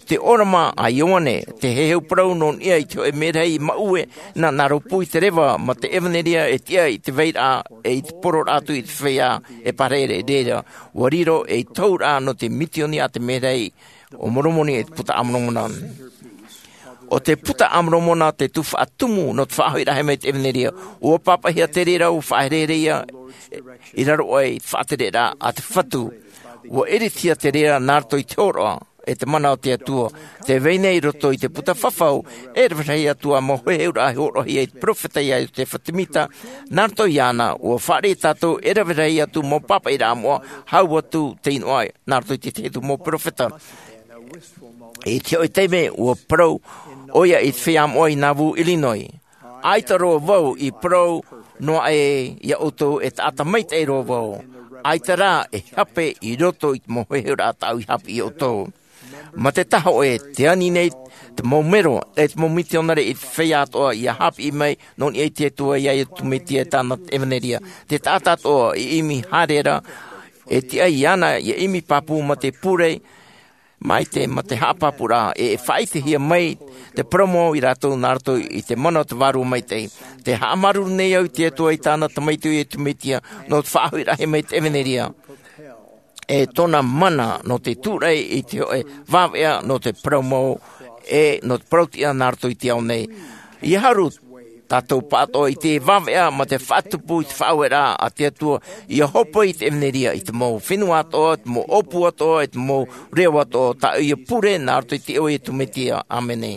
Te ʻōrama a Ioane, te heheu parau nō niʻa i te hōʻē merahi i Maʻue, nā, nā rōpū i te reva mā te ʻevanelia e tiʻa i te vairaʻa, e i te pororaʻa atu i te feiā e pārahi ra i reira, ʻua riro ei tohuraʻa nō te misiōni a te merahi o Moromona, e te Buka a Moromona. ʻO te Buka a Moromona te tuhaʻa tumu nō te faʻahoʻiraʻahia mai te ʻevanelia. ʻUa pāpaʻihia te reira, ʻua faʻaherehere ia i raro aʻe i te faʻatereraʻa a te Fatu. ʻUa ʻiritihia te reira nā roto i te hōroʻa e te mana o te Atua. Tē vai nei i roto i te Buka Fafau, e rave rahi atu ā mau heheuraʻa i hōroʻahia e te peropheta ia Iosefa Semita, nā roto iāna, ʻua fāriʻi tātou e rave rahi atu mau pāpaʻiraʻa moʻa, hau atu tei noaʻa nā roto i te tahi atu mau peropheta. I te hōʻē taime, ʻua parau ʻoia i te feiā moʻa i Nauvoo, Illinois. ʻAita roa vau i parau noa aʻe ia ʻoutou e taʻata maitaʻi roa vau. ʻAita rā e hape i roto i te mau heheuraʻa tāʻu i haʻapiʻi ia ʻoutou. Mā te tahi hōʻē, tē ani nei te mau mero, e te mau misionare i te feiā atoʻa ia haʻapiʻi mai nō niʻa i te Atua, ia Iesu Mesia e tāna ʻevanelia. Te taʻata atoʻa i ʻimi haere ra, e tiʻa iāna ia ʻimi pāpū mā te pure, mai te, mā te haʻapāpūraʻa, e faʻaʻitehia mai te parau mau ia rātou nā roto i te mana o te Vārua Maitaʻi. Tē haʻamāuruuru nei au i te Atua, i tāna Tamaiti ʻo Iesu Mesia, nō te faʻahoʻiraʻahia mai te ʻevanelia, e tōna mana nō te tūraʻi i te hōʻē vāveʻa nō te parau mau, e nō te parau tiʻa nā roto i te ao nei. ʻIa haru Tātou pāʻatoʻa i te vāveʻa mā te faʻatupu i te faʻaueraʻa a te Atua, ʻia hopoiʻa i te ʻevanelia i te mau fenua atoʻa, te mau ʻōpū atoʻa, te mau reo atoʻa, tā ʻoe ʻia pure, nā roto i te iʻoa o Iesu Mesia. ʻĀmene.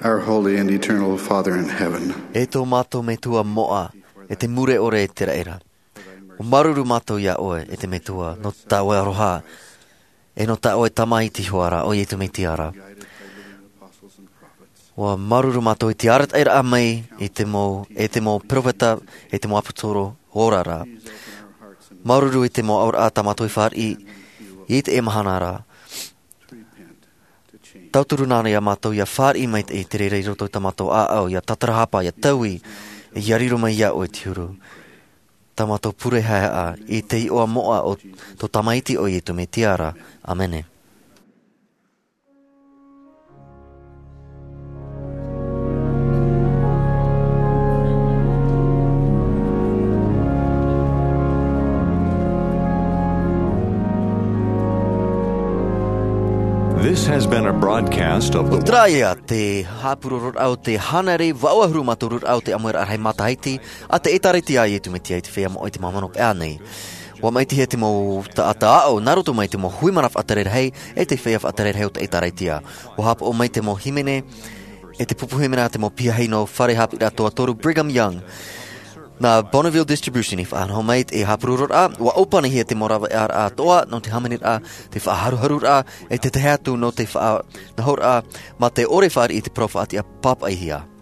Our holy and eternal Father in heaven. E tō mātou Metua moʻa, e te mure ʻore e te raʻi ra. ʻUa māuruuru mātou iā ʻoe, e te Metua, nō tā ʻoe aroha, e nō tā ʻoe tamaiti hoʻi ra, ʻo Iesu Mesia ra. ʻUa māuruuru mātou i te arataʻiraʻa mai i te mau, e te mau peropheta, e te mau ʻāpōsetolo ora ra. Māuruuru i te mau auraʻa tā mātou i fāriʻi i teie mahana ra. Tauturu nā reira mātou ʻia fāriʻi mai i te reira i roto i tā mātou ʻāʻau, ʻia tātarahapa, ʻia taui, ʻia riro mai iā ʻoe te huru. Tā mātou pure haehaʻa i te iʻoa moʻa o tō tamaiti ʻo Iesu Mesia ra. ʻĀmene. This has been a broadcast of the Terā ia te haʻapurororaʻa o te hānere vaʻu ʻahuru mā toru raʻa o te ʻāmuiraʻa rahi matahiti a te ʻĒtārētia a Iesu Mesia i te Feiā Moʻa i te Māmani Pea nei. ʻUa maʻitihia te mau taʻata aʻo, nā roto mai i te mau hui mana faʻatere rahi, e te feiā faʻatere rahi o te ʻĒtārētia. ʻUa haʻapaʻo mai te mau hīmene, e te pupu hīmene a te mau piahi nō Fare Haʻapiʻiraʻa Toa Toru Brigham Young. Nā Bonneville Distribution i faʻanaho mai te haʻapurororaʻa, ʻua ʻōpanihia te mau rāveʻa atoʻa, nō te hāmaniraʻa, te faʻaharuharuraʻa, e te tahi atu nō te faʻanahoraʻa, mā te ʻore fāriʻi i te parau faʻatiʻa pāpaʻihia.